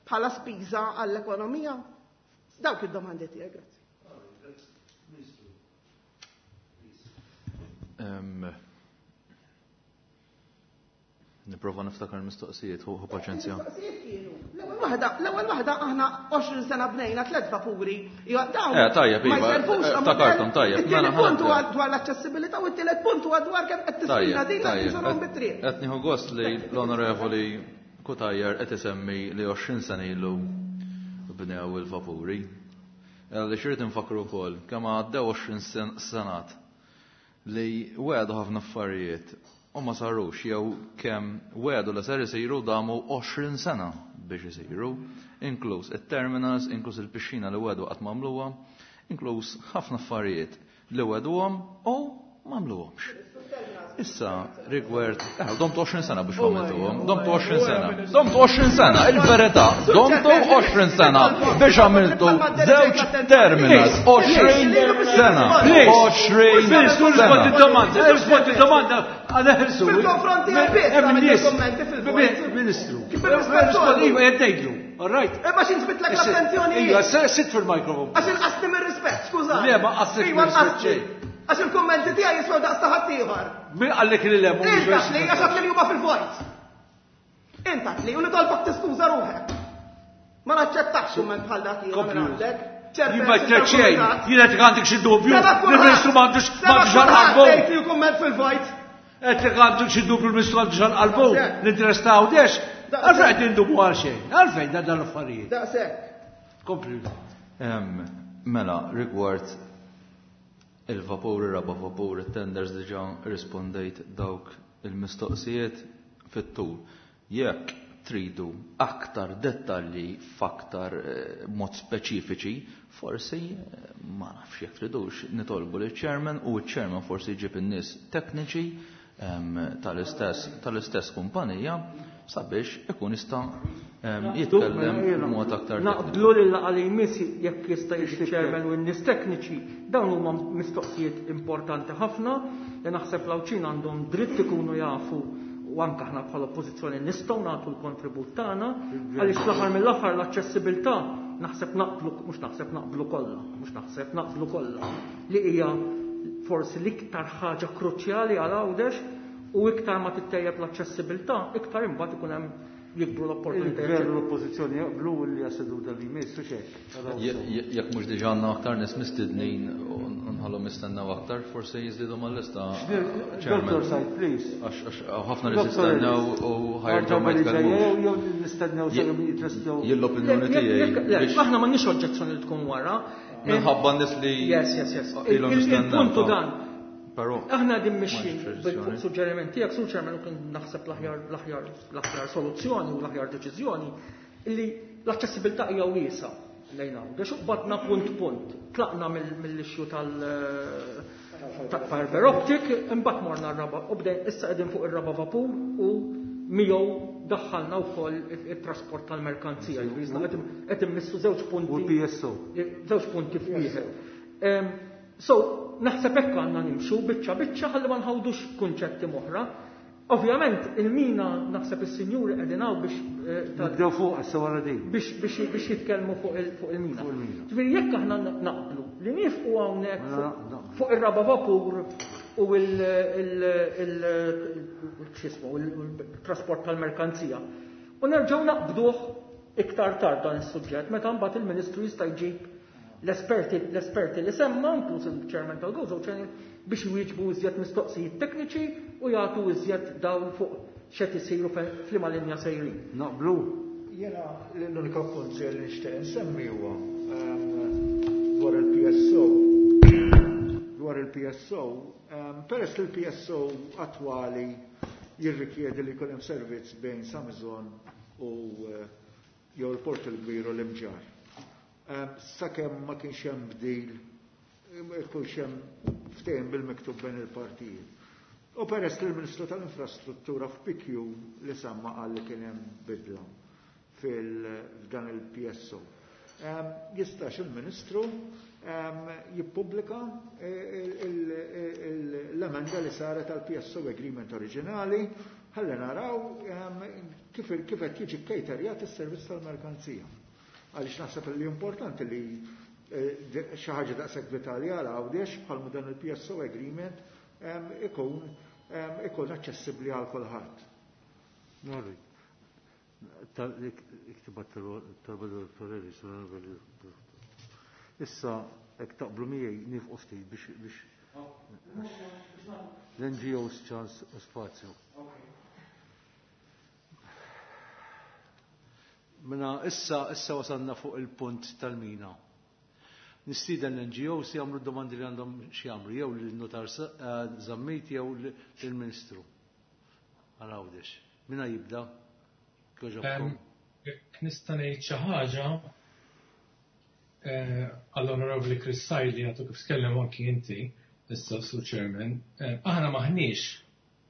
bħala spiża għall-ekonomija? Dawk id-domandi tiegħek, grazzi. Nipprova niftakar mistoqsijiet, hu paċenzja. L-ewwel waħda, l-ewwel waħda aħna għoxrin sena bnejna tliet vapuri. Eh, tajjeb, iva, ftakarthom, tajjeb. It-tieni punt huwa dwar l-aċċessibilità u t-tielet punt huwa dwar kemm qed tiswina din qed tinżorhom bit-triq. Qed nieħu gost li l-Onorevoli Cutajar qed isemmi li għoxrin sena ilu bnew il-vapuri. Għaliex irid infakru wkoll kemm għaddew għoxrin senat li wegħdu ħafna affarijiet. u ma sarux, jew kemm wegħdu li ser isiru damu għoxrin sena biex isiru, inkluż it-terminals, inkluż il-pixxina li wegħdu qatt m'għamluha, inkluż ħafna affarijiet li wegħduhom u m'għamluhomx. Issa, rigward, eh, domtu għoxrin sena biex għamiltuhom, domtu għoxrin sena, domtu għoxrin sena, il-verità, domtu għoxrin sena biex għamiltu żewġ terminals, għoxrin sena, għoxrin sena. Domanda, rispondi domanda, għana ħelsu. Fil-konfronti għal-biss, kommenti fil-vojt. Ministru. Kif il-rispettu? Iva, jgħidlu, all right. Imma xi nġbidlek l-attenzjoni. Iva, sit fil-mikrofon. Għax inqasni mir-rispett, skużani. Le, ma qasnik Iva, mir-rispett nqasni. xejn. Għax il-kummenti tiegħi jiswew daqs ta' ħaddieħor. Min qallek li le mhux Inta li għax għad li huma fil-vojt. Inta li u nitolbok tiskuża ruħek. Ma naċċettax kumment bħal dak jiena minn għandek. Jien ma ċerċej, jien qed għandek xi dubju, il-Ministru m'għandux m'għandux għal-qalbu. Tgħid li kumment fil-vojt. Qed li għandek xi dubju l-Ministru m'għandux għal-qalbu, l-interess ta' Għawdex. Għalfejn qed indubu għal xejn, għalfejn dan dan l-affarijiet. Daqshekk. Kompli. Mela, rigward il-vapur, ir-raba vapur, it-tenders diġà rispondejt dawk il-mistoqsijiet fit-tul. Jekk tridu aktar dettalji f'aktar mod speċifiċi, forsi ma nafx jekk tridux nitolbu liċ-chairman u ċ-chairman forsi jġib in-nies tekniċi tal-istess tal-istess kumpanija sabiex ikun jista' jitkellem b'mod aktar tekniku. Naqblu lil laqgħa li jmiss jekk jista' jiġi chairman u n-nies tekniċi, dawn huma mistoqsijiet importanti ħafna li naħseb l-Għawdxin għandhom dritt ikunu jafu u anke aħna bħala oppożizzjoni nistgħu nagħtu l-kontribut tagħna għaliex fl-aħħar mill-aħħar l-aċċessibilità naħseb naqblu, mhux naħseb naqblu kollha, mhux naħseb naqblu kollha li hija forsi l-iktar ħaġa kruċjali għal Għawdex u iktar ma tittejjeb l-aċċessibilità, iktar imbagħad ikun hemm jikbru l-opportunitajiet. Il-gvern u l-oppożizzjoni jaqblu li għas-seduta li jmiss u xejn. Jekk mhux diġà għandna aktar nies mistednin u nħallhom jistennew aktar, forsi jiżdiedu mal-lista. Dottor Said, please. Għax ħafna nies jistennew u ħajerġgħu ma jitkellmux. Jew nistennew sakemm jitlestew. Jien l-opinjoni tiegħi. Aħna m'għandniex oġġezzjoni li tkun wara. Minħabba nies li Yes, yes, yes. ilhom jistennew. Il-puntu dan. Però aħna din mixjin fuq suġġeriment tiegħek, Sur Chairman, u kien naħseb l-aħjar l-aħjar l-aħjar soluzzjoni u l-aħjar deċiżjoni illi l-aċċessibilità hija wiesa lejn Għawdex u qbadna punt punt. Tlaqna mill-issue tal fiber optic, imbagħad morna r-raba u bdejn issa qegħdin fuq ir-raba vapur u miegħu daħħalna wkoll it-trasport tal-merkanzija. Jiġifieri qed immissu żewġ punti. U P S O. Żewġ punti f'wieħed. So, naħseb hekk għandna nimxu biċċa biċċa ħalli ma nħawdux kunċetti moħra. Ovvjament, il-mina naħseb is-sinjuri qegħdin hawn biex, eh, ta' Nibdew fuq issa wara din. Biex, biex, biex jitkellmu fuq il-, fuq il-mina. Fuq il-mina. Ġifieri jekk aħna naqblu li niefqu hawnhekk Mela, fuq, naqblu. fuq ir-raba vapur u il-, il-, il-, x'ismu, il-trasport tal-merkanzija. U nerġgħu naqbduh iktar tard dan is-suġġett meta mbagħad il-Ministru jista' jġib l-esperti, l-esperti li semma, inkluż il-Chairman tal-Gozo Channel, biex jwieġbu iżjed mistoqsijiet tekniċi u jagħtu iżjed dawl fuq x'qed isiru f'liema linja sejrin. Naqblu. Jiena l-unika punt li nixtieq insemmi huwa, ehm, dwar il-P S O. Dwar il-P S O, ehm, peress li l-P S O attwali jirrikjedi li jkun hemm servizz bejn Samizon u, eh, jew il-Port il-Kbir u l-Imġarr. Ehm, sakemm ma kienx hemm bdil, ikunx hemm ftehim bil-miktub bejn il-partijiet. U peress li l-Ministru tal-Infrastruttura f'P Q li semma qal li kien hemm bidla fil-, f'dan il-P S O. Ehm, jistax il-Ministru, ehm, jippubblika il-, il-, il-, l-emenda li saret għal P S O Agreement oriġinali, ħalli naraw, ehm, kif, kif qed jiġi kejterjat is-servizz tal-merkanzija. Għaliex naħseb li importanti li, eh, de-, xi ħaġa daqshekk vitali għal Għawdex bħalma dan il-P S O Agreement, ehm, ikun, ehm, ikun aċċessibbli għal kulħadd. Norri. Iktibat talba dottor Ellis, onorevoli. Issa hekk taqblu miegħi nifqu ftit biex, biex l-N G Os ċans u spazju. Mela issa, issa wasalna fuq il-punt tal-mina. Nistieden l-N G Os jagħmlu domandi li għandhom xi jagħmlu, jew lin-notar, eh, Zammit jew lill-Ministru. għal Għawdex. Minna jibda? Kjoġobkom. Jekk nista' ngħid xi ħaġa għall-Onorevoli Chris Said li għadu kif tkellem anki inti, issa Sur Chairman, aħna maħniex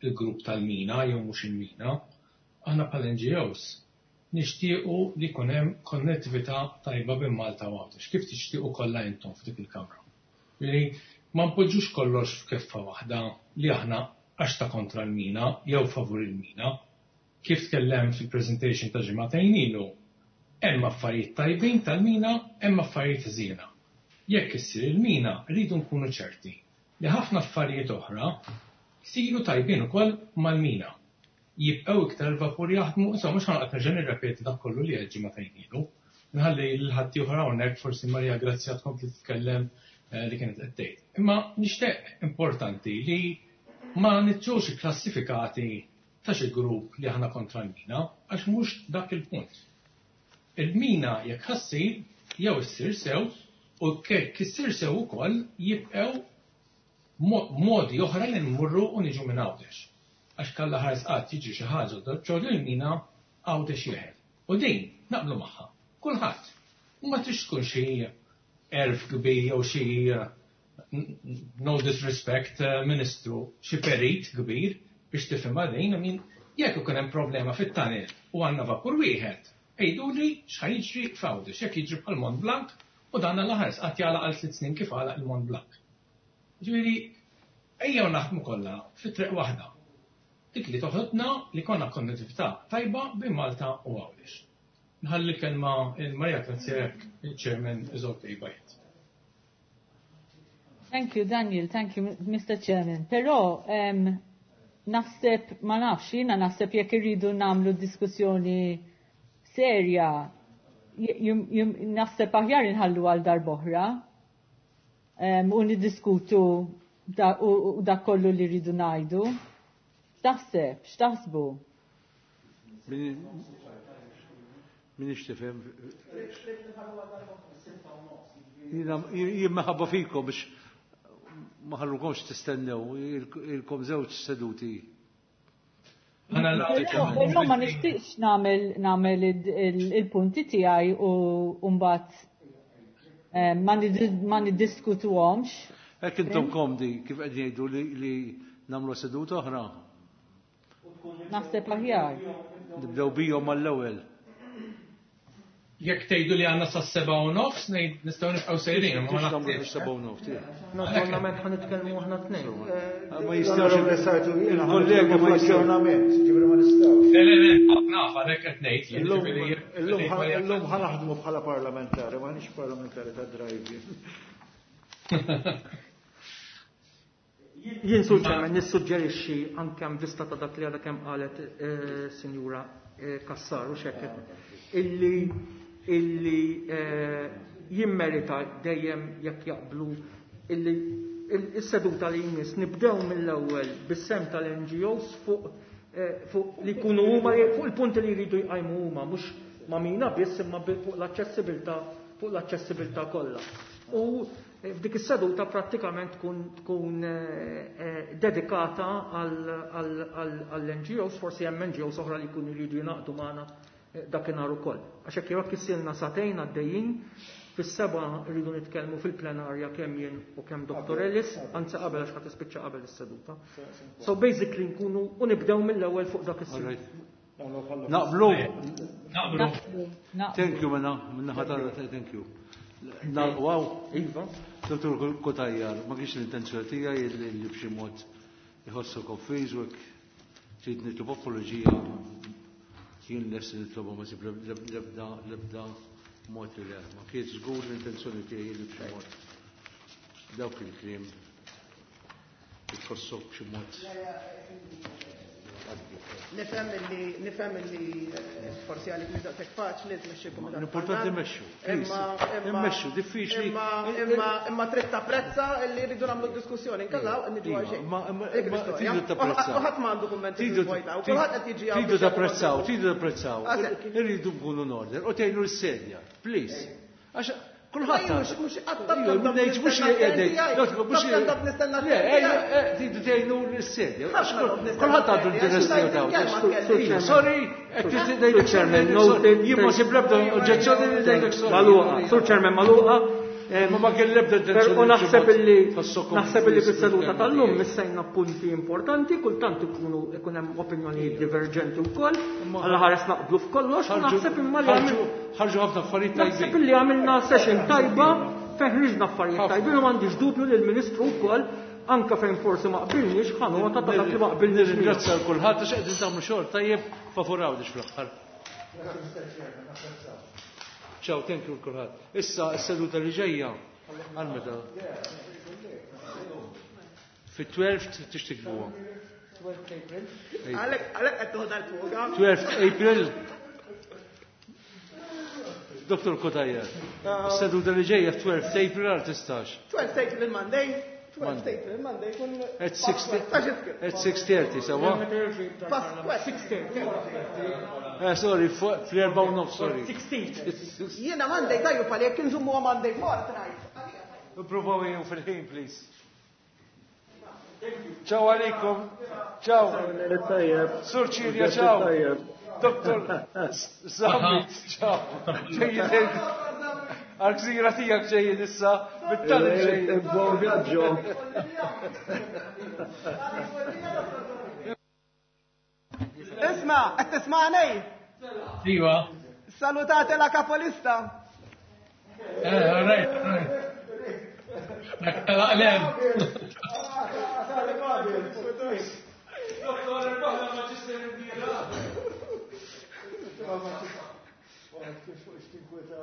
il-grupp tal-mina jew mhux il-mina, aħna bħal N G Os nixtiequ li jkun hemm konnettività tajba bejn Malta u Għawdex, kif tixtiequ kollha intom f'dik il-kamra. Li ma npoġġux kollox f'keffa waħda li aħna għax ta' kontra l-mina jew favur il-mina. Kif tkellem fil-presentation ta' ġimagħtejn ilu, hemm affarijiet tajbin tal-mina, hemm affarijiet ħżiena. Jekk issir il-mina, rridu nkunu ċerti li ħafna affarijiet oħra jsiru tajbin ukoll mal-mina. Jibqgħu iktar vapur jaħdmu, insomma mhux ħa noqgħod nerġa' nirrepeti dak kollu li għedt ġimagħtejn ilu. Nħalli lil ħadd ieħor hawnhekk, forsi Maria Grazia tkompli titkellem li kienet qed tgħid. Imma nixtieq importanti li ma niġux klassifikati ta' xi grupp li aħna kontra l-mina, għax mhux dak il-punt. Il-mina jekk ħa ssir, jew issir sew, u jekk issir sew ukoll jibqgħu modi oħra li nmurru u niġu minn Għawdex. Għax kalla ħares qatt jiġi xi ħaġa ġol il-mina, Għawdex jeħel. U din naqblu magħha. Kulħadd. U ma trix tkun xi għerf kbir jew xi, no disrespect, ministru, xi perit kbir biex tifhimha din, I mean, jekk ikun hemm problema fit-tunnel u għandna vapur wieħed, għiduli x'ħa jiġri f'Għawdex, jekk jiġri bħal Mont Blanc u dan l-ħares qatt jagħlaq għal tliet snin kif għalaq il-Mont Blanc. Ġifieri, ejjew naħdmu kollha fi triq waħda. Dik li toħodna li konna konnettività tajba bejn Malta u Għawdex. Nħalli kelma il-Maria Grazia, il-Chairman is okay by it. Thank you, Daniel. Thank you, Mister Chairman. Però um, naħseb, ma nafx, jiena naħseb jekk irridu nagħmlu diskussjoni serja, naħseb aħjar inħallu għal darb'oħra um, u niddiskutu da, u, u dak kollu li rridu ngħidu. X'taħseb? X'taħsbu? Min tifhem? Jien minħabba fikom biex ma ħallukomx tistennew, ilkom żewġ seduti. Però ma nixtieqx nagħmel nagħmel il-punti tiegħi u mbagħad ma niddiskutuhomx. Hekk intom komdi kif qed jgħidu li nagħmlu seduta oħra. Naħseb aħjar. Nibdew bihom mal-ewwel. Jekk tgħidu li għandna sa seba' u nofs, nistgħu nibqgħu sejrin, ma nagħmlu seba' u nofs. Naturalment ħa nitkellmu aħna tnejn. Ma jistgħux il-kollega ma jistgħux. Ġifieri ma nistgħux. Le, le, le, naf għalhekk qed ngħid. Illum ħa naħdmu bħala parlamentari, ma nix parlamentari ta' drive. Jien, Sur Chairman, nissuġġerixxi anke vista ta' dak li għadha kemm qalet Sinjura Kassar u xekket illi illi jimmerita dejjem jekk jaqblu illi is-seduta li jmiss nibdew mill-ewwel bis-sem tal-N G Os fuq fuq li jkunu huma fuq il-punti li jridu jqajmu huma, mhux ma' mina biss imma fuq l-aċċessibilità fuq l-aċċessibilità kollha. U f'dik is-seduta prattikament tkun tkun dedikata għall-N G Os, forsi hemm N G Os oħra li jkunu jridu jingħaqdu magħna dakinhar ukoll. Għax hekk jekk issilna sagħtejn għaddejjin, fis-seba rridu nitkellmu fil-plenarja kemm jien u kemm Doctor Ellis, anzi qabel għax ħadd tispiċċa qabel is-seduta. So basically nkunu u nibdew mill-ewwel fuq dak is Naqblu. Naqblu. Thank you, minna, minna ħatara, thank you. Wow. Iva. Dottor Cutajar, ma kienx l-intenzjoni tiegħi li b'xi mod iħossu konfiż u trid nitlob apoloġija, jien lest nitlobu, ma sib lebda lebda mod li le. Ma kienx żgur l-intenzjoni tiegħi li b'xi mod dawk il-kliem tħossok b'xi mod. Nifhem li nifhem li forsi għalik mhux daqshekk faċli tmexxi kumitat. L-importanti mmexxu. Immexxu, diffiċli. Imma imma imma trid tapprezza li rridu nagħmlu diskussjoni, inkella niġu għal xejn. Tridu tapprezzaw. U ħadd m'għandu kummenti fil-vojta, u kulħadd qed jiġi Tridu tapprezzaw, tridu tapprezzaw. Irridu nkunu in order. U tgħinu l-sedja, please. Għax Kulħadd. Mhux ngħid mhux mhux Le, tridu tgħinu l-sedja. Kulħadd għandu l-interess tiegħu. Sorry, qed Chairman, jien ma sib l-ebda oġġezzjoni li ngħidlek sorry. Magħluqa, Sur Chairman, magħluqa. Ma ma kien l-ebda U naħseb illi naħseb illi fis-seduta tal-lum missejna punti importanti, kultant ikunu ikun hemm opinjonijiet diverġenti wkoll, għal ħares naqblu f'kollox, u naħseb imma li ħarġu ħafna affarijiet tajbin. Naħseb illi għamilna session tajba fejn ħriġna affarijiet tajbin u m'għandix dubju li l-Ministru wkoll anka fejn forsi ma qbilniex ħanota ta' dak li ma qbilniex. Nirringrazzja l kulħadd għax qegħdin tagħmlu xogħol tajjeb favur Għawdex fl-aħħar. Ciao, thank you kulħadd. Issa s-seduta li ġejja għal meta? Fit-twelfth tixtikbuha. Għalhekk għalhekk qed toħodha l-fuga. twelfth April. Dottor Cutajar, s-seduta li ġejja twelfth April għal tistax. twelfth April Monday. twelfth April Monday kun At six thirty, sawa? Eh, sorry, fl-erba u nof, sorry. Jiena Monday tajju pal jekk inżummu Monday fortnight. Provaw jew fil-ħin, please. Ciao għalikum. Ciao. Sur Ċirja, ciao. Doktor Zammit, ciao. Ġejjin għal-gżira tijak ġejjin issa, bit-tali ġejjin. Buon viaggio. Isma, qed tismani? Iva. Salutate la capolista. Eh, all right, all right. Dak tal-aqlem. Doktor, irbaħna Manchester United. Kif fuq x'tinkweta.